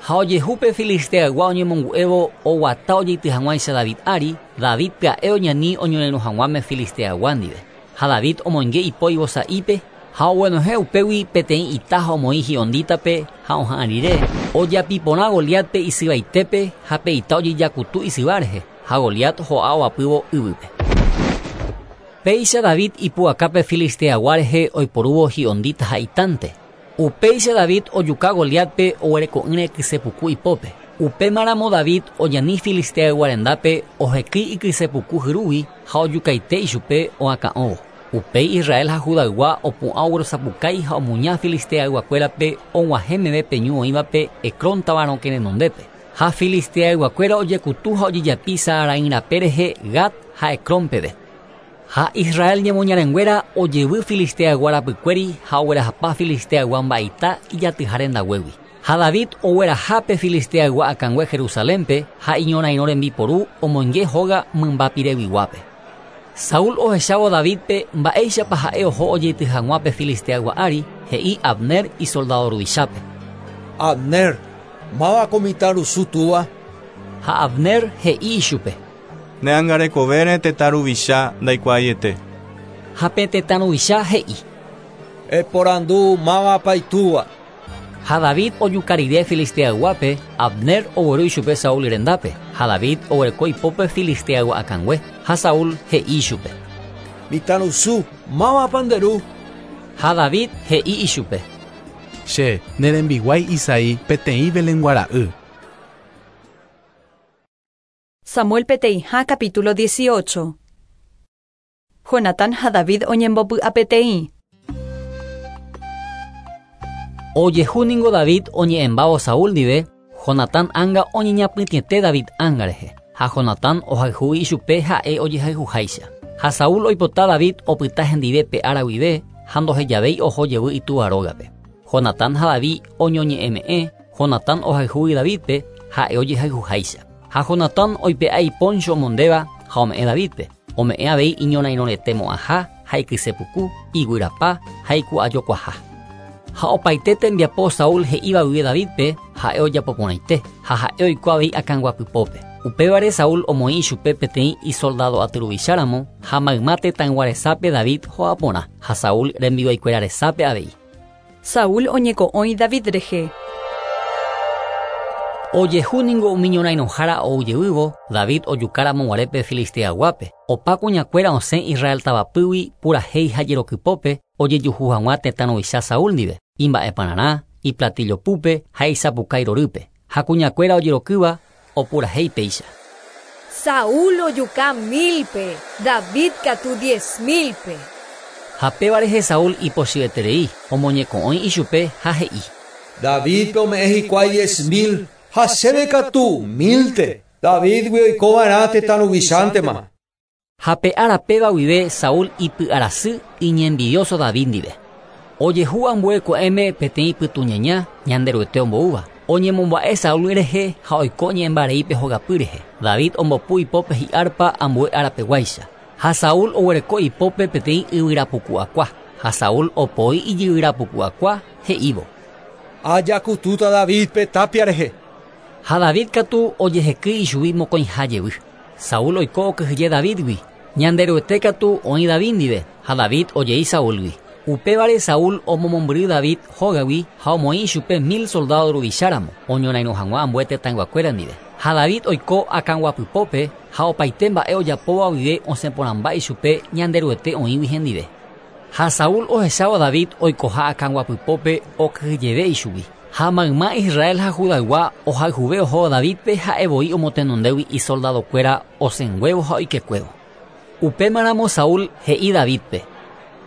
Ha ojehu pe Filisteaygua oñemongu'évo oguata ojeity hag̃uáicha David ári, David pya'e oñani oñorairõ hag̃uáme Filisteaygua ndive. Ha David omoinge ipo ivosa'ípe ha oguenohẽ upégui peteĩ ita ha omoĩ hi'ondítape ha oha'ã rire, ojapi porã Goliátpe isyvaitépe ha pe ita ojejakutu isyva rehe, ha Goliat ho'a ovapývo yvýpe. Péicha David ipu'aka pe Filisteaygua rehe oiporúvo hi'ondíta ha itánte. Upéicha David ojuka Goliátpe oguereko'ỹre kysepuku ipópe. Upémaramo David oñani Filisteaygua rendápe ohekýi ikysepuku hyrúgui ha ojukaite ichupe oakã'óvo. Upéi Israel ha Judaygua opu'ã oguerosapukái ha omuña Filisteayguakuérape og̃uahẽ meve pe ñu oĩvape Ecrón táva rokẽ renondépe. Ha Filisteayguakuéra ojekutu ha ojejapi Saaraim rape rehe Gat ha Ecrón peve. Ha Israel ñemoñarenguéra ojevy Filisteaygua rapykuéri ha oguerahapa Filisteaygua mba'eita ijatyha rendaguégui. Ha David ogueraha pe Filisteaygua akãngue Jerusalénpe ha iñorairõ rembiporu omoinge hóga mymba pireguiguápe. Saúl ohechávo Davídpe mba'éichapa ha'e oho ojeity hag̃ua pe Filisteaygua ári, he'i Abner isoldado ruvichápe. Abner, máva ko mitãrusu túva? Ha Abner he'i ichupe. Ne angarekovére tetã ruvicha ndaikuaaiete. Ha pe tetã ruvicha he'i. Eporandu mávapa itúva. Ha David ojuka rire Filisteayguápe, Abner ogueru ichupe Saúl rendápe, ha David oguereko ipópe Filisteaygua akãngue, ha Saúl he'i ichupe. Mitãrusu, mávapa nde ru? Ha David he'i ichupe. Che, ne rembiguái Isaí, peteĩ Belengua ra'y. Samuel peteĩha capítulo 18. Jonatán ha David oñembopy'apeteĩ. Ojehu ningo David oñe'ẽmbávo Saúl ndive, Jonatán ánga oñeñapytĩete David ánga rehe, ha Jonatán ohayhu ichupe ha'e ojehayhuháicha. Ha Saúl oipota David opyta hendive pe ára guive ha ndohejavéi oho jevy itúva rógape. Jonatán ha David oñoñe'ẽme'ẽ, Jonatán ohayhúgui Davídpe ha'e ojehayhuháicha. Ha Jonatán oipe'a ipóncho omondéva ha ome'ẽ Davídpe, ome'ẽ avei iñorairõrete mo'ãha ha ikysepuku, iguyrapa ha iku'ajokuaha. Ha opaite tembiapo Saúl he'íva guive Davídpe ha'e ojapo porãite, ha ha'e oiko avei akãnguapypópe. Upévare Saúl omoĩ ichupe peteĩ isoldado aty ruvicháramo ha mayma tetãygua resápe David ho'a porã, ha Saúl rembiguaikuéra resápe avei. Saúl oñeko'õi David rehe. Ojehu ningo umi ñorairõhára ou jevývo, David ojukáramo guare pe Filisteayguápe. Opa kuñakuéra osẽ Israel tavapýgui purahéi ha jerokypópe ojejuhu hag̃ua tetã ruvicha Saúl ndive, imba'epararã, iplatillo púpe ha isapukái rorýpe. Ha kuñakuéra ojerokýva opurahéi péicha. Saúl ojuka mílpe, David katu diez mílpe. Ha péva rehe Saúl ipochyeterei, omoñeko'õi ichupe ha he'i. Davídpe ome'ẽ hikuái 10,000 ha chéve katu mílte. Davídgui oikova'erã tetã ruvichántema. Ha pe ára péva guive Saúl ipy'arasy iñenvidioso David ndive. Ojehu ambue ko'ẽme peteĩ pytũñaña Ñanderuete omboúva. Oñemomba'e Saúl rehe ha oiko ñe'ẽmbareípe hogapy rehe. David ombopu ipópe hi'árpa ambue árapeguáicha. Ha Saúl oguereko ipópe peteĩ yvyrapuku'akua. Ha Saúl opoi ijyvyrapuku'akua he'ívo. Ajakutúta Davídpe tapia rehe. Ha David katu ojehekýi ichugui mokõiha jevy. Saúl oiko okyhyje Davídgui. Ñanderuete katu oĩ David ndive ha David ojei Saúlgui. Upévare Saúl omomombyry David hógagui ha omoĩ ichupe 1000 soldado ruvicháramo oñorairõ hag̃ua ambue tetãyguakuéra ndive. Ha David oiko akãguapypópe ha opaite mba'e ojapóva guive osẽ porãmba ichupe Ñanderuete oĩgui hendive. Ha Saúl ohechávo David oikoha akãguapypópe okyhyjeve ichugui. Ha mayma Israel ha Judaygua ohayhuve ohóvo Davídpe ha'evoi omotenondégui isoldadokuéra osẽnguévo ha oikekuévo. Upémaramo Saúl he'i Davídpe.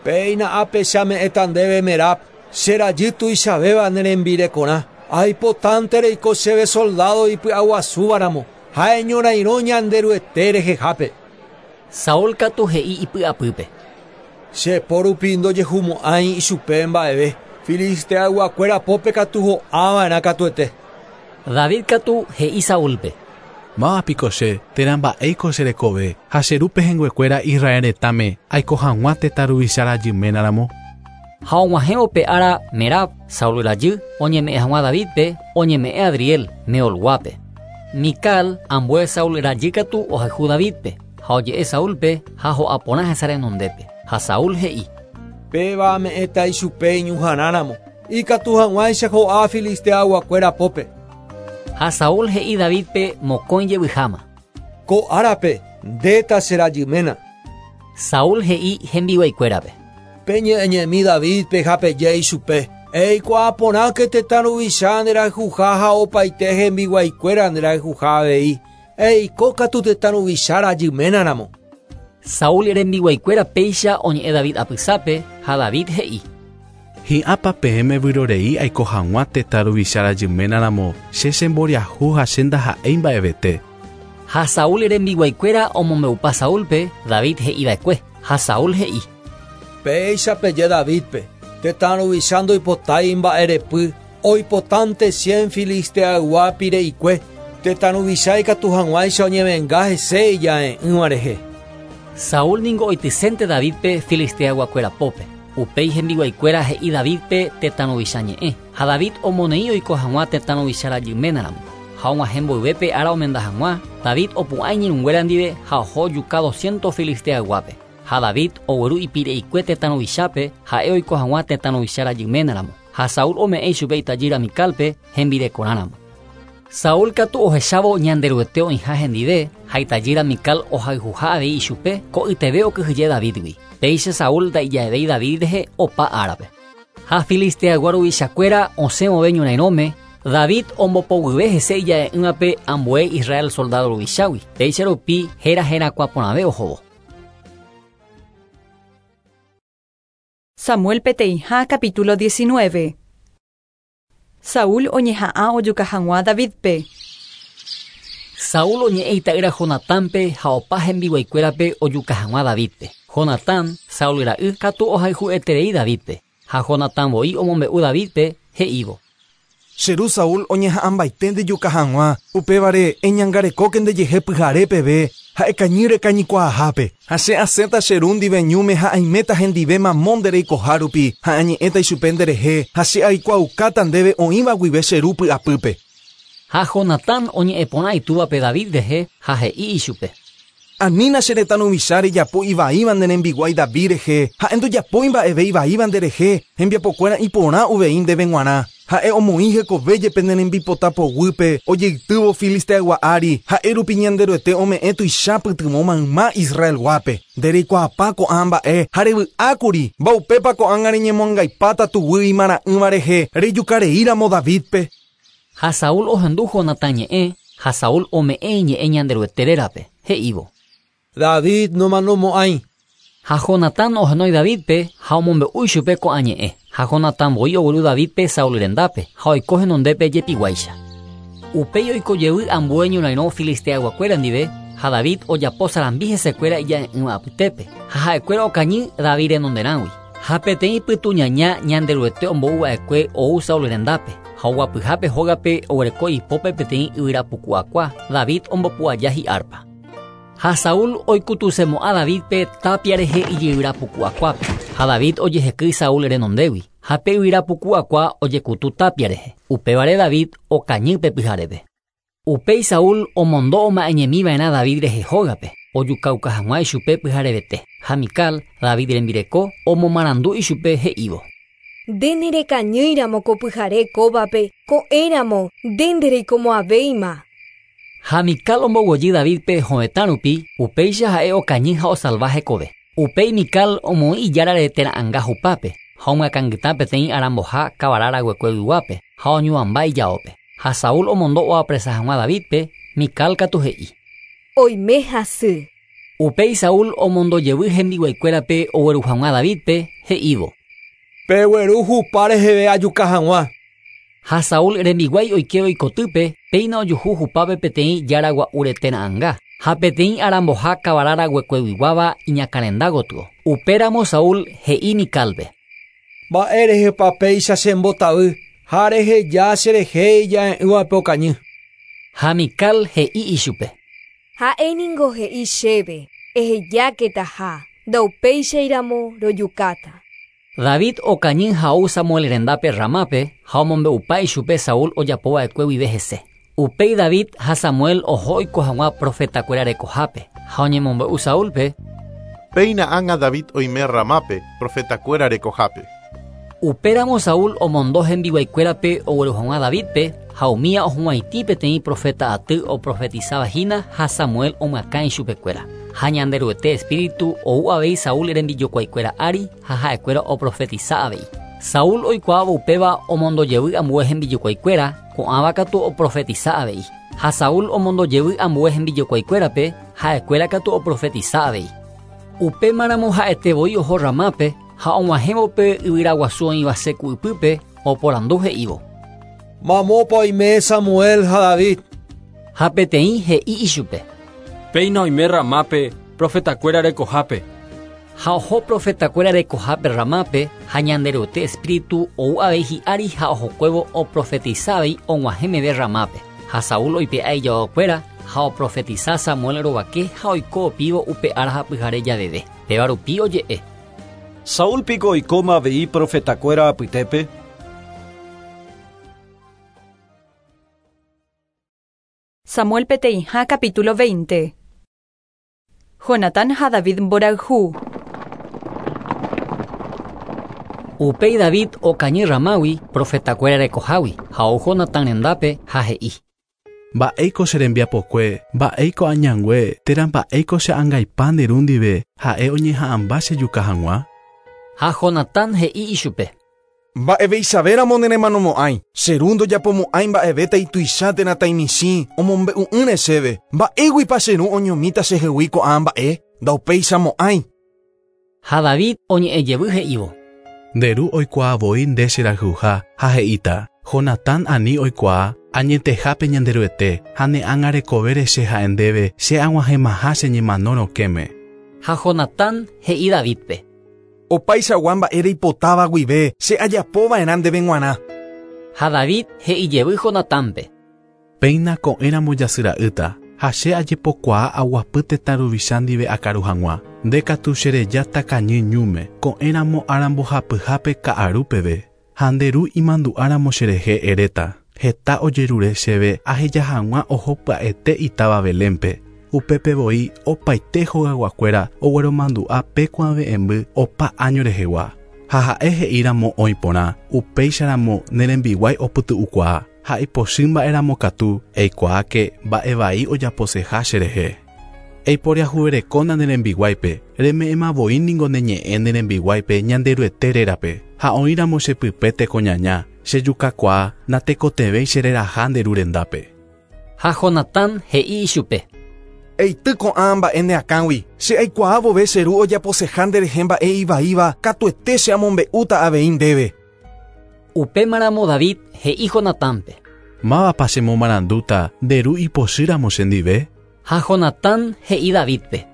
Péina ápe che ame'ẽta ndéve Merab, che rajy tuichavéva ne rembirekorã. Aipotánte reiko chéve soldado ipy'aguasúvaramo ha eñorairõ Ñanderuete rehehápe. Saúl katu he'i ipy'apýpe. Che po rupi ndojehumo'ãi ichupe mba'eve. Filisteayguakuéra pópe katu ho'ava'erã katuete. David katu he'i Saúlpe. Máva piko che, térã mba'éiko che rekove, ha che ru pehẽnguekuéra Israel retãme aiko hag̃ua tetã ruvicha rajyménaramo? Ha og̃uahẽvo pe ára Merab, Saúl rajy, oñeme'ẽ hag̃ua Davídpe, oñeme'ẽ Adriel, Meolguápe. Mical, ambue Saúl rajy katu ohayhu Davídpe, ha oje'e Saúlpe ha ho'a porã hesa renondépe. Ha Saúl he'i. Péva ame'ẽta ichupe iñuhãrãramo, ikatu hag̃uáicha ho'a Filisteayguakuéra pópe. Ha Saúl he'i Davídpe mokõi jevyháma. Ko árape ndéta che rajyména. Saúl he'i hembiguaikuérape. Peñe'ẽñemi Davídpe ha peje ichupe. Eikuaa porãke tetã ruvicha nderayhuha ha opaite hembiguaikuéra nderayhuha avei. Eiko katu tetã ruvicha rajyménaramo. Saúl rembiguaikuéra péicha oñe'ẽ David apysápe ha David he'i. Hi'ãpa peẽme vyrorei aiko hag̃ua tetã ruvicha rajyménaramo che chemboriahu ha che ndaha'éi mba'evete. Ha Saúl rembiguaikuéra omombe'upa Saúlpe David he'iva'ekue ha Saúl he'i. Péicha peje Davídpe, tetã ruvicha ndoipotái mba'erepy Oipotánte 100 filisteaygua pire'ikue. Tetã ruvicha ikatu hag̃uáicha oñevenga hese ija'e'ỹva rehe. Saúl ningo oitysénte Davídpe filisteayguakuéra pópe. Upéi hembiguaikuéra he'i Davídpe tetã ruvicha ñe'ẽ. Ha David omoneĩ oiko hag̃ua tetã ruvicha rajyménaramo. Ha og̃uahẽ mboyve pe ára omenda hag̃ua, David opu'ã iñirũnguéra ndive ha oho ojuka doscientos filisteayguápe. Ha David ogueru ipire'ikue tetã ruvichápe, ha'e oiko hag̃ua tetã ruvicha rajyménaramo. Ha Saúl ome'ẽ ichupe itajýra Micálpe hembirekorãramo. Saúl katu ohechávo Ñanderuete oĩha hendive, ha itajýra Mical ohayhuha avei ichupe, ko'yteve okyhyje Davídgui. Péicha Saúl ndaija'evéi David rehe opa árape. Ha Filisteaygua ruvichakuéra osẽ vove ñorairõme, David ombopoguyve hese ija'e'ỹvape ambue Israel soldádo ruvichágui, péicha rupi héra herakuã porãve ohóvo. Samuel peteĩha capítulo 19. Saúl oñeha'ã ojuka hag̃ua Davídpe. Saúl oñe'ẽ ita'ýra Jonatánpe ha opa hembiguaikuérape ojuka hag̃ua Davídpe. Jonatán, Saúl ra'y, katu ohayhu'eterei Davídpe. Ha Jonatán voi omombe'u Davídpe, he'ívo. Che ru Saúl oñeha'ãmbaite ndejuka hag̃ua, upévare eñangarekóke ndejehe pyhare peve ha ekañy rekañykuaahápe. Ha che asẽta che ru ndive ñúme ha aiméta hendive mamo nde reikoha rupi ha añe'ẽta ichupe nderehe ha che aikuaaukáta ndéve oĩva guive che ru py'apýpe. Ha Jonatán oñe'ẽ porã itúvape David rehe ha he'i ichupe. Anína che retã ruvicha rejapo ivaíva ne rembiguái David rehe, ha'e ndojapói mba'eve ivaíva nderehe, hembiapokuéra iporã uvei ndéve g̃uarã. Ha'e omoĩ hekove jepe ne rembipota poguýpe, ojeitývo Filisteaygua ári, ha'e rupi Ñanderuete ome'ẽ tuicha pytyvõ mayma Israelguápe. Nde reikuaapa ko'ã mba'e ha revy'ákuri, mba'upépa ko'ág̃a reñemoangaipáta tuguy imara'ỹva rehe rejuka reíramo Davídpe. Ha Saúl ohendu Jonatán ñe'ẽ, ha Saúl ome'ẽ iñe'ẽ Ñanderuete rérape, he'ívo. David nomanomo'ãi. Ha Jonatán ohenói Davídpe ha omombe'u ichupe ko'ã ñe'ẽ. Ha Jonatán voi ogueru Davídpe Saúl rendápe, ha oiko henondépe jepiguáicha. Upéi oiko jevy ambue ñorairõ filisteayguakuéra ndive, ha David ojapo sarambi hesekuéra ija'e'ỹva apytépe, ha ha'ekuéra okañy David renonderãgui. Ha peteĩ pytuñaña Ñanderuete ombou va'ekue ou Saúl rendápe, ha oguapyhápe hógape oguereko ipópe peteĩ yvyra puku akua, David ombopu aja hi'árpa. Ha Saúl oikutusemo'ã Davídpe tápia rehe ijyvyra puku akuápe, ha David ojehekýi Saúl renondégui, ha pe yvyra puku akua ojekutu tápia rehe, upévare David okañy pe pyharépe. Upéi Saúl omondo oma'ẽñemi va'erã David rehe hógape, ojukauka hag̃ua ichupe pyharevete, ha Mical, David rembireko, omomarandu ichupe he'ívo. Nde nerekañýiramo ko pyhare kóvape, ko'ẽramo nde ndereikomo'ãvéima. Ha Mical omboguejy Davídpe hovetã rupi, upéicha ha'e okañy ha osalva hekove. Upéi Mical omoĩ ijárare térã anga hupápe, ha omyakãngyta peteĩ aramboha kavara raguekueguiguápe, ha oñuãmba ijaópe. Ha Saúl omondo oapresa hag̃ua Davídpe, Mical katu he'i. Oime hasy. Upéi Saúl omondo jevy hembiguaikuérape ogueru hag̃ua Davídpe, he'ívo. Pegueru hupa reheve ajuka hag̃ua. Ha Saúl rembiguái oikévo ikotýpe, péina ojuhu hupápe peteĩ jára gua'úre térã anga, ha peteĩ aramboha kavara raguekueguiguáva iñakãrenda gotyo. Upéramo Saúl he'i Micálpe. Mba'érehepa péicha chembotavy ha reheja cherehe ija'e'ỹvape okañy. Ha Mical he'i ichupe. Ha'e ningo he'i chéve, ehejáketaha, ndaupéichairamo rojukáta. David okañy ha ou Samuel rendápe Ramápe ha omombe'upa ichupe Saúl ojapova'ekue guive hese. Upéi David ha Samuel oho oiko hag̃ua profetakuéra rekohápe ha oñemombe'u Saúlpe. Péina ág̃a David oime Ramápe, profetakuéra rekohápe. Upéramo Saúl omondo hembiguaikuérape ogueru hag̃ua Davídpe ha umía ohuvaitĩ peteĩ profeta aty oprofetisáva hína ha Samuel omyakã ichupekuéra. Ha Ñanderuete espíritu ou avei Saúl rembijokuaikuéra ári ha ha'ekuéra oprofetisa avei. Saúl oikuaávo upéva omondo jevy ambue hembijokuaikuéra, ko'ãva katu oprofetisa avei. Ha Saúl omondo jevy ambue hembijokuaikuérape, ha'ekuéra katu oprofetisa avei. Upémaramo ha'ete voi oho Ramápe ha og̃uahẽvo pe yvyra guasu oĩva seku ypýpe oporandu he'ívo. Mamópa oime Samuel ha David. Ha peteĩ he'i ichupe. Péina oime Ramápe, profetakuéra rekohápe. Ha oho profetakuéra rekohápe Ramápe ha Ñanderuete espíritu ou avei hi'ári ha ohokuévo oprofetisa avei og̃uahẽ meve Ramápe. Ha Saúl oipe'a ijaokuéra ha oprofetisa Samuel rovake ha oiko opívo upe ára ha pyhare javeve. Péva rupi oje'e. Saúl piko oikóma avei profetakuéra apytépe? Samuel peteĩha capítulo 20. Jonatán ha David mborayhu. Upéi David okañy Ramágui profetakuéra rekohágui ha ou Jonatán rendápe ha he'i. Mba'éiko che rembiapokue, mba'éiko añangue, térã mba'éiko che angaipa nde ru ndive ha'e oñeha'ãmba chejuka hag̃ua? Ha Jonatán he'i ichupe. Mba'eveichavéramo neremanomo'ãi, che ru ndojapomo'ãi mba'evéta ituicha térã taimichĩ omombe'u'ỹre chéve. Mba'éguipa che ru oñomíta chehegui ko'ã mba'e? Ndaupeichamo'ãi. Ha David oñe'ẽjevy he'ívo. Nde ru oikuaa voi nde cherayhuha ha he'íta, Jonatán ani oikuaa, añetehápe Ñanderuete ha ne ág̃a che ha'e ndéve che ag̃uahẽmaha che ñemano rokẽme. Ha Jonatán he'i Davidpe. Opaichagua mba'e reipotáva guive che ajapova'erã ndéve g̃uarã. Ha David he'ijevy Jonatánpe. Péina ko'ẽramo jasyra'ýta ha che ajepokuaa aguapy tetã ruvicha ndive akaru hag̃ua. Nde katu cherejáta kañy ñúme ko'ẽramo arambohapyhápe ka'aru peve. Ha nde ru imandu'áramo cherehe eréta. Heta ojerure chéve aheja hag̃ua oho pya'ete itáva Belénpe. Upépe voi opaite hogayguakuéra ogueromandu'a pe kuave'ẽmby opa año rehegua. Ha ha'e he'íramo oĩ porã, upéicharamo nerembiguái opytu'ukuaa. Ha ipochy mba'éramo katu eikuaáke mba'evai ojaposeha cherehe. Eiporiahuverekóna nerembiguáipe, reme'ẽma voi ningo ne ñe'ẽ nerembiguáipe Ñanderuete rérape. Ha oĩramo chepype tekoñaña, chejukakuaa natekotevẽi chereraha nde ru rendápe. Ha Jonatán he'i ichupe. Eity ko'ã mba'e ne akãgui, che aikuaa vove che ru ojaposeha nderehe mba'e ivaíva katuete che amombe'úta avei ndéve. Upémaramo David he'i Jonatánpe. Mávapa chemomarandúta nde ru ipochýramo chendive? Ha Jonatán he'i Davidpe.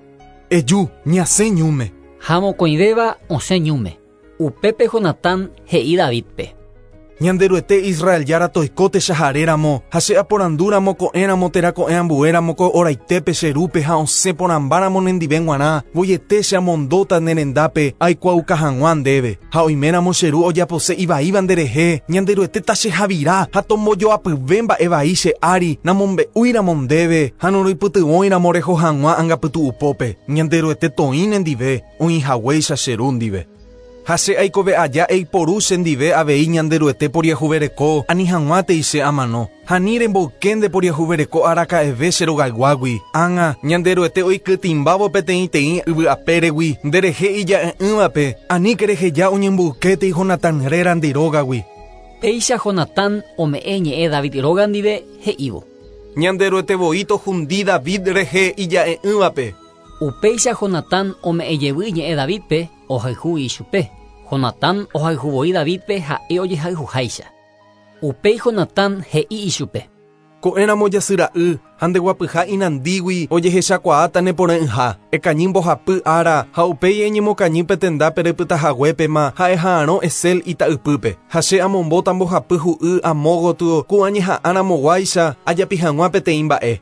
Eju, ñasẽ ñúme. Ha mokõivéva osẽ ñúme. Upépe Jonatán he'i Davidpe. Ñanderuete Israel jára toiko techaharéramo ha che aporandúramo ko'ẽramo térã ko'ẽ ambuéramo ko oraitépe che rúpe ha osẽ porãmbáramo nendive g̃uarã voiete che amondóta ne rendápe aikuaauka hag̃ua ndéve. Ha oiméramo che ru ojapose ivaíva nderehe, Ñanderuete tachehavira ha tombojoapyve mba'evai che ári namombe'úiramo ndéve ha noroipytyvõiramo reho hag̃ua angapytu'upópe. Ñanderuete toĩ nendive oĩhaguéicha che ru ndive. Ha che aikove aja eiporu chendive avei Ñanderuete poriahuvereko ani hag̃uátei che amano. Ha ni remboyke nde poriahuvereko araka'eve che rogayguágui. Ág̃a Ñanderuete oikytĩmbávo peteĩteĩ yvy'apéregui nderehe ija'e'ỹvape aníke reheja oñemboykétei Jonatán réra nde rógagui. Péicha Jonatán ome'ẽ ñe'ẽ David róga ndive he'ívo. Ñanderuete voi tohundi David rehe ija'e'ỹvape. Upéicha Jonatán ome'ẽjevy ñe'ẽ Davidpe ohayhu ichupe. Jonatán ohayhu voi Davidpe ha'e ojehayhuháicha. Upéi Jonatán he'i ichupe. Ko'ẽramo jasyra'y ha ndeguapyha inandígui ojehechakuaáta neporã'ỹha. Ekañy mbohapy ára ha upéi eñemokañy petendápe repytahaguépema ha eha'arõ Esel ita'ypýpe. Ha che amombóta mbohapy hu'y amo gotyo ku añeha'ãramoguáicha ajapi hag̃ua peteĩ mba'e.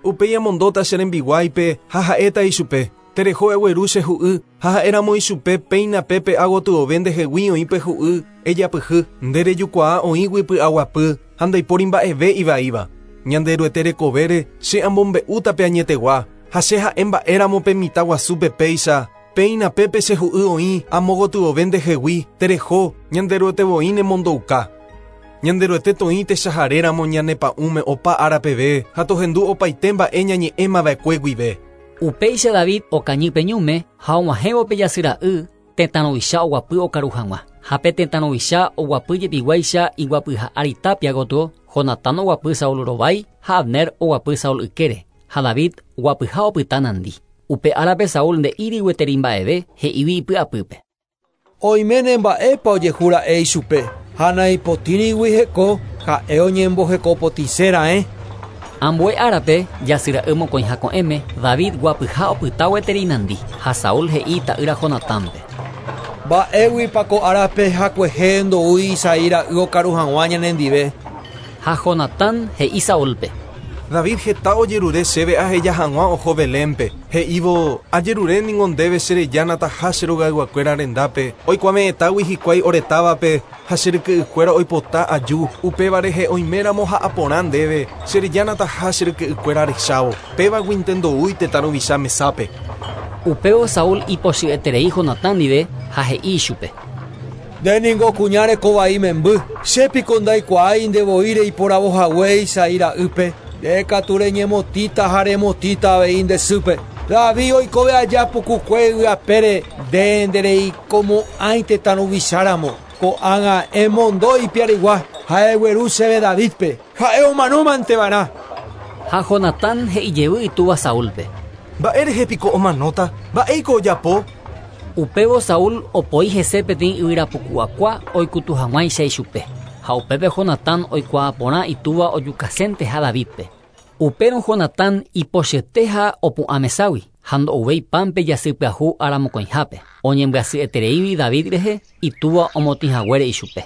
Upéi amondóta che rembiguáipe ha ha'éta ichupe. Tereho egueru che hu'y ha ha'éramo ichupe péina pépe agotyove ndehegui oĩ pe hu'y ejapyhy. Nde rejukuaa oĩgui py'aguapy ha ndaipóri mba'eve ivaíva. Ñanderuete rekovére che amombe'úta pe añetegua ha che ha'e mba'éramo pe mitã guasúpe péicha. Péina pépe che hu'y oĩ amo gotyove ndehegui tereho Ñanderuete voi nemondouka. Ñanderuete toĩ techaharéramo ñanepa'ũme opa ára peve ha tohendu opaite mba'e ñañe'ẽmava'ekue guive. Upéicha David okañy pe ñúme ha og̃uahẽvo pe jasyra'y tetã ruvicha oguapy okaru hag̃ua. Ha pe tetã ruvicha oguapy jepiguáicha iguapyha ári tapia gotyo, Jonatán oguapy Saúl rovái ha Abner oguapy Saúl ykére. Ha David oguapyha opyta nandi. Upe árape Saúl nde'íri gueteri mba'eve he'ívi ipy'apýpe. Oiméne mba'épa ojehura'e ichupe. Ha naipotĩrigui heko ha'e oñembohekopotĩse raẽ. Ambue árape, jasyra'y mokõiha ko'ẽme, David guapyha opyta gueteri nandi, ha Saúl he'i ta'ýra Jonatánpe. Mba'éguipa ko árape hakuehe ndoúi Isaí ra'y okaru hag̃ua ñanendive. Ha Jonatán he'i Saúlpe. David heta ojerure chéve aheja hag̃ua oho Belénpe. He'ívo, ajerure ningo ndéve cherejána taha che rogayguakuéra rendápe, oikuave'ẽtágui hikuái ore távape ha che ryke'ykuéra oipota aju, upéva rehe oiméramo ha'a porã ndéve, cherejána taha che ryke'ykuéra rechávo, pévaguinte ndoúi tetã ruvicha mesápe. Upévo Saúl ipochy'eterei Jonatán ndive ha he'i ichupe. Nde ningo kuña reko vai memby, che piko ndaikuaái nde voi reiporavo hague Isaí ra'ýpe, nde katu reñemotĩta ha remotĩta avei nde sýpe. David oikove aja pukukue yvy apére, nde ndereikomo'ãi tetã ruvicha ramo. Ko'ág̃a emondo ipiarigua ha egueru chéve Davídpe, ha'e omanómante va'erã. Ha Jonatán he'i jevy itúva Saúlpe. Mba'e rehe piko omanóta? Mba'éiko ojapo? Upévo Saúl opoi hese peteĩ yvyrapuku'akua oikutu hag̃uáicha ichupe. Ha upépe Jonatán oikuaa porã itúva ojukasénteha Davídpe. Upérõ Jonatán ipochyete ha opu'ã meságui, ha ndo'uvéi pánpe jasy pyahu ára mokõihápe, oñembyasy'etereígui David rehe itúva omotĩ haguére ichupe.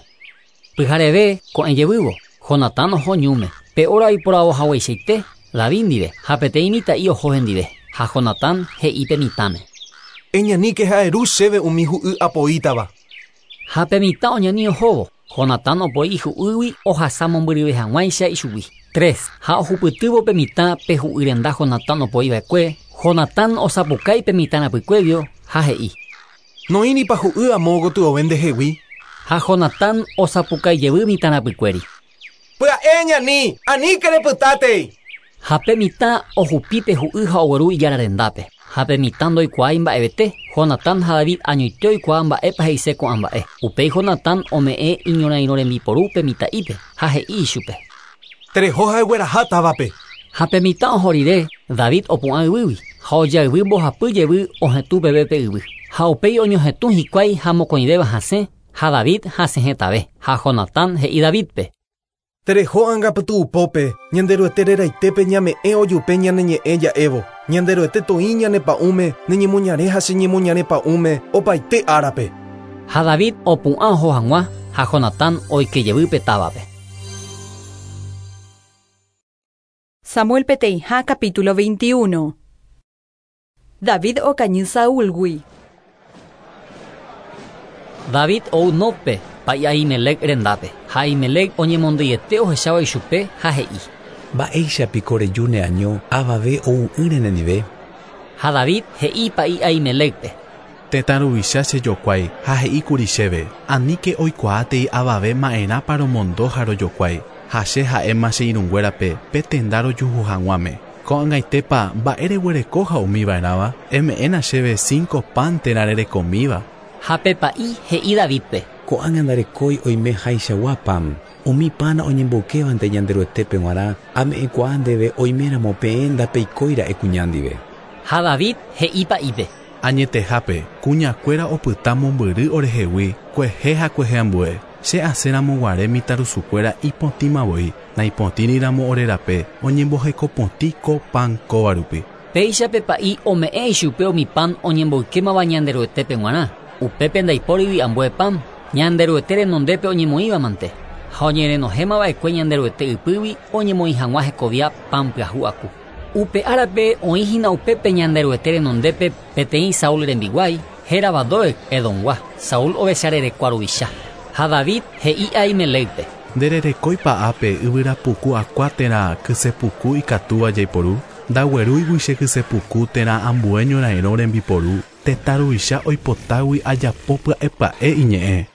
Pyhareve ko'ẽ jevývo, Jonatán oho ñúme, pe óra oiporavo hagueichaite David ndive, ha peteĩ mitã'i oho hendive, ha Jonatán he'i pe mitãme. Eñaníke ha eru chéve umi hu'y apoítava. Ha pe mitã oñani ohóvo, Jonatán opoi ihu'ýgui ohasa mombyryve hag̃uáicha ichugui. Tres, ha ohupytývo pe mitã pe hu'y renda Jonatán opoi va'ekue, Jonatán osapukái pe mitã rapykuévio ha he'i. Noĩripa hu'y amo gotyove ndehegui? Ha Jonatán osapukái jevy mitã rapykuéri. Pya'e eñani, aníke repytátei! Ha pe mitã ohupi pe hu'y ha ogueru ijára rendápe. Ha pe mitã ndoikuaái mba'evete, Jonatán ha David añoite oikuaa mba'épa he'ise ko'ã mba'e. Upéi Jonatán ome'ẽ iñorairõ rembiporu pe mitã'ípe, ha he'i ichupe. Tereho ha egueraha távape. Ha pe mitã oho rire, David opu'ã yvýgui, ha ojayvy mbohapy jevy ohetũ peve pe yvy. Ha upéi oñohetũ hikuái ha mokõivéva hasẽ, ha David hasẽ hetave. Ha Jonatán he'i Davídpe. Tereho anga pytu'upópe, Ñanderuete reraitépe ñame'ẽ ojupe ñane ñe'ẽ ja'évo. Ñanderuete toĩ ñane pa'ũme, ne ñemoñare ha che ñemoñare pa'ũme, opaite árape. Ha David opu'ã oho hag̃ua, ha Jonatán oike jevy pe távape. Samuel peteĩha capítulo 21. David okañy Saúlgui. David ou Nóbpe, pa'i Ahimelec rendápe. Ha Ahimelec oñemondyiete ohechávo ichupe ha he'i. Mba'éicha piko reju neaño avave ou'ỹre nendive? Ha David he'i pa'i Ahimelécpe. Tetã ruvicha che jokuái ha he'i kuri chéve, Aníke oikuaátei avave ma'erãpa romondo ha rojokuái, ha che ha'éma che irũnguérape pe tenda rojuhu hag̃uáme. Ko'ag̃aitépa mba'e reguereko ha umi va'erãva? Eme'ẽna chéve cinco pan térã rerekomíva. Ha pe pa'i he'i Davídpe. Ko'ág̃a ndarekói oime haichagua pan. Umi pan oñemboykévante Ñanderuetépe g̃uarã, ame'ẽkuaa ndéve oiméramo peẽ ndapeikói ra'e kuña ndive. Ha David he'i pa'ípe. Añetehápe, kuñakuéra opyta mombyry orehegui, kuehe ha kuehe ambue. Che asẽ ramo guare mitãrusukuéra ipotĩma voi, naipotĩri ramo ore rape, oñemboheko potĩ ko pan kóva rupi. Péicha pe pa'i ome'ẽ ichupe umi pan oñemboykémava Ñanderuetépe g̃uarã, upépe ndaipórigui ambue pan, Ñanderuete renondépe oñemoĩva mante, ha oñerenohẽma va'ekue Ñanderuete ypýgui oñemoĩ hag̃ua hekovia pan pyahu aku. Upe árape oĩ hína upépe Ñanderuete renondépe peteĩ Saúl rembiguái, hérava Doeg, Edomgua, Saúl ovecha rerekua ruvicha. Ha David he'i Ahimelécpe. Ndererekóipa ápe yvyra puku akua térã kyse puku ikatúva jaiporu? Ndaguerúigui che kyse puku térã ambue ñorairõ rembiporu, tetã ruvicha oipotágui ajapo pya'e pya'e iñe'ẽ.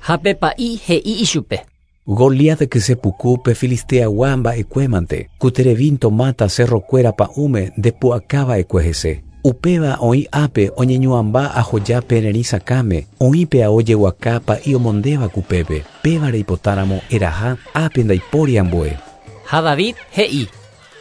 Ha pe pa'i he'i ichupe. Goliat kyse puku pe Filisteagua mba'ekuémante, ku terevinto máta cerro-kuéra pa'ũme ndepu'aka va'ekue hese. Upéva oĩ ápe oñeñu'ãmba ahoja pererĩ sakãme, oĩ pe ao jeguaka pa'i omondéva kupépe. Péva reipotáramo eraha, ápe ndaipóri ambue. Ha David he'i.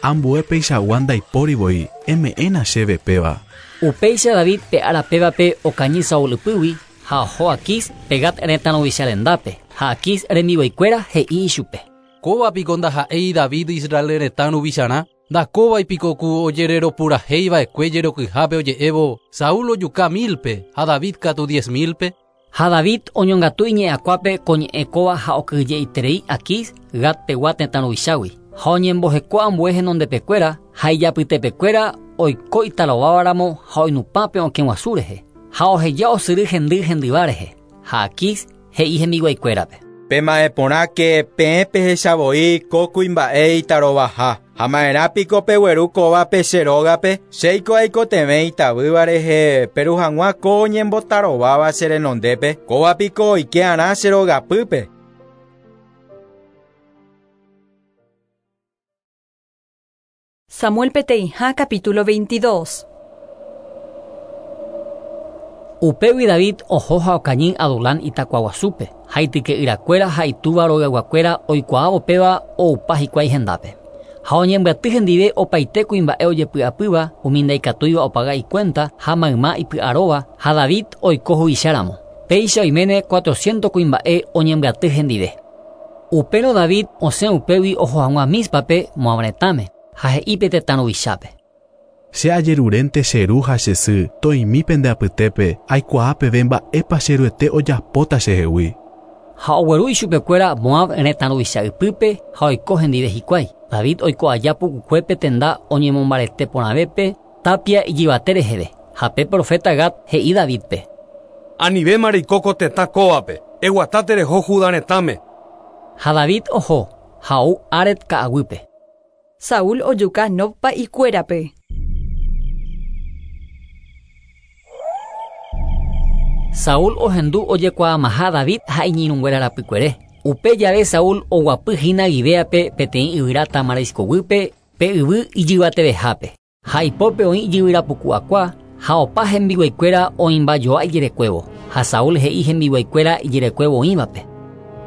Ambue peichagua ndaipóri voi, eme'ẽna chéve péva. Upéicha David pe ára pévape okañy Saúl ypýgui ha oho Aquís pe Gat retã ruvicha rendápe, ha Aquís rembiguaikuéra he'i ichupe. Kóva piko ndaha'éi David Israel retã ruvicharã, ndakóvai piko ku ojereropurahéiva'ekue jerokyhápe oje'évo Saúl ojuka 1000-pe ha David katu 10 000-pe. Ha David oñongatu iñe'ãkuápe ko ñe'ẽ kóva ha okyhyjeiterei Aquís Gatpegua tetã ruvichágui. Ha oñemboheko ambue henondepekuéra ha ijapytepekuéra oiko itarovávaramo ha oinupã pe okẽ guasu rehe. Ha oheja osyry hendy hendyva rehe. Ha Aquís he'i hembiguaikuérape. Pema'ẽ porãke peẽ pehechavoi ko kuimba'e itarovaha. Ha ma'erã piko pegueru kóvape che rógape, chéiko aikotevẽ itavýva rehe peru hag̃ua ko oñembotarováva che renondépe, kóva piko oike'arã che rogapýpe. Samuel peteĩha capítulo 22. Upégui David oho ha okañy Adulán itakuaguasúpe, ha ityke'yrakuéra ha itúva rogayguakuéra oikuaávo péva oupa hikuái hendápe. Ha oñembyaty hendive opaite kuimba'e ojepy'apýva umi ndaikatúiva opaga ikuénta ha mayma ipy'aróva ha David oiko huvicháramo. Péicha oiméne 400 kuimba'e oñembyaty hendive. Upérõ David osẽ upégui oho hag̃ua Míspape Moab retãme ha he'i pe tetã ruvichápe. Che ajerurénte che ru ha che sy toimi pende apytépe aikuaa peve mba'épa che ruete ojapóta chehegui. Ha ogueru ichupekuéra Moab retã ruvicha ypýpe ha oiko hendive hikuái. David oiko aja pukukuépe tenda oñemombarete porãvépe tapia ijyvate reheve. Ha pe profeta Gad he'i Davidpe. Anivéma reiko ko tetã kóvape, eguata tereho Judá retãme. Ha David oho ha ou Haret ka'aguýpe. Saúl ojuka Nob pa'ikuérape. Saúl ohendu ojekuaamaha David ha iñirũnguéra rapykuere. Upe jave Saúl oguapyhína Gibeápe peteĩ yvyra tamariskoguýpe pe yvy ijyvatevehápe. Ha ipópe oĩ ijyvyrapuku'akua ha opa hembiguaikuéra oĩmbajoa ijerekuévo. Ha Saúl he'i hembiguaikuéra ijerekuévo oĩvape.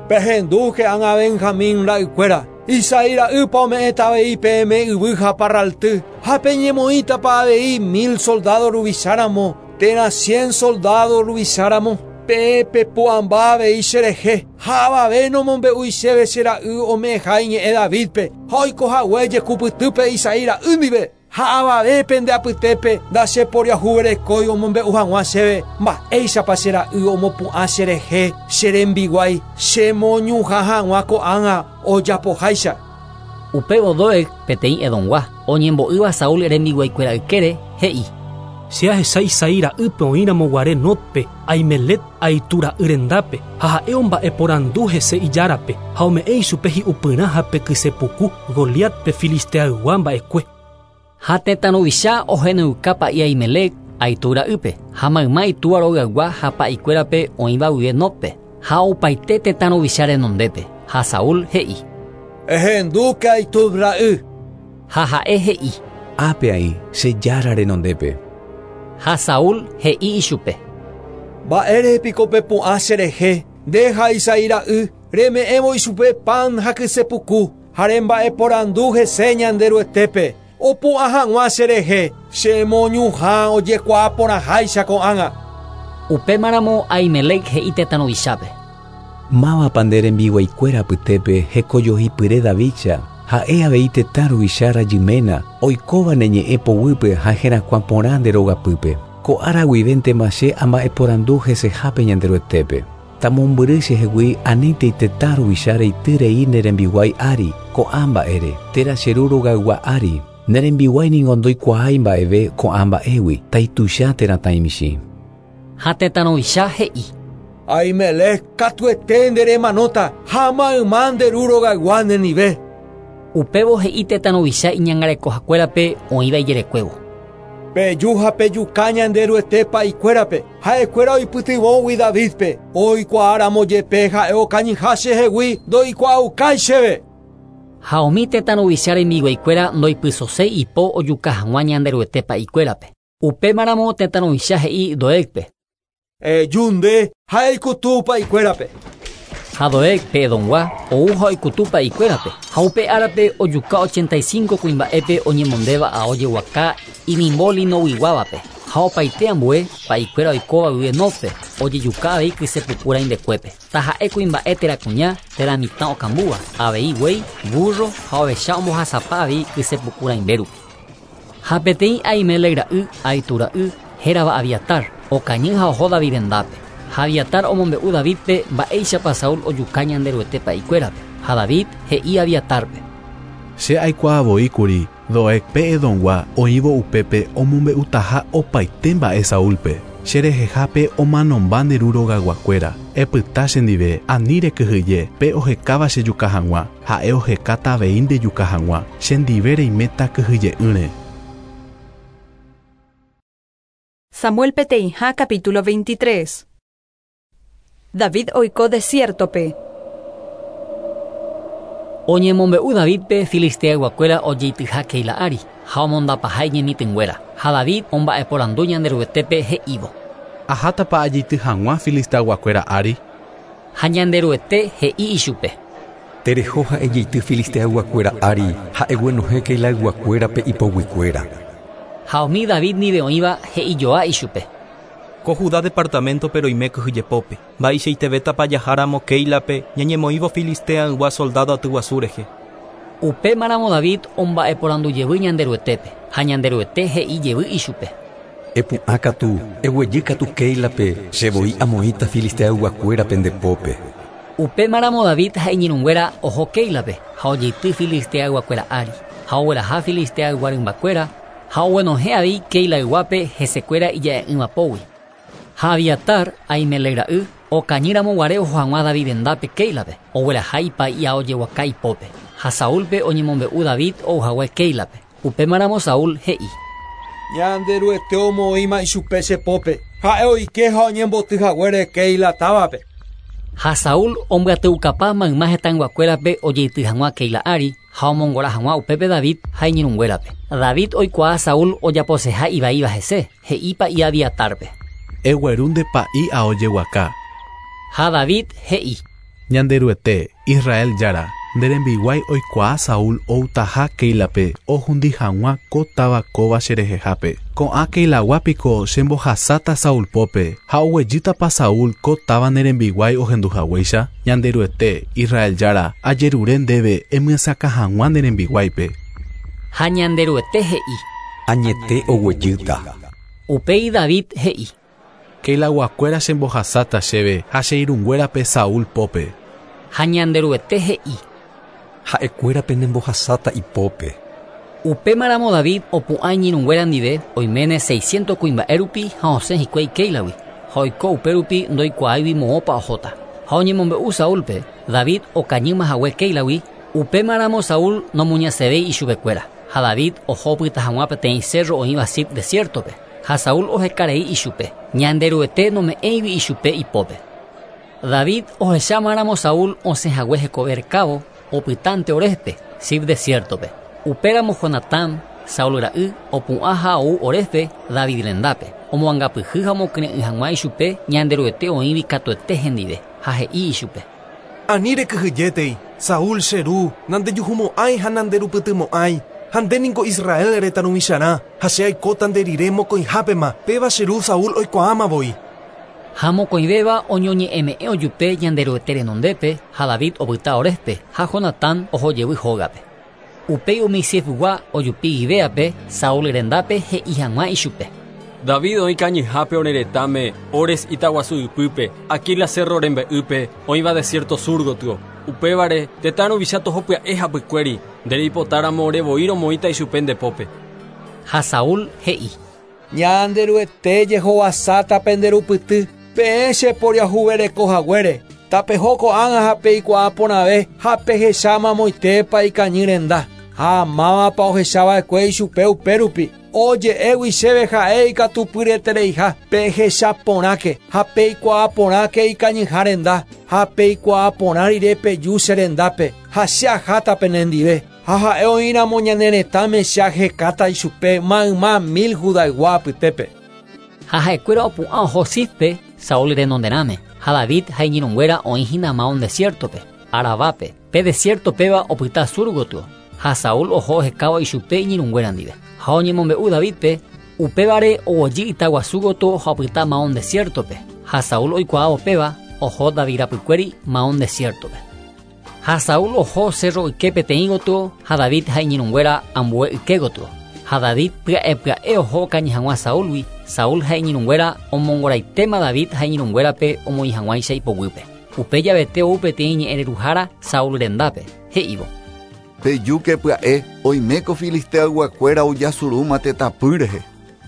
Pehendúke ág̃a Benjamín ra'ykuéra, Isaí ra'ýpa ome'ẽta avei peẽme yvy ha parralty, ha peñemoĩtapa avei 1000 soldado ruvicháramo, térã 100 soldado ruvicháramo, peẽ pepu'ãmba avei cherehe, ha avave nomombe'úi chéve che ra'y ome'ẽha iñe'ẽ Davidpe, ha oikohague jekupytýpe Isaí ra'y ndive, ha avave pende apytépe ndacheporiahuverekói omombe'u hag̃ua chéve mba'éichapa che ra'y omopu'ã cherehe che rembiguái chemoñuhã hag̃ua ko'ág̃a ojapoháicha. Upévo Doeg peteĩ Edomgua oñembo'ýva Saúl rembiguaikuéra ykére he'i. Che ahecha Isaí ra'ýpe oĩramo guare Nodpe, Ahimelec Ahitub ra'y rendápe, ha ha'e omba'eporandu hese ijárape, ha ome'ẽ ichupe hi'upyrã ha pe kysepuku Goliat pe filisteaygua mba'ekue. Ha tetã ruvicha ohenóiuka pa'i Ahimelec Ahitub ra'ýpe, ha mayma itúva rogaygua ha pa'ikuérape oĩva guive Nodpe, ha opaite tetã ruvicha renondépe. Ha Saúl he'i. Ehendúke Ahitub ra'y. Ha ha'e he'i. Ápe aĩ che jára renondépe. Ha Saúl he'i ichupe. Mba'ére piko pepu'ã cherehe, nde ha Isaí ra'y, reme'ẽvo ichupe pan ha kysepuku, ha remba'eporandu hese Ñanderuetépe, opu'ã hag̃ua cherehe, chemoñuhã ojekuaa porãháicha ko'ág̃a. Upémaramo Ahimelec he'i tetã ruvichápe. Mávapa nde rembiguaikuéra apytépe hekojohipyre Davidcha, ha'e avei tetã ruvicha rajyména, oikóva ne ñe'ẽ poguýpe ha herakuã porã nde rogapýpe. Ko ára guivéntema che amba'eporandu hesehápe Ñanderuetépe. Tamombyry chehegui anítei tetã ruvicha reity rei ne rembiguái ári ko'ã mba'ére, térã che ru rogaygua ári. Ne rembiguái ningo ndoikuaái mba'eve ko'ã mba'égui, taituicha térã taimichĩ. Ha tetã ruvicha he'i. Ahimelec katuete nde remanóta ha mayma nde ru rogaygua nendive. Upévo he'i tetã ruvicha iñangarekohakuérape oĩva ijerekuévo. Peju ha pejuka Ñanderuete pa'ikuérape, ha'ekuéra oipytyvõgui Davidpe, oikuaáramo jepe ha'e okañyha chehegui ndoikuaaukái chéve. Ha umi tetã ruvicha rembiguaikuéra ndoipysoséi ipo ojuka hag̃ua Ñanderuete pa'ikuérape. Upémaramo tetã ruvicha he'i Doegpe. Eju nde ha eikutu pa'ikuérape. Ha Doeg pe Edomgua ou ha oikutu pa'ikuérape. Ha upe árape ojuka 85 kuimba'épe oñemondéva ao jeguaka inimbo linoguiguávape. Ha opaite ambue pa'ikuéra oikóva guive Nodpe. Ojejuka avei kysepuku rãimbekuépe. Taha'e kuimba'e térã kuña térã mitã okambúva, avei guéi, burro ha ovecha ombohasapa avei kysepuku rãimbe rupi. Ha peteĩ Ahimelec ra'y, Ahitub ra'y, hérava Abiatar, okañy ha oho David rendápe. Ha Abiatar omombe'u Davídpe mba'éichapa Saúl ojuka Ñanderuete pa'ikuérape. Ha David he'i Abiatárpe. Che aikuaa voi kuri Doeg pe Edomgua oĩvo upépe omombe'utaha opaite mba'e Saúlpe, Che rehehápe omanomba nde ru rogayguakuéra, epyta chendive, ani rekyhyje, pe ohekáva chejuka hag̃ua, ha'e ohekáta avei ndejuka hag̃ua, chendive reiméta kyhyje'ỹre. Samuel peteĩha capítulo 23. David oiko desiértope. Oñemombe'u Davídpe Filisteayguakuéra ojeityha Keila ári, ha omondapaha iñemitỹnguéra. Ha David omba'eporandu Ñanderuetépe he'ívo. Ahátapa ajeity hag̃ua Filisteayguakuéra ári? Ha Ñanderuete he'i ichupe. Tereho ha ejeity Filisteayguakuéra ári ha eguenohẽ Keilayguakuérape ipoguikuéra. Ha umi David ndive oĩva he'ijoa ichupe. Ko Judá departaméntope roime kyhyjepópe. Mba'eichaitevétapa jaháramo Kéilape ñañemoĩvo Filisteaygua soldádo atyguasu rehe. Upémaramo David omba'eporandu jevy Ñanderuetépe, ha Ñanderuete he'i jevy ichupe. Epu'ã katu, eguejy katu Kéilape, che voi amoĩta Filisteayguakuérape nde pópe. Upémaramo David ha iñirũnguéra oho Kéilape, ha ojeity Filisteayguakuéra ári, ha ogueraha Filisteaygua rymbakuéra, ha oguenohẽ avei Keilayguápe hesekuéra ija'e'ỹva pógui. Ha Abiatar, Ahimelec ra'y, okañy ramo guare oho hag̃ua David rendápe Kéilape, ogueraha ipa'i ao jeguaka ipópe. Ha Saúlpe oñemombe'u David ou hague Kéilape. Upémaramo Saúl he'i. Ñanderuete omoĩma ichupe che pópe, ha'e oike ha oñemboty haguére Keila távape. Ha Saúl ombyatyukapa mayma hetãyguakuérape ojeity hag̃ua Keila ári, ha omongora hag̃ua upépe David ha iñirũnguérape. David oikuaa Saúl ojaposeha ivaíva hese, he'i pa'i Abiatárpe. Egueru nde pa'i ao jeguaka. Ha David he'i. Ñanderuete, Israel Jára, nde rembiguái oikuaa Saúl outaha Kéilape ohundi hag̃ua ko táva kóva che rehehápe. Ko'ã Keilagua piko chembohasáta Saúl pópe, ha oguejýtapa Saúl ko táva ne rembiguái ohendu haguéicha? Ñanderuete, Israel Jára, ajerure ndéve emyesakã hag̃ua ne rembiguáipe. Ha Ñanderuete he'i. Añete oguejýta. Upéi David he'i. Keilaguakuéra chembohasáta chéve ha che irũnguérape Saúl pópe. Ha Ñanderuete he'i. Ha'ekuéra penembohasáta ipópe. Upémaramo David opu'ã iñirũnguéra ndive, oiméne seiscientos kuimba'e rupi ha osẽ hikuái Kéilagui, ha oiko upérupi ndoikuaáigui moõpa ohóta. Ha oñemombe'u Saúlpe, David okañýma hague Kéilagui, upémaramo Saúl nomuñasevéi ichupekuéra, ha David oho opyta hag̃ua peteĩ sérro oĩva Zif desiértope, ha Saúl oheka rei ichupe, Ñanderuete nome'ẽigui ichupe ipópe. David ohechámaramo Saúl osẽ hague hekove rekávo, opytánte Horéspe, Zif desiértope. Upéramo Jonatán, Saúl ra'y, opu'ã ha ou Horéspe, David rendápe, omoangapyhy ha omokyre'ỹ hag̃ua ichupe Ñanderuete oĩgui katuete hendive, ha he'i ichupe. Ani rekyhyjétei, Saúl che ru, nandejuhumo'ãi ha nanderupytymo'ãi, ha nde ningo Israel retã ruvicharã, ha che aikóta nde rire mokõihápema, péva che ru Saúl oikuaáma voi. Ha mokõivéva oñoñe'ẽme'ẽ ojupe Ñanderuete renondépe, ha David opyta Horéspe, ha Jonatán oho jevy hógape. Upéi umi Zifgua ojupi Gibéape, Saúl rendápe he'i hag̃ua ichupe. David oĩ kañyhápe ore retãme, Hores itaguasu ypýpe, Aquila cérro rembe'ýpe, oĩva desiérto sur gotyo. Upévare, tetã ruvicha toho pya'e hapykuéri, nde reipotáramo ore voi romoĩta ichupe nde pópe. Ha Saúl he'i. Ñanderuete jehovasáta pende rupyty, peẽ che poriahuvereko haguére, tapeho ko'ág̃a ha peikuaa porãve ha pehecha mamoitépa ikañy renda, ha mávapa ohecha va'ekue ichupe upérupi, oje'égui chéve ha'e ikatupyryetereiha, pehecha porãke ha peikuaa porãke ikañyha renda, ha peikuaa porã rire peju che rendápe, ha che aháta penendive. Ha ha'e oĩramo ñane retãme che ahekáta ichupe mayma mil Judaygua apytépe. Ha ha'ekuéra opu'ã oho Zifpe, Saúl renonderãme, ha David ha iñirũnguéra oĩ hína Maón desiértope, Arabápe, pe desiérto péva opyta sur gotyo. Ha Saúl oho ohekávo ichupe iñirũnguéra ndive. Ha oñemombe'u Davídpe, upévare oguejy itaguasu gotyo ha opyta Maón desiértope. Ha Saúl oikuaávo péva, oho David rapykuéri Maón desiértope. Ha Saúl oho cerro yke peteĩ gotyo ha David ha iñirũnguéra ambue yke gotyo. Ha David pya'e pya'e oho okañy hag̃ua Saúlgui, Saúl ha iñirũnguéra omongoraitéma David ha iñirũnguérape omoĩ hag̃uáicha ipoguýpe. Upe javete ou peteĩ ñe'ẽreruhára Saúl rendápe, he'ívo. Pejúke pya'e, oime ko Filisteayguakuéra ojasurúma tetãpy rehe.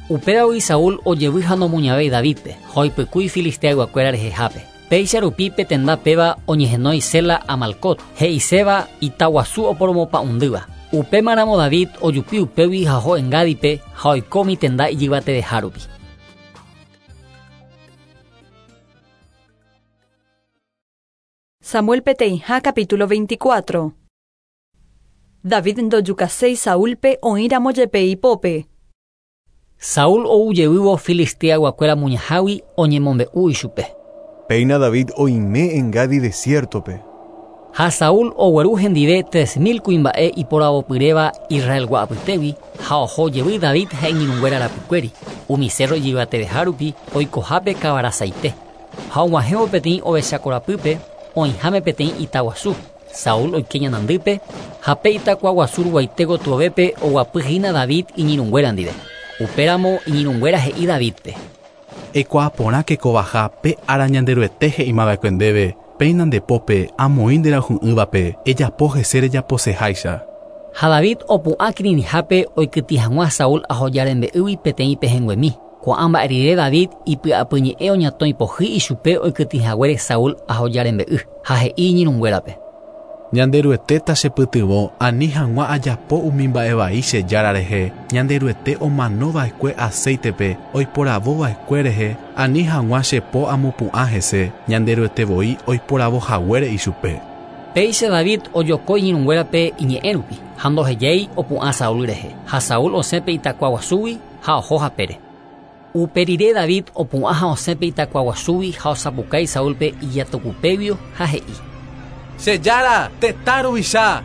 Upévagui Saúl ojevy ha nomuñavéi Davídpe, ha oipykúi Filisteayguakuéra rehehápe. Péicha rupi pe tenda péva oñehenói Sela Amalcot, he'iséva ita guasu oporomopa'ũndýva. Upémaramo David ojupi upégui ha oho Engádipe ha oiko umi tenda ijyvateveha rupi. Samuel peteĩha capítulo 24. David ndojukaséi Saúlpe oĩramo jepe ipópe. Saúl ou jevývo Filisteayguakuéra muñahágui oñemombe'u ichupe. Péina David oime Engadi desiértope. Ha Saúl ogueru hendive 3000 kuimba'e iporavopyréva Israelgua apytégui ha oho jevy David ha iñirũnguéra rapykuéri, umi cérro ijyvateveha rupi oikohápe kavara saite. Ha og̃uahẽvo peteĩ ovecha korapýpe, oĩháme peteĩ ita guasu, Saúl oike ñanandýpe ha pe itakua guasu ruguaite gotyovépe oguapy hína David iñirũnguéra ndive. Upéramo iñirũnguéra he'i Davídpe. Eikuaa porãke kovaha pe ára Ñanderuete he'imava'ekue ndéve, Péina nde pópe amoĩ nde rayhu'ỹvape, ejapo hese rejaposeháicha. Ha David opu'ã kirirĩhápe oikytĩ hag̃ua Saúl ahoja rembe'ýgui peteĩ pehẽnguemi. Ko'ã mba'e rire David ipy'apyñe'ẽ oñatõi pohýi ichupe oikytĩ haguére Saúl ahoja rembe'y, ha he'i iñirũnguérape. Ñanderuete tachepytyvõ ani hag̃ua ajapo umi mba'e vai che Jára rehe, Ñanderuete omanova'ekue acéitepe oiporavova'ekue rehe, ani hag̃ua che po amopu'ã hese, Ñanderuete voi oiporavo haguére ichupe. Péicha David ojoko iñirũnguérape iñe'ẽ rupi, ha ndohejái opu'ã Saúl rehe, ha Saúl osẽ pe itakua guasúgui ha oho hapére. Upe rire David opu'ã ha osẽ pe itakua guasúgui ha osapukái Saúlpe ijatukupéguio ha he'i. Che Jára, tetã ruvicha!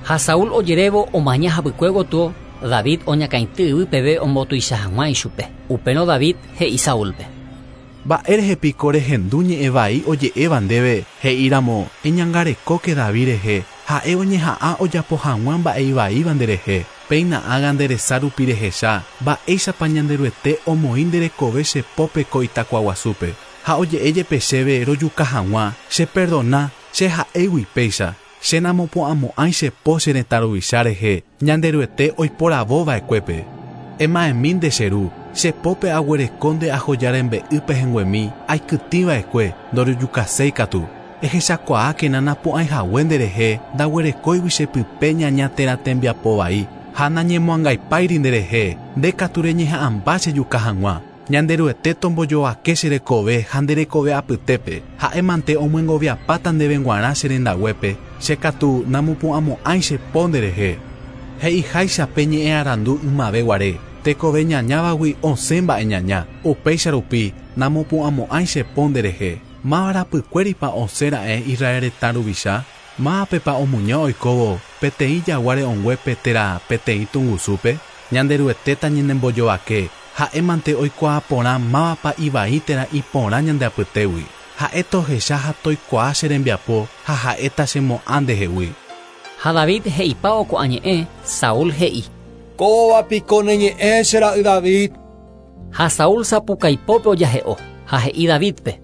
Ha Saúl ojerévo omaña hapykue gotyo, David oñakãity yvy peve ombotuicha hag̃ua ichupe. Upérõ David he'i Saúlpe. Mba'érehe piko rehendu ñe'ẽ vai oje'éva ndéve, he'i ramo, Eñangarekóke David rehe, ha'e oñeha'ã ojapo hag̃ua mba'e ivaíva nderehe. Péina ágã nde resa rupi rehecha, mba'éichapa Ñanderuete omoĩ nde rekove che pópe ko itakuaguasúpe. Ha oje'e jepe chéve rojuka hag̃ua, cheperdona, che ha'égui péicha, che namopu'ãmo'ãi che po che retã ruvicha rehe, Ñanderuete oiporavo va'ekuépe. Ema'ẽmi nde che ru, che pópe aguereko nde ahoja rembe'y pehẽnguemi aikytĩ va'ekue, ndorojukaséi katu. Ehechakuaákena napu'ãi hague nderehe ndaguerekóigui che pype ñaña térã tembiapo vai, ha nañemoangaipáiri nderehe, nde katu reñeha'ãmba chejuka hag̃ua. Ñanderuete tombojovake che rekove ha nde rekove apytépe, ha'e mante omyengoviapáta ndéve g̃uarã che rendaguépe, che katu namopu'ãmo'ãi che po nderehe. He'iháicha pe ñe'ẽ arandu ymave guare, Tekove ñañávagui osẽ mba'e ñaña, upéicha rupi namopu'ãmo'ãi che po nderehe. Máva rapykuéripa osẽ ra'e Israel retã ruvicha? Mávapepa omuña oikóvo peteĩ jagua re'õnguépe térã peteĩ tungusúpe? Ñanderuete tañanembojovake, ha'e mante oikuaa porã mávapa ivai térã iporã ñande apytégui. Ha'e tohecha ha toikuaa che rembiapo ha ha'e tachemo'ã ndehegui. Ha David he'ipávo ko'ã ñe'ẽ, Saúl he'i. Kóva piko ne ñe'ẽ che ra'y David? Ha Saúl sapukaipópe ojahe'o, ha he'i Davídpe.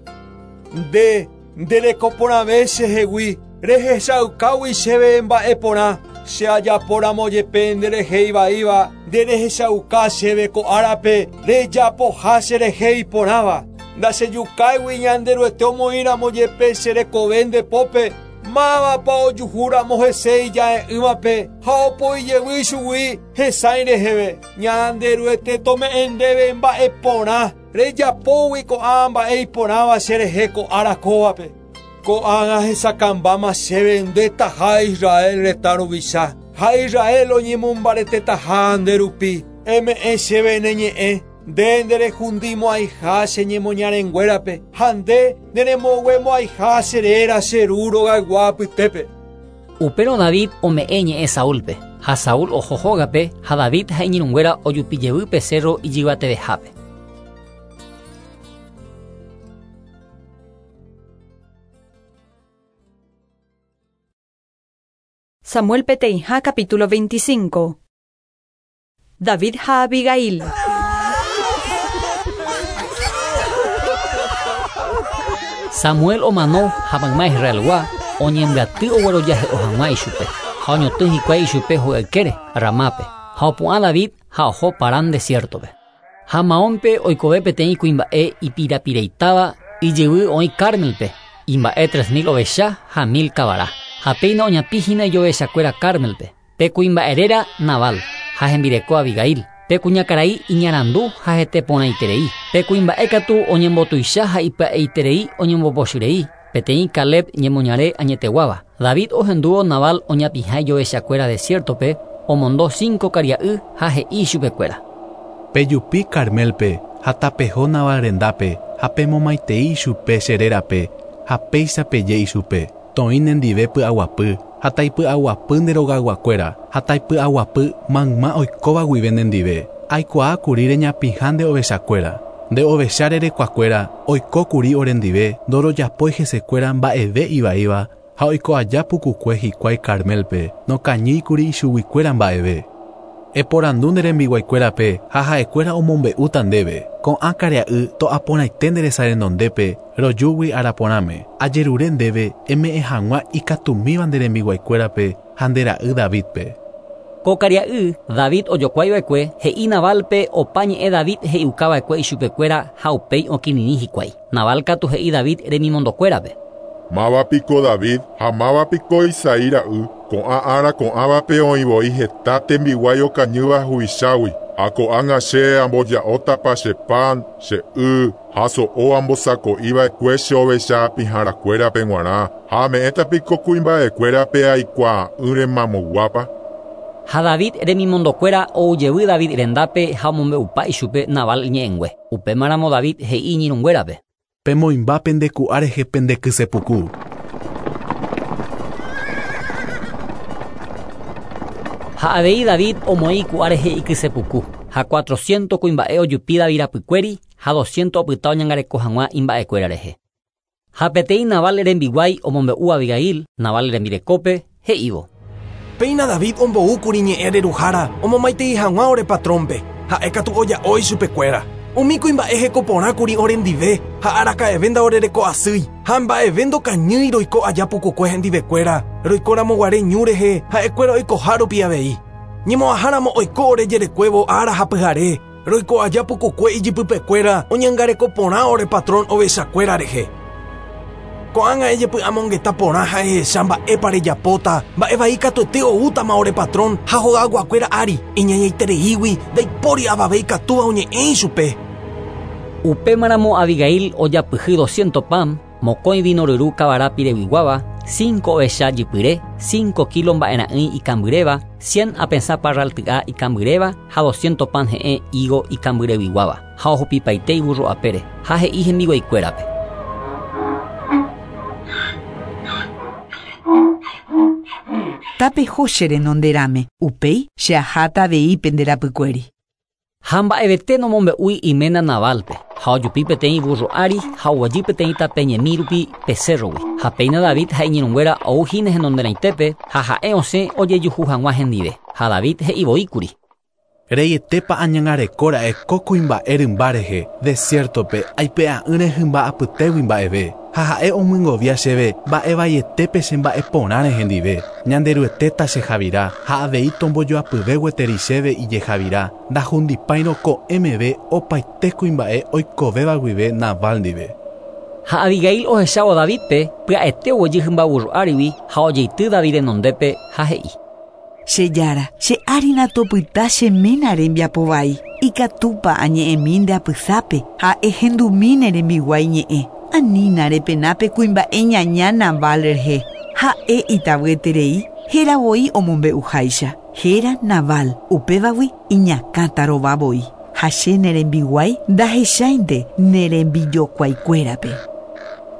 Nde, nde reko porãve che hegui, rehechaukágui chéve mba'e porã, che ajapo ramo jepe nde rehe ivaíva, nde rehechauka chéve ko árape rejapoha che rehe iporãva. Ndachejukáigui Ñanderuete omoĩ ramo jepe che rekove nde pópe, Mávapa ojuhu ramo hese ija'e'ỹvape ha opoi jevy ichugui hesãi reheve? Ñanderuete tome'ẽ ndéve mba'e porã, rejapógui ko'ã mba'e iporãva che rehe ko ára kóvape. Ko'ágã hesakãmbáma chéve nde taha Israel retã ruvicha, ha Israel oñemombaretetaha nde rupi. Eme'ẽ chéve ne ñe'ẽ, Nde nderehundimo'ãiha che ñemoñarenguérape, ha nde neremoguemo'ãiha che réra che ru rogaygua apytépe. Upérõ David ome'ẽ ñe'ẽ Saúlpe, ha Saúl oho hógape, ha David ha iñirũnguéra ojupi jevy pe cérro ijyvatevehápe. Samuel peteĩha capítulo 25. David ha Abigail. Samuel omano ha mayma Israelgua oñembyaty oguerojahe'o hag̃ua ichupe ha oñotỹ hikuái ichupe hogaykére Ramápe ha opu'ã David ha oho Parán desierto-pe. Ha Maónpe oikove peteĩ kuimba'e ipirapireitáva ijyvy oĩ Carmelpe, imba'e 3000 ovecha ha 1000 kavara. Ha péina oñapĩhína ijovechakuéra Carmelpe. Pe kuimba'e réra Nabal ha hembireko Abigail. Pe kuñakarai iñarandu ha hete porãiterei. Pe kuimba'e katu oñembotuicha ha ipya'eiterei oñembopochyrei. Peteĩ Caleb ñemoñare añeteguáva. David ohendúvo Nabal oñapĩha ijovechakuéra desierto-pe, omondo 5 karia'y ha he'i ichupekuéra. Pejupi Carmelpe ha tapeho Nabal rendápe ha pemomaitei ichupe che rérape ha péicha peje ichupe. Toĩ nendive py'aguapy ha taipy'aguapy nde rogayguakuéra ha taipy'aguapy mayma oikóva guive nendive. Aikuaákuri reñapĩha nde ovechakuéra. Nde ovecha rerekuakuéra oikókuri orendive ndorojapói hesekuéra mba'eve ivaíva ha oiko aja pukukue hikuái Carmelpe nokañýikuri ichuguikuéra mba'eve. Eporandu nde rembiguaikuérape ha ha'ekuéra omombe'úta ndéve. Ko'ã karia'y to'aporãite nde resa renondépe rojúgui araporãme. Ajerure ndéve eme'ẽ hag̃ua ikatumíva nde rembiguaikuérape ha nde ra'y Davidpe. Ko karia'y David ojokuaiva'ekue he'i Nabalpe opa ñe'ẽ David he'iukava'ekue ichupekuéra ha upéi okirirĩ hikuái. Nabal katu he'i David remimondokuérape. Máva piko David ha máva piko Isaí ra'y ko'ã ára ko'ãvape oĩvoi heta tembiguái okañýva huvichágui. Ha ko'ág̃a che amboja'ótapa che pan, che y ha so'o ambosako'iva'ekue che ovecha apĩharakuérape g̃uarã ha ame'ẽta piko kuimba'ekuérape aikuaa'ỹre mamoguápa. Ha David remimondokuéra oujevy David rendápe ha omombe'upa ichupe Nabal ñe'ẽngue. Upémaramo David he'i iñirũnguérape. Pemoĩmba pendeku'a rehe pendekysepuku. Ha avei David omoĩ iku'a rehe ikysepuku. Ha 400 kuimba'e ojupi David rapykuéri ha 200 opyta oñangareko hag̃ua imba'ekuéra rehe. Ha peteĩ Nabal rembiguái omombe'u Abigail, Nabal rembirekópe, he'ívo. Péina David omboúkuri ñe'ẽ reruhára omomaitei hag̃ua ore patrónpe, ha'e katu oja'o ichupekuéra. Umi kuimba'e hekoporãkuri orendive ha araka'eve ndaorereko'asýi ha mba'eve ndokañýi roiko aja pukukue hendivekuéra roikóramoguare ñu rehe ha'ekuéra oikoha rupi avei. Ñemo'ãháramo oiko ore jerekuévo ára ha pyhare roiko aja pukukue ijypypekuéra oñangareko porã ore patrón ovechakuéra rehe. Ko'ág̃a ejepy'amongeta porã ha ehecha mba'épa rejapóta mba'evai katuete oútama ore patrón ha hogayguakuéra ári iñañaitereígui ndaipóri avave ikatúva oñe'ẽ ichupe. Upémaramo Abigail ojapyhy 200 pan, mokõi vino ryru kavara pireguiguáva, 5 ovecha jypyre, 5 kilo mba'era'ỹi ikambyréva, 100 apesã parralty'a ikambyréva ha 200 pan he'ẽ higo ikambyreguiguáva ha ohupipaite iburro apére ha he'i hembiguaikuérape. Tapeho che renonderãme, upéi che aháta avei pende rapykuéri. Ha mba'evete nomombe'úi iména Nabalpe ha ojupi peteĩ burro ári ha oguejy peteĩ tape ñemi rupi pe cérrogui. Ha péina David ha iñirũnguéra ouhína henonderãitépe ha ha'e osẽ ojejuhu hag̃ua hendive. Ha David he'ivoíkuri. Reietépa añangarekóra'e ko kuimba'e rymba rehe desierto-pe aipe'a'ỹre hymba apytégui mba'eve. Ha ha'e omyengovia chéve mba'evaietépe che mba'eporãre hendive. Ñanderuetéta che javira ha avei tombojoapyve gueteri chéve ijejavira ndahundipáirõ ko'ẽ meve opaite kuimba'e oikovéva guive Nabal ndive. Ha Abigail ohechávo Davidpe pya'ete oguejy hymba burro árigui ha ojeity David renondépe ha he'i. Che jára, che árina topyta che ména rembiapovai. Ikatúpa añe'ẽmi nde apysápe ha ehendumi ne rembiguái ñe'ẽ. Anína repenápe kuimba'e ñaña Nabal rehe. Ha'e itavyeterei héravoi omombe'uháicha. Héra Nabal, upévagui iñakãtarovavoi. Ha che ne rembiguái ndahecháinte ne rembijokuaikuérape.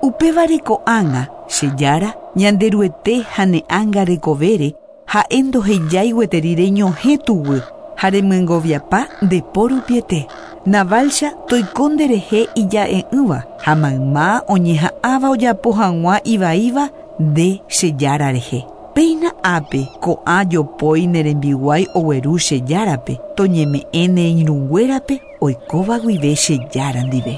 Upévare ko'ág̃a, che jára, Ñanderuete ha ne ánga rekovére ha'e ndohejái gueteri reñohẽ tuguy ha remyengoviapa nde po rupiete. Nabalcha toiko nderehe ija'e'ỹva ha mayma oñeha'ãva ojapo hag̃ua ivaíva nde che jára rehe. Péina ápe ko'ã jopói ne rembiguái ogueru che járape, toñeme'ẽ ne irũnguérape oikóva guive che jára ndive.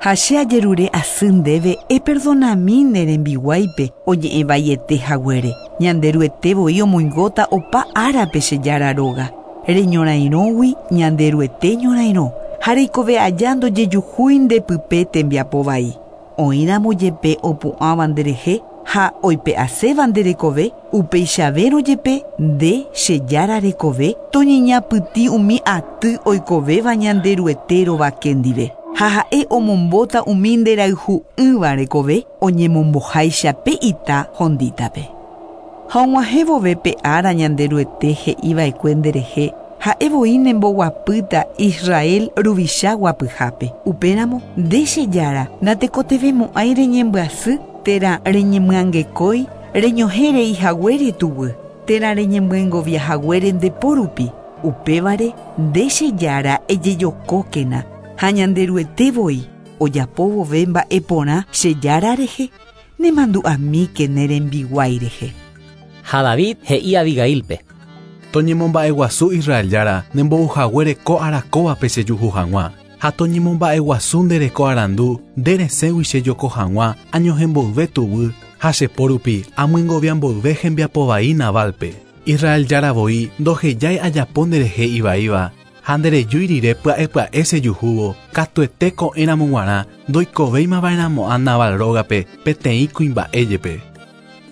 Ha che ajerure asy ndéve eperdonami ne rembiguáipe oñe'ẽ vaiete haguére. Ñanderuete voi omoingóta opa árape che jára róga. Reñorairõgui Ñanderuete ñorairõ ha reikove aja ndojejuhúi ndepype tembiapo vai. Oĩramo jepe opu'ãva nderehe ha oipe'aséva nde rekove, upeichavérõ jepe nde che jára rekove toñeñapytĩ umi aty oikovéva Ñanderuete rovake ndive. Ha ha'e omombóta umi nderayhu'ỹva rekove oñemomboháicha pe ita hondítape. Ha og̃uahẽ vove pe ára Ñanderuete he'iva'ekue nderehe, ha'e voi nemboguapýta Israel ruvicha guapyhápe. Upéramo nde che jára natekotevẽmo'ãi reñembyasy térã reñemyangekói reñohẽ rei haguére tuguy, térã reñemyengovia haguére nde po rupi. Upévare nde che jára ejejokókena ha Ñanderuete voi ojapo vove mba'e porã che jára rehe, nemandu'amíke ne rembiguái rehe. Ha David he'i Abigailpe. Toñemomba'eguasu Israel jára nembouhaguére ko ára kóvape chejuhu hag̃ua, ha toñemomba'eguasu nde reko arandu nde resẽgui chejoko hag̃ua añohẽmboyve tuguy ha che po rupi amyengovia mboyve hembiapo vai Nabalpe. Israel jára voi ndohejái ajapo nderehe ivaíva ha nderejúi rire pya'e pya'e chejuhúvo, katuete ko'ẽramo g̃uarã ndoikovéimava'erãmo'ã Nabal rógape peteĩ kuimba'e jepe.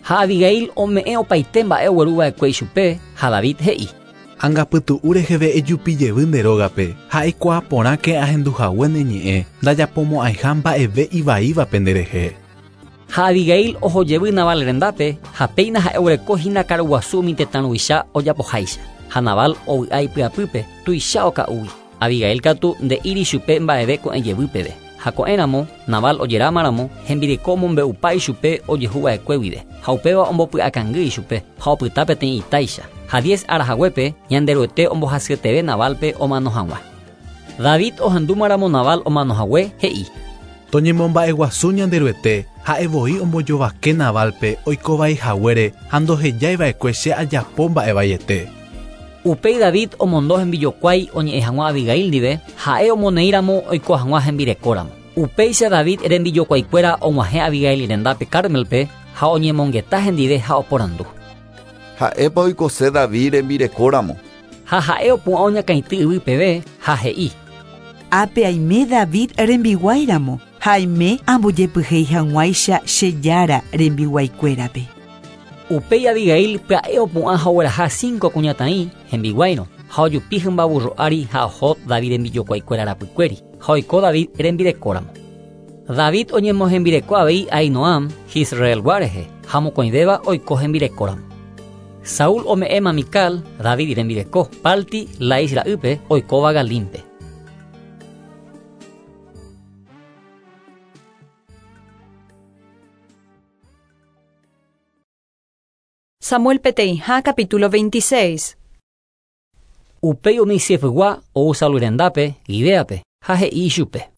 Ha Abigail ome'ẽ opaite mba'e ogueruva'ekue ichupe, ha David he'i. Angapytu'u reheve ejupi jevy nde rógape ha eikuaa porãke ahenduhague ne ñe'ẽ ndajapomo'ãiha mba'eve ivaívape nderehe. Ha Abigail oho jevy Nabal rendápe ha péina ha'e oguereko hína karuguasu umi tetã ruvicha ojapoháicha. Ha Nabal ovy'a ipy'apýpe tuicha oka'úgui. Abigail katu nde'íri chupe mba'eve ko'ẽ jevy peve. Ha ko'ẽramo Nabal ojerámaramo hembireko omombe'upa ichupe ojehuva'ekue guive. Ha upéva ombopy'akangy ichupe ha opyta peteĩ itáicha. Ha 10 ára haguépe Ñanderuete ombohasyeteve Nabalpe omano hag̃ua. David ohendúmaramo Nabal omano hague he'i. Toñemomba'eguasu Ñanderuete ha'e voi ombojovake Nabalpe oikovai haguére ha ndohejaiva'ekue che ajapo mba'evaiete. Upéi David omondo hembijokuái oñe'ẽ hag̃ua Abigail ndive, ha'e omoneĩramo oiko hag̃ua hembirekóramo. Upéicha David rembijokuaikuéra og̃uahẽ Abigail rendápe Carmelpe ha oñemongeta hendive ha oporandu. Ha'épa oikose David rembirekóramo. Ha ha'e opu'ã oñakãity yvy peve ha he'i. Ápe aime David rembiguáiramo ha aime ambojepyhéi hag̃uáicha che jára rembiguaikuérape. Upéi Abigail pya'e opu'ã ha ogueraha 5 kuñataĩ hembiguáirõ ha ojupi hymba burro ári ha oho David rembijokuaikuéra rapykuéri ha oiko David rembirekóramo. David oñemohembireko avei Ahinoam Jisraelgua rehe ha mokõivéva oiko hembirekóramo. Saúl ome'ẽma Mical, David rembireko, Palti Lais ra'ýpe oikóva Galimpe. Samuel peteĩha capítulo 26. Upéi umi Zifgua ou Saúl rendápe, Gibeape, ha he'i ichupe.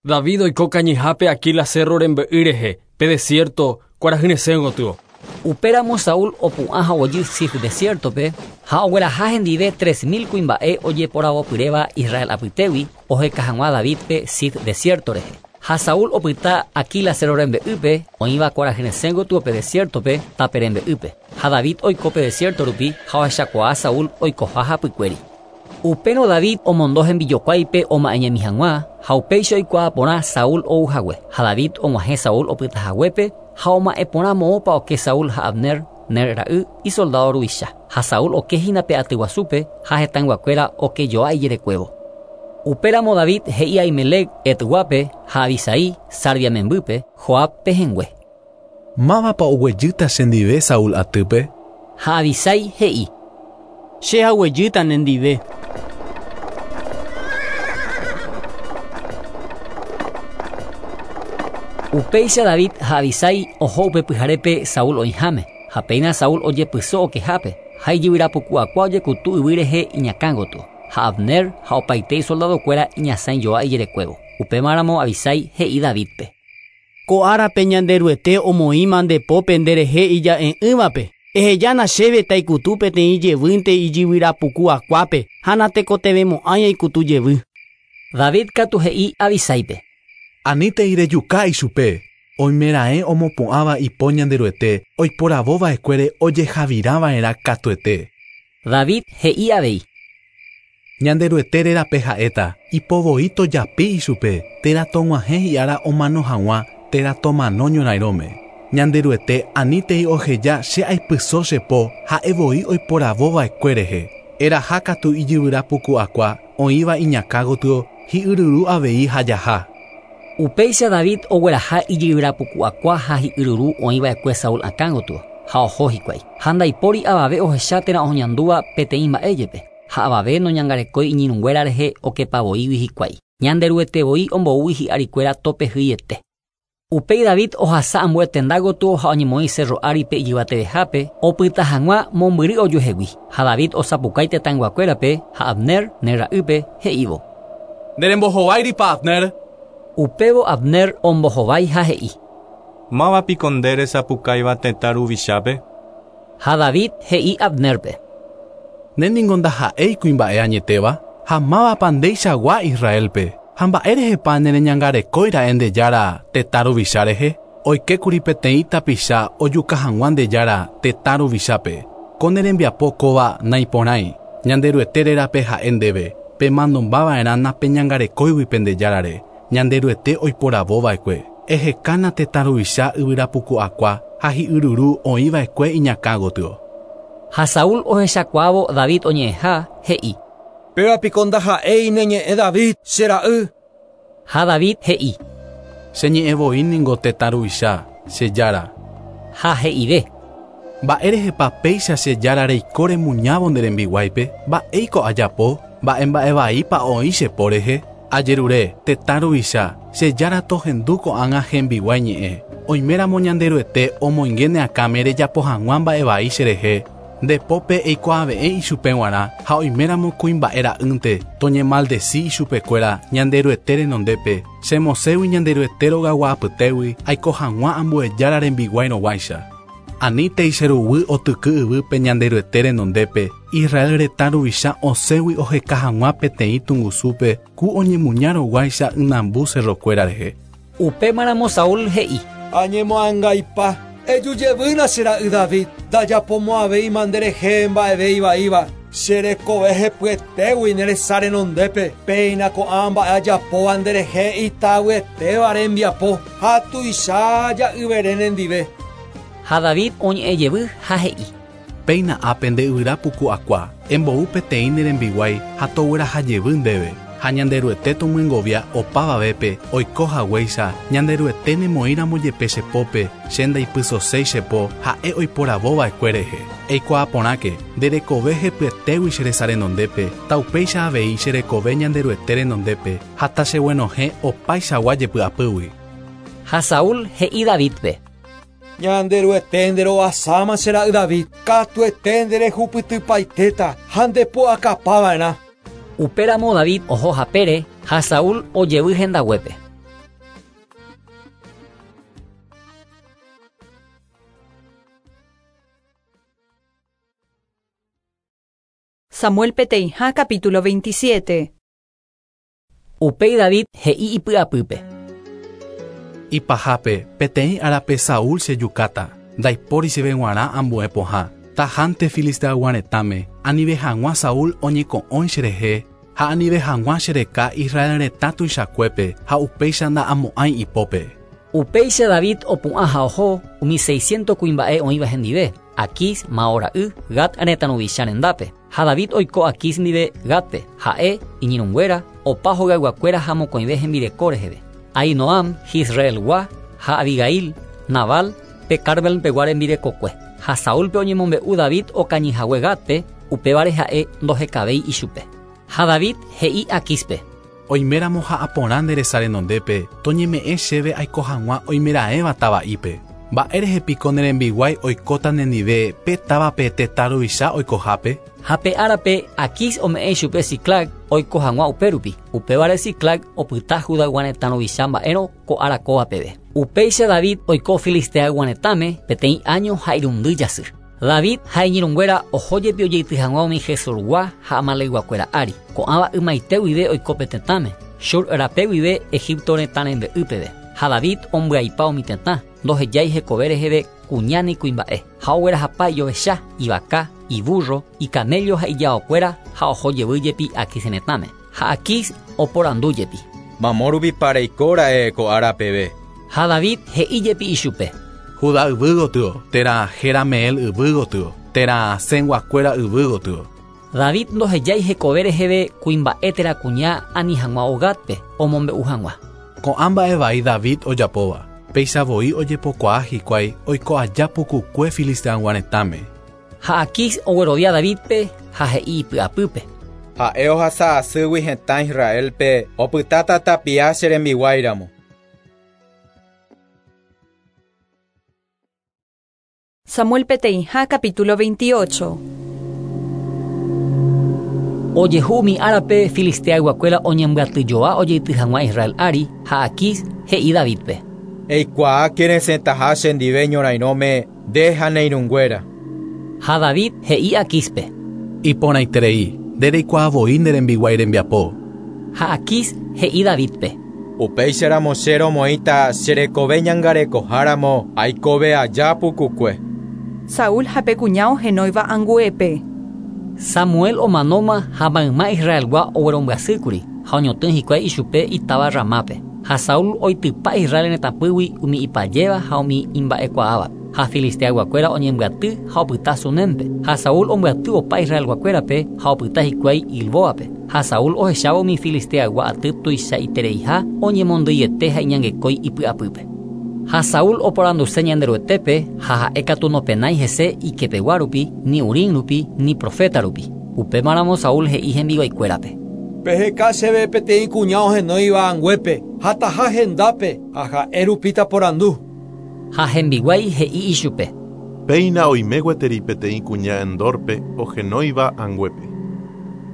David oiko kañyhápe Aquila cerro rembe'y rehe, pe desierto kuarahyresẽ gotyo. Upéramo Saúl opu'ã ha oguejy Zif desiertope ha ogueraha hendive 3000 kuimba'e ojeporavopyréva Israel apytégui oheka hag̃ua Davidpe Zif desierto rehe. Ha Saúl opyta Aquila cerro rembe'ýpe oĩva kuarahyresẽ gotyo pe desiertope tape rembe'ýpe. Ha David oiko pe desierto rupi ha ohechakuaa Saúl oikoha hapykuéri. Upérõ David omondo hembijokuáipe oma'ẽñemi hag̃ua ha upéicha oikuaa porã Saúl ou hague. Ha David og̃uahẽ Saúl opyta haguépe ha oma'ẽ porã moõpa oke Saúl ha Abner, Ner ra'y, isoldado ruvicha. Ha Saúl oke hína pe aty guasúpe ha hetãyguakuéra okejoa ijerekuévo. Upéramo David he'i Ahimelec Etguápe ha Abisai Sarvia membýpe Joab pehẽngue. Mávapa oguejýta chendive Saúl atýpe? Ha Abisai he'i. Che aguejýta nendive. Upéicha David ha Abisai oho upe pyharépe Saúl oĩháme, ha péina Saúl ojepyso okehápe, ha ijyvyrapuku'akua ojekutu yvy rehe iñakã gotyo, ha Abner ha opaite isoldadokuéra iñasãijoa ijerekuévo. Upémaramo Abisai he'i Davidpe. Ko árape Ñanderuete omoĩma nde pópe nderehe ija'e'ỹvape. Ehejána chéve taikutu peteĩ jevýnte ijyvyrapuku akuápe ha natekotevẽmo'ãi aikutu jevy. David katu he'i Abisáipe. Anítei rejuka ichupe. Oimeraẽ omopu'ãva ipo Ñanderuete oiporavova'ekuére ojehavirava'erã katuete. David he'i avei. Ñanderuete rérape ha'éta ipovoi tojapi ichupe térã tog̃uahẽ hi'ára omano hag̃ua térã tomano ñorairõme. Ñanderuete anítei oheja che aipyso che po ha'evoi oiporavova'ekue rehe. Eraha katu ijyvyrapuku akua oĩva iñakã gotyo hi'yryru avei ha jaha. Upéicha David ogueraha ijyvyrapuku akua ha hi'yryru oĩva'ekue Saúl akã gotyo ha oho hikuái. Ha ndaipóri avave ohecha térã oñandúva peteĩ mba'e jepe. Ha avave noñangarekói iñirũnguéra rehe okepavoígui hikuái. Ñanderuetevoi omboúgui hi'arikuéra topehýiete. Upéi David ohasa ambue tenda gotyo ha oñemoĩ cerro áripe ijyvatevehápe opyta hag̃ua mombyry ojuehegui. Ha David osapukái tetãyguakuérape ha Abner ne ra'ýpe he'ívo. Nderembohováiripa Abner. Upévo Abner ombohovái ha he'i. Mávapiko nde resapukáiva tetã ruvichápe. Ha David he'i Abnerpe. Nde ndaha'éi kuimba'e añetéva ha mávapa ndeichagua Israelpe. Ha mba'érehepa nereñangarekóira'e nde jára tetã ruvicha rehe. Oikékuri peteĩ tapicha ojuka hag̃ua nde jára tetã ruvichápe. Ko ne rembiapo kóva naiporãi. Ñanderuete rérape ha'e ndéve. Pemanombava'erã napeñangarekóigui pende járare. Ñanderuete oiporavova'ekue. Ehekána tetã ruvicha yvyrapuku akua ha hi'yryru oĩva'ekue iñakã gotyo. Ha Saúl ohechakuaávo David oñe'ẽha he'i. Pévapiko ndaha'éi neñe'ẽ David che ra'y. Ha David he'i. Che ñe'ẽvoi ningo tetã ruvicha, che jára. Ha he'ive. Mba'érehepa péicha che jára reiko remuñávo nde rembiguáipe? Mba'éiko ajapo? Mba'e mba'evaípa oĩ che po rehe? Ajerure, tetã ruvicha, che jára tohendu ko'ág̃a hembiguái ñe'ẽ. Oiméramo Ñanderuete omoinge ne akãme rejapo hag̃ua mba'evai cherehe. Nde pópe eikuaave'ẽ ichupe g̃uarã ha oiméramo kuimba'e ra'ýnte toñemaldeci ichupekuéra Ñanderuete renondépe. Chemosẽgui Ñanderuete rogagua apytégui aiko hag̃ua ambue jára rembiguáirõguáicha. Anítei che ruguy otyky yvýpe Ñanderuete renondépe Israel retã ruvicha osẽgui oheka hag̃ua peteĩ tungusúpe ku oñemuñárõguáicha ynambu cerrokuéra rehe. Upémaramo Saúl he'i. Añemoangaipa. Ejujevýna che ra'y David, ndajapomo'ãvéima nderehe mba'eve ivaíva. Che rekove hepyetégui ne resa renondépe. Péina ko'ã mba'e ajapóva nderehe itavyetéva rembiapo ha tuicha ja'yvere nendive. Ha David oñe'ẽjevy ha he'i. Péina ápe nde yvyrapuku akua, embou peteĩ ne rembiguái ha toguerahajevy ndéve. Ha Ñanderuete tomyengovia opavavépe oiko haguéicha Ñanderuete nemoĩramo jepe che pópe che ndaipysoséi che po ha'e oiporavova'ekue rehe. Eikuaa porãke nde rekove hepyetégui che resa renondépe taupéicha avei che rekove Ñanderuete renondépe ha tacheguenohẽ opaichagua jepy'apýgui. Ha Saúl he'i Davidpe. Ñanderuete nderovasáma che ra'y David, katuete nderehupytypaitéta ha ndepu'akapava'erã. Upéramo David oho hapére ha Saúl ojevy hendaguépe. Samuel peteĩha capítulo 27. Upéi David he'i ipy'apýpe. Ipahápe peteĩ árape Saúl chejukáta. Ndaipóri chéve g̃uarã ambue pohã. Tahánte filisteaygua retãme anive hag̃ua Saúl oñeko'õi cherehe ha anive hag̃ua chereka Israel retã tuichakuépe ha upéicha nda'amo'ãi ipópe. Upéicha David opu'ã ha oho umi 600 kuimba'e oĩva hendive, Aquís, Mao ra'y, Gat retã ruvicha rendápe. Ha David oiko Aquís ndive Gatpe, ha'e, iñirũnguéra, opa hogayguakuéra ha mokõive hembireko reheve. Ahinoam, Jisraelgua ha Abigail, Nabal, pe Carmelpegua rembirekokue. Ha Saúlpe oñemombe'u David okañyhague Gatpe, upévare ha'e ndohekavéi ichupe. Ha David he'i Aquíspe. Oiméramo ha'aporã nde resa renondépe toñeme'ẽ chéve aiko hag̃ua oimeraẽva tava'ípe. Mba'érehe piko ne rembiguái oikóta nendive pe távape tetã ruvicha oikohápe. Ha pe árape Aquís ome'ẽ ichupe Siclag oiko hag̃ua upérupi. Upévare Siclag opyta Judaygua retã ruvicha mba'érõ ko ára kóva peve. Upéicha David oiko Filisteaygua retãme peteĩ año ha irundy jasy. David ha iñirũnguéra oho jepi ojeity hag̃ua umi Gesurgua ha Amalecguakuéra ári. Ko'ãva ymaite guive oiko pe tetãme, Shur rape guive Egipto retã rembe'y peve. Ha David ombyaipa umi tetã, ndohejái hekove reheve kuña ni kuimba'e. Ha oguerahapa ijovecha, ivaka, iburro, icamello ha ijaokuéra ha oho jevy jepi Aquis retãme. Ha Aquis oporandu jepi. Mamo rupi pareikóra'e ko ára peve. Ha David he'i jepi ichupe. Judá yvy gotyo, térã Jerameel yvy gotyo, térã Senguakuéra yvy gotyo. David ndohejái hekove reheve kuimba'e térã kuña ani hag̃ua Ogatpe omombe'u hag̃ua. Ko'ã mba'e vai David ojapóva, péicha voi ojepokuaa hikuái oiko aja pukukue Filisteagua retãme. Ha Aquis oguerovia Davidpe ha he'i ipy'apýpe. Ha'e ohasa asýgui hetã Israelpe opytáta tapia che rembiguáiramo. Samuel peteĩha capítulo 28. Ojehu umi árape Filisteayguakuéra oñembyatyjoa ojeity hag̃ua Israel ári ha Aquis he'i Davidpe. Eikuaáke resẽtaha chendive ñorairõme nde ha ne irũnguéra. Ha David he'i Aquispe. Iporãiterei, nde reikuaa voi ne rembiguái rembiapo. Ha Aquis he'i Davidpe. Upéicharamo che romoĩta che rekove ñangarekoháramo aikove aja pukukue. Saúl ha pe kuña ohenóiva anguépe. Samuel omanóma ha mayma Israelgua oguerombyasýkuri ha oñotỹ hikuái ichupe itáva Ramápe. Ha Saúl oitypa Israel retãpýgui umi ipajéva ha umi imba'ekuaáva. Ha Filisteayguakuéra oñembyaty ha opyta Sunémpe. Ha Saúl ombyaty opa Israelguakuérape ha opyta hikuái Gilboape. Ha Saúl ohechávo umi Filisteaygua aty tuichaitereiha oñemondýiete ha iñangekói ipy'apýpe. Ha Saúl oporanduse Ñanderuetépe ha ha'e katu nopenái hese ikepegua rupi, ni Urim rupi, ni profeta rupi. Upémaramo Saúl he'i hembiguaikuérape. Peheka chéve peteĩ kuña ohenóiva anguépe, ha taha hendápe ha ha'e rupi taporandu. Ha hembiguái he'i ichupe. Péina oime gueteri peteĩ kuña Endorpe ohenóiva anguépe.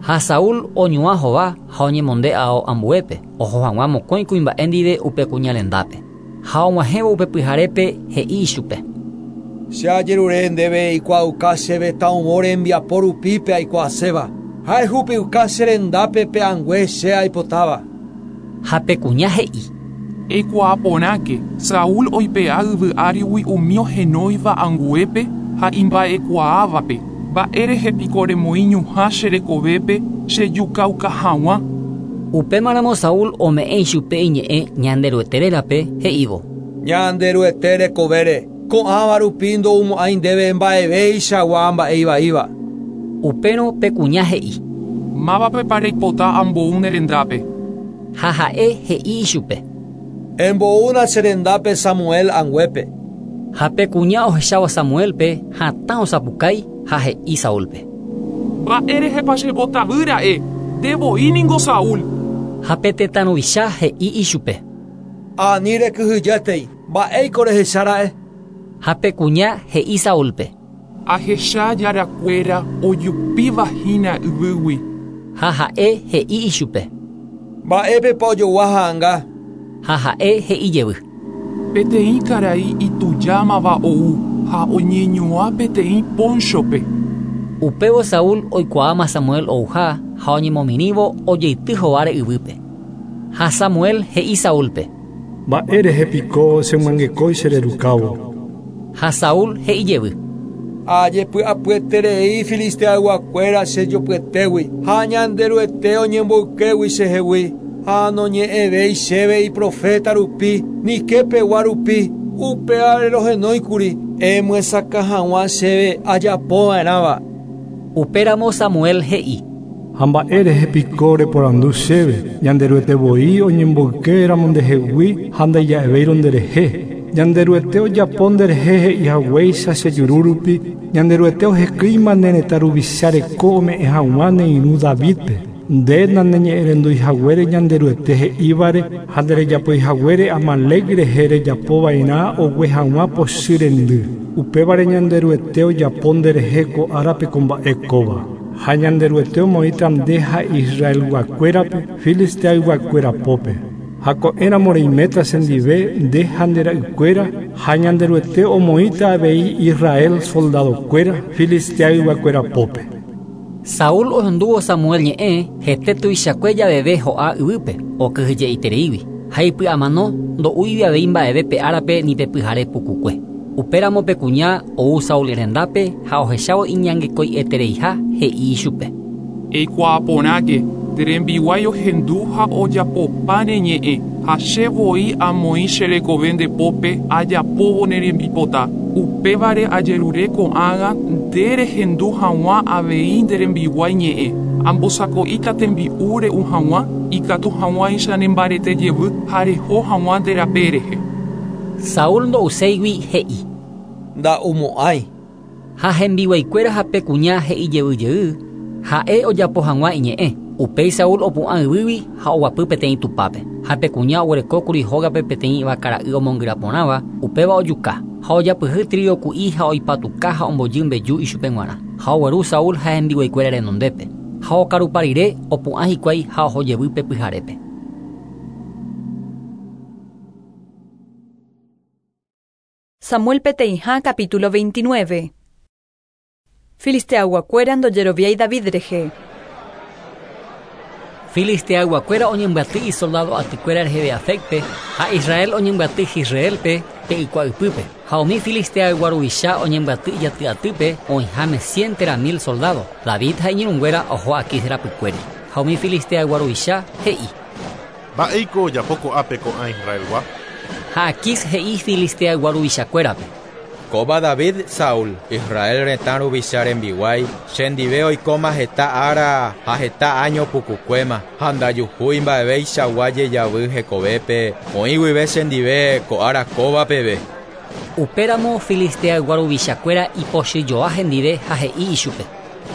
Ha Saúl oñuã hova ha oñemonde ao ambuépe, oho hag̃ua mokõi kuimba'e ndive upe kuña rendápe. Ha og̃uahẽvo upe pyharépe he'i ichupe. Che ajerure ndéve eikuaauka chéve taũvo rembiapo rupi pe aikuaaséva. Ha ehupiuka che rendápe pe angue che aipotáva. Ha pe kuña he'i. Eikuaa porãke, Saúl oipe'a yvy árigui umi ohenóiva anguépe ha imba'ekuaávape. Mba'érehe piko remoĩ ñuhã che rekovépe chejukauka hag̃ua. Upémaramo Saúl ome'ẽ ichupe iñe'ẽ Ñanderuete rérape he'ívo. Ñanderuete rekovére, ko'ãva rupi ndoumo'ãi ndéve mba'evéichagua mba'e ivaíva. Upérõ pe kuña he'i. Mávapepa reipota ambou ne rendápe. Ha ha'e he'i ichupe. Emboúna che rendápe Samuel anguépe. Ha pe kuña ohechávo Samuelpe hatã osapukái ha he'i Saúlpe. Mba'érehepa chembotavýra'e, nde voi ningo Saúl. Ha pe tetã ruvicha he'i ichupe. Ani rekyhyjétei, mba'éiko rehechára'e. Ha pe kuña he'i Saúlpe. Ahecha jarakuéra ojupívahína yvýgui. Ha ha'e he'i ichupe. Mba'épepa ojogua ha'ãnga. Ha ha'e he'i jevy. Peteĩ karai itujámava ou ha oñeñuã peteĩ ponchope. Upévo Saúl oikuaáma Samuel ouha ha oñemomirĩvo ojeity hováre yvýpe. Ha Samuel he'i Saúlpe. Mba'érehe piko chemyangekói chererukávo. Ha Saúl he'i jevy. Ajepy'apyeterei Filisteayguakuéra chejopyetégui ha Ñanderuete oñemboykégui chehegui ha noñe'ẽvéi chéve iprofeta rupi ni kepegua rupi upévare rohenóikuri emyesakã hag̃ua chéve ajapova'erãva. Upéramo Samuel he'i. Ha mba'érehe piko reporandu chéve Ñanderuete voi oñemboykéramo ndehegui ha ndaija'evéirõ nderehe. Ñanderuete ojapo nderehe he'i haguéicha che juru rupi Ñanderuete ohekýima ne retã ruvicha reko ome'ẽ hag̃ua ne irũ Davidpe. Nde naneñe'ẽrenduihaguére Ñanderuete he'ívare ha nderejapoihaguére Amalec rehe rejapova'erã ogue hag̃ua pochy rendy. Upévare Ñanderuete ojapo nderehe ko árape ko mba'e kóva. Ha Ñanderuete omoĩta nde ha Israelguakuérape Filisteayguakuéra pópe. Ha ko'ẽramo reiméta chendive nde ha nde ra'ykuéra ha Ñanderuete omoĩta avei Israel soldadokuéra Filisteayguakuéra pópe. Saúl ohendúvo Samuel ñe'ẽ hete tuichakue javeve ho'a yvýpe okyhyje'itereígui ha ipy'amano ndo'úigui avei mba'eve pe árape ni pe pyhare pukukue. Upéramo pe kuña ou Saúl rendápe ha ohechávo iñangekoi'etereiha he'i ichupe. Eikuaaporãke nde rembiguái ohendu ha ojapopa ne ñe'ẽ ha che voi amoĩ che rekove nde pópe ajapóvo ne rembipota. Upévare ajerure ko'ág̃a nde rehendu hag̃ua avei nde rembiguái ñe'ẽ. Ambosako'íta tembi'u re'u hag̃ua ikatu hag̃uáicha nembarete jevy ha reho hag̃ua nde rape rehe. Saúl ndo'uséigui he'i. Nda'umo'ãi. Ha hembiguaikuéra ha pe kuña he'i jey ha'e ojapo hag̃ua iñe'ẽ. Upéi Saúl opu'ã yvýgui ha oguapy peteĩ tupápe. Ha pe kuña oguerekókuri hógape peteĩ vakara'y omongyraporãva, upéva ojuka. Ha ojapyhy trigo ku'i ha oipatuka ha ombojy mbeju ichupe g̃uarã. Ha ogueru Saúl ha hembiguaikuéra renondépe. Ha okarupa rire opu'ã hikuái ha oho jevy pe pyharépe. Samuel peteĩha capítulo 29. Filisteayguakuéra ndojeroviái David rehe. Filisteayguakuéra oñembyaty isoldado atykuéra reheve Afecpe ha Israel oñembyaty Jisraelpe pe ykua'ypýpe. Ha umi filisteaygua ruvicha oñembyaty ijaty'atýpe oĩháme 100 térã 1000 soldado. David ha iñirũnguéra oho Aquis rapykuéri. Ha umi filisteaygua ruvicha he'i. Mba'éiko ojapo ko'ápe ko'ã Israelgua? Ha Aquis he'i filisteaygua ruvichakuérape. Kóva David Saúl, Israel retã ruvicha rembiguái, chendive oikóma heta ára ha heta año pukukuéma, ha ndajuhúi mba'eveichagua jejavy hekovépe, oĩ guive chendive ko ára kóva peve. Upéramo filisteaygua ruvichakuéra ipochyjoa hendive ha he'i ichupe.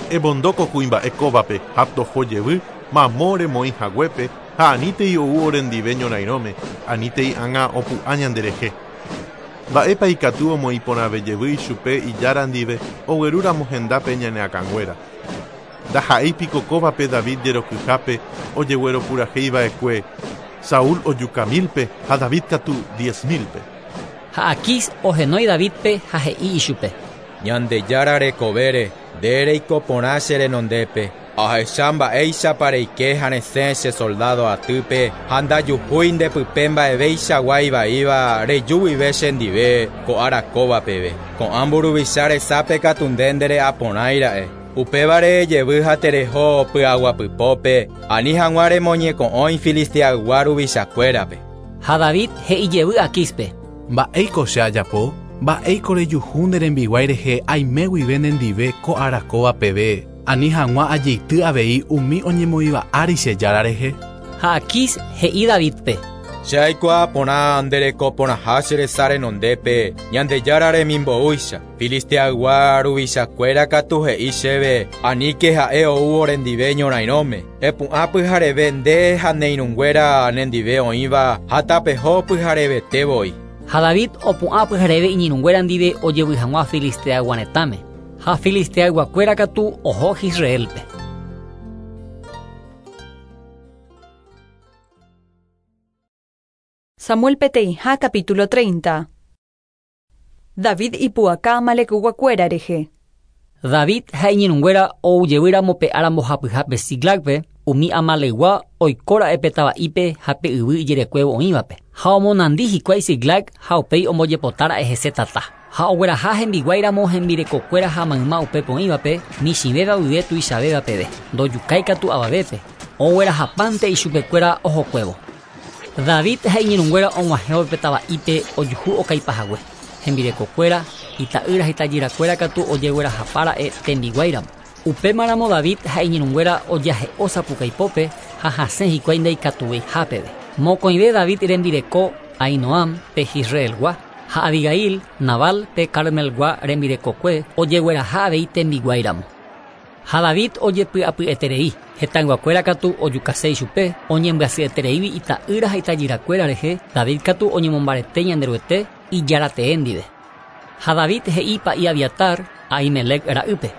Ebondóko kuimba'e kóvape ha toho jevy mamo remoĩ haguépe ha anítei ou orendive ñorairõme, anítei ág̃a opu'ã ñanderehe. Mba'épa ikatu omoĩporãve jevy ichupe ijára ndive oguerúramo hendápe ñane akãnguéra. Ndaha'éipiko kóvape David jerokyhápe ojegueropurahéiva'ekue Saúl ojuka 1000-pe ha David katu 10 000-pe. Ha Aquis ohenói Davidpe ha he'i ichupe. Ñandejára rekovére nde reiko porã che renondépe. Ahecha mba'éichapa reike ha resẽ che soldado atýpe ha ndajuhúi ndepype mba'eveichagua ivaíva reju guive chendive ko ára kóva peve. Ko'ã mburuvicha resápe katu nde ndere'aporãira'e. Upévare jevy ha tereho py'aguapypópe ani hag̃ua remoñeko'õi Filisteaygua ruvichakuérape. Ha David he'i jevy Aquispe. Mba'éiko che ajapo? Mba'éiko rejuhu nde rembiguái rehe aime guive nendive ko ára kóva peve ani hag̃ua ajeity avei umi oñemoĩva ári che jára rehe. Ha Aquis he'i Davidpe. Che aikuaa porã nde reko porãha che resa renondépe Ñandejára remimboúicha. Filisteaygua ruvichakuéra katu he'i chéve aníke ha'e ou orendive ñorairõme. Epu'ã pyhareve nde ha ne irũnguéra nendive oĩva ha tapeho pyharevete voi. Ha David opu'ã pyhareve iñirũnguéra ndive ojevy hag̃ua Filisteaygua retãme. Ha Filisteayguakuéra katu oho Jisraelpe. Samuel peteĩha capítulo 30. David ipu'aka Amalekguakuéra rehe. David ha iñirũnguéra oujevýramo pe ára mbohapyhápe Siclagpe, umi Amalekgua oikóra'e pe tava'ípe ha pe yvy ijerekuévo oĩvape. Ha omonandi hikuái Siclag ha upéi ombojepotára'e hese tata. Ha ogueraha hembiguáiramo hembirekokuéra ha mayma upépe oĩvape, michĩvéva guive tuichavéva peve. Ndojukái katu avavépe. Oguerahapánte ichupekuéra ohokuévo. David ha iñirũnguéra og̃uahẽvo pe tava'ípe ojuhu okaipahague. Hembirekokuéra, ita'ýra ha itajyrakuéra katu ojeguerahapára'e tembiguáiramo. Upémaramo David ha iñirũnguéra ojahe'o sapukaipópe ha hasẽ hikuái ndaikatuvéiha peve. Mokõive David rembireko Ahinoam pe Jisraelgua ha Abigail, Nabal pe Carmelgua rembirekokue ojegueraha avei tembiguáiramo. Ha David ojepy'apy'eterei, hetãyguakuéra katu ojukase ichupe, oñembyasyetereígui ita'ýra ha itajyrakuéra rehe, David katu oñemombarete Ñanderuete ijaratee ndive. Ha David he'i pa'i Abiatar, Ahimelec ra'ýpe.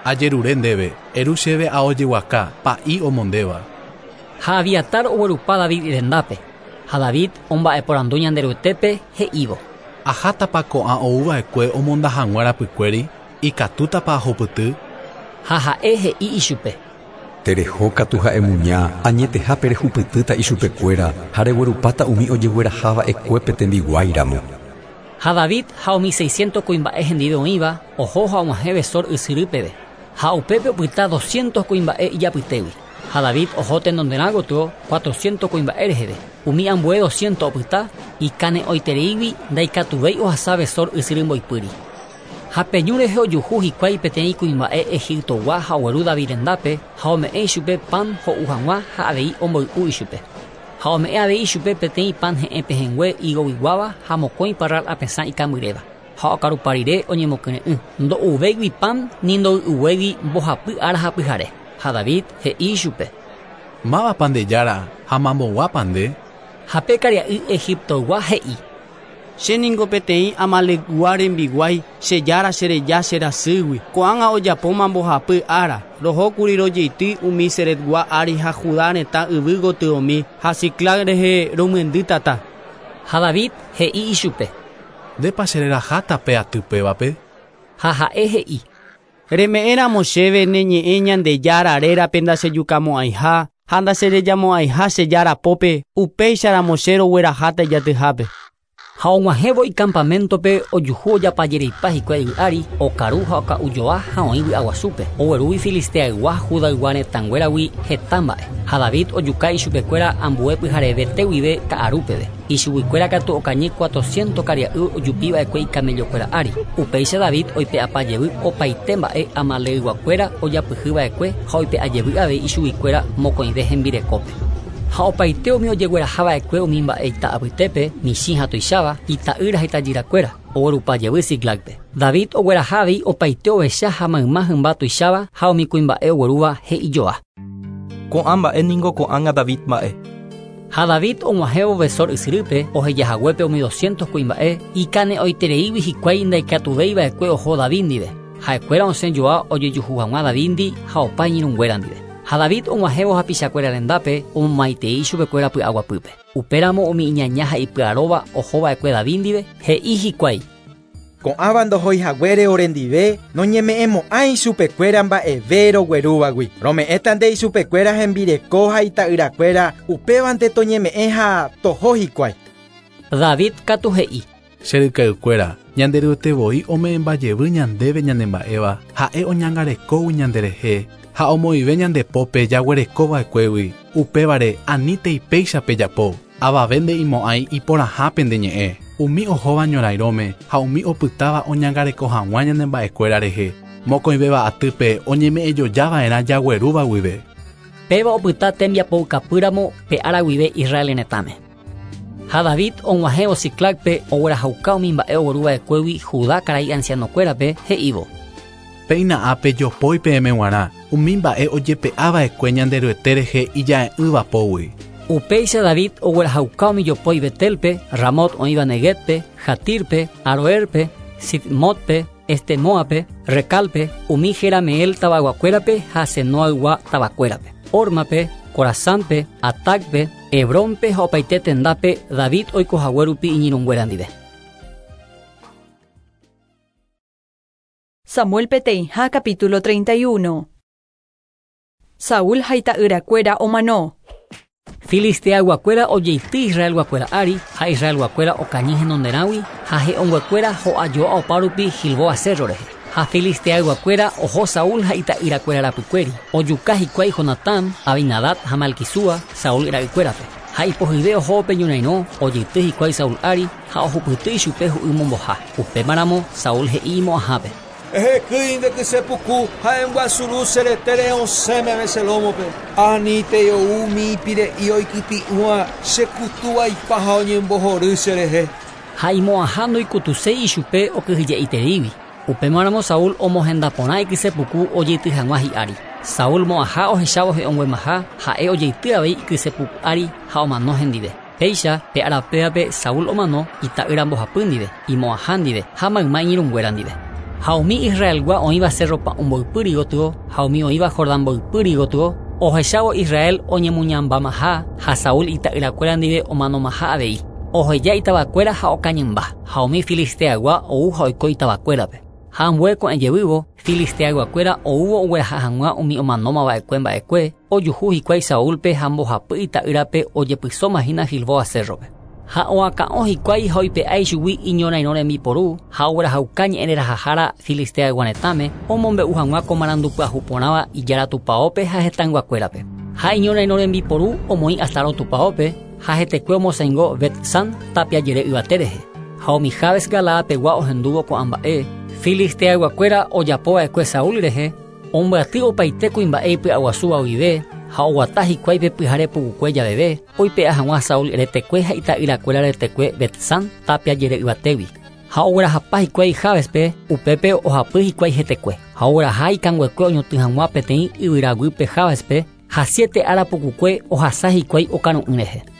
Ajerure ndéve, eru chéve ao jeguaka, pa'i omondéva. Ha Abiatar oguerupa David rendápe. Ha David omba'eporandu Ñanderuetépe he'ívo. Ahátapa ko'ã ouva'ekue omonda hag̃ua rapykuéri, ikatútapa ahupyty? Ha ha'e he'i ichupe. Tereho katu ha'e muña, añetehápe rehupytýta ichupekuéra ha reguerupáta umi ojeguerahava'ekuépe tembiguáiramo. Ha David ha umi 600 kuimba'e hendive oĩva oho ha og̃uahẽ Besor ysyry peve. Ha upépe opyta 200 kuimba'e ijapytégui. Ha David oho tenonderã gotyo 400 kuimba'e reheve. Umi ambue 200 opyta ikane'õitereígui ndaikatuvéi ohasa Besor ysyry mboypýri. Ha pe ñu rehe ojuhu hikuái peteĩ kuimba'e Egiptogua ha ogueru David rendápe ha ome'ẽ ichupe pan ho'u hag̃ua ha avei omboy'u ichupe. Ha ome'ẽ avei ichupe peteĩ pan he'ẽ pehẽngue igoguiguáva ha mokõi parral apesã ikambyréva. Ha okarupa rire oñemokyre'ỹ. Ndo'uvéigui pan ni ndoy'uvéigui mbohapy ára ha pyhare. Ha David he'i ichupe. Mávapa nde jára ha mamboguápa nde? Ha pe karia'y Egiptoygua he'i. Che ningo peteĩ Amalecgua rembiguái, che jára chereja cherasýgui. Ko'ág̃a ojapóma mbohapy ára, rohókuri rojeity umi Seretgua ári ha Judá retã yvy gotyomi ha Siclag rehe romyendy tata. Ha David he'i ichupe. Ndépa chereraháta pe aty pévape? Ha ha'e he'i. Reme'ẽramo chéve ne ñe'ẽ Ñandejára rérape ndachejukamo'ãiha ha ndacherejamo'ãiha che jára pópe, upéicharamo che rogueraháta ijatyhápe. Ha og̃uahẽvo icampamentope ojuhu ojapajereipa hikuái yvy ári, okaru ha oka'ujoa ha oĩ vy'aguasúpe. Oguerúgui Filisteaygua Judaygua retãnguéragui heta mba'e. Ha David ojuka ichupekuéra ambue pyharevete guive ka'aru peve. Ichuguikuéra katu okañy 400 karia'y ojupiva'ekue ikamellokuéra ári. Upéicha David oipe'apa jevy opaite mba'e Amalecguakuéra ojapyhyva'ekue ha oipe'a jevy avei ichuguikuéra mokõive hembirekópe. Ha opaite umi ojeguerahava'ekue umi mba'e ita apytépe, michĩ ha tuicháva, ita'ýra ha itajyrakuéra, oguerupa jevy Siclagpe. David ogueraha avei opaite ovecha ha mayma hymba tuicháva ha umi kuimba'e oguerúva he'ijoa. Ko'ã mba'e ningo ko'ág̃a David mba'e. Ha David og̃uahẽvo Besor ysyrýpe ohejahaguépe umi 200 kuimba'e ikane'õitereígui hikuái ndaikatuvéiva'ekue oho David ndive. Ha'ekuéra osẽjoa ojejuhu hag̃ua David ndi ha opa iñirũnguéra ndive. Ha David og̃uahẽvo hapichakuéra rendápe omomaitei ichupekuéra py'aguapýpe. Upéramo umi iñaña ha ipy'aróva ohova'ekue David ndive he'i hikuái. Ko'ãva ndohoihaguére orendive noñeme'ẽmo'ãi ichupekuéra mba'eve roguerúvagui. Rome'ẽta nde ichupekuéra hembireko ha ita'yrakuéra upévante toñeme'ẽ ha toho hikuái. David katu he'i. Che rykaykuéra, Ñanderuete voi ome'ẽmbajevy ñandéve ñanemba'éva, ha'e oñangarekógui ñanderehe ha omoĩve ñande pópe jaguerekova'ekuégui. Upévare anítei péicha pejapo, avave nde'imo'ãi iporãha pende ñe'ẽ. Umi ohóva ñorairõme ha umi opytáva oñangareko hag̃ua ñane mba'ekuéra rehe. Mokõivéva atýpe oñeme'ẽjojava'erã jaguerúva guive. Péva opyta tembiapoukapýramo pe ára guive Israel retãme. Ha David og̃uahẽvo Siclagpe oguerahauka umi mba'e ogueruva'ekuégui Judá karai ancianokuérape he'ívo. Péina ápe jopói peẽme g̃uarã, umi mba'e ojepe'ava'ekue Ñanderuete rehe ija'e'ỹva pógui. Upéicha David oguerahauka umi jopói Betelpe, Ramot oĩva Neguebpe, Jatirpe, Aroerpe, Sibmotpe, Estemoape, Recalpe, umi Jerameel tavaguakuérape ha Senoaygua tavakuérape. Ormape, Corazánpe, Atacpe, Hebrónpe ha opaite tendápe David oikohague rupi iñirũnguéra ndive. Samuel peteĩha capítulo 31. Saúl ha ita'yrakuéra omano. Filisteayguakuéra ojeity Israelguakuéra ári ha Israelguakuéra okañy henonderãgui ha he'õnguekuéra ho'ajoa opárupi Gilboa cerro rehe. Ha Filisteayguakuéra oho Saúl ha ita'yrakuéra rapykuéri. Ojuka hikuái Jonatán, Abinadab ha Malquisúa, Saúl ra'ykuérape. Ha ipohyve oho pe ñorairõ ojeity hikuái Saúl ári ha ohupyty ichupe hu'y momboha. Upémaramo Saúl he'i imo'ãhápe. Ehekýi nde kysepuku ha embyasuru che retére osẽ meve che lómope. Anítei ou umi ipire'i oikytĩ'ỹva chekutúva ipa ha oñembohory cherehe. Ha imo'ãha ndoikutuséi ichupe okyhyje'itereígui. Upémaramo Saúl omohenda porã ikysepuku ojeity hag̃ua hi'ári. Saúl mo'ãha ohechávo he'õnguemaha ha'e ojeity avei ikysepuku ári ha omano hendive. Péicha pe arapévape Saúl omano ita'ýra mbohapy ndive, imo'ãha ndive ha mayma iñirũnguéra ndive. Ha umi Israelgua oĩva Cerro Pa'ũ mboypýri gotyo ha umi oĩva Jordán mboypýri gotyo Ohechávo Israel oñemuñambamaha ha Saúl ita'yrakuéra ndive omanomaha avei. Oheja itavakuéra ha okañymba, ha umi Filisteaygua ou ha oiko itavakuérape. Ha ambue ko'ẽjevývo, Filisteayguakuéra oúvo ogueraha hag̃ua umi omanómava'ekue mba'ekue, ojuhu hikuái Saúlpe ha mbohapy ita'ýrape ojepysómahína Gilboa cérrope. Ha oakã'o hikuái ha oipe'a ichugui iñorairõ rembiporu ha oguerahauka ñe'ẽrerahahára Filisteaygua retãme omombe'u hag̃ua ko marandu pyahu porãva ijára tupãópe ha hetãyguakuérape. Ha iñorairõ rembiporu omoĩ Astarot tupãópe ha hetekue omosãingo Bet-San tapia jere yvate rehe. Ha umi Jabes Galaad-pegua ohendúvo ko'ã mba'e, Filisteayguakuéra ojapova'ekue Saúl rehe, ombyaty opaite kuimba'e ipy'aguasúva guive ha oguata hikuái pe pyhare pukukue javeve oipe'a hag̃ua Saúl retekue ha ita'yrakuéra retekue Bet-San tapia jere yvatégui. Ha oguerahapa hikuái Jabes-pe, upépe ohapy hikuái hetekue. Ha ogueraha ikanguekue oñotỹ hag̃ua peteĩ yvyraguýpe Jabes-pe ha siete ára pukukue ohasa hikuái okaru'ỹ rehe.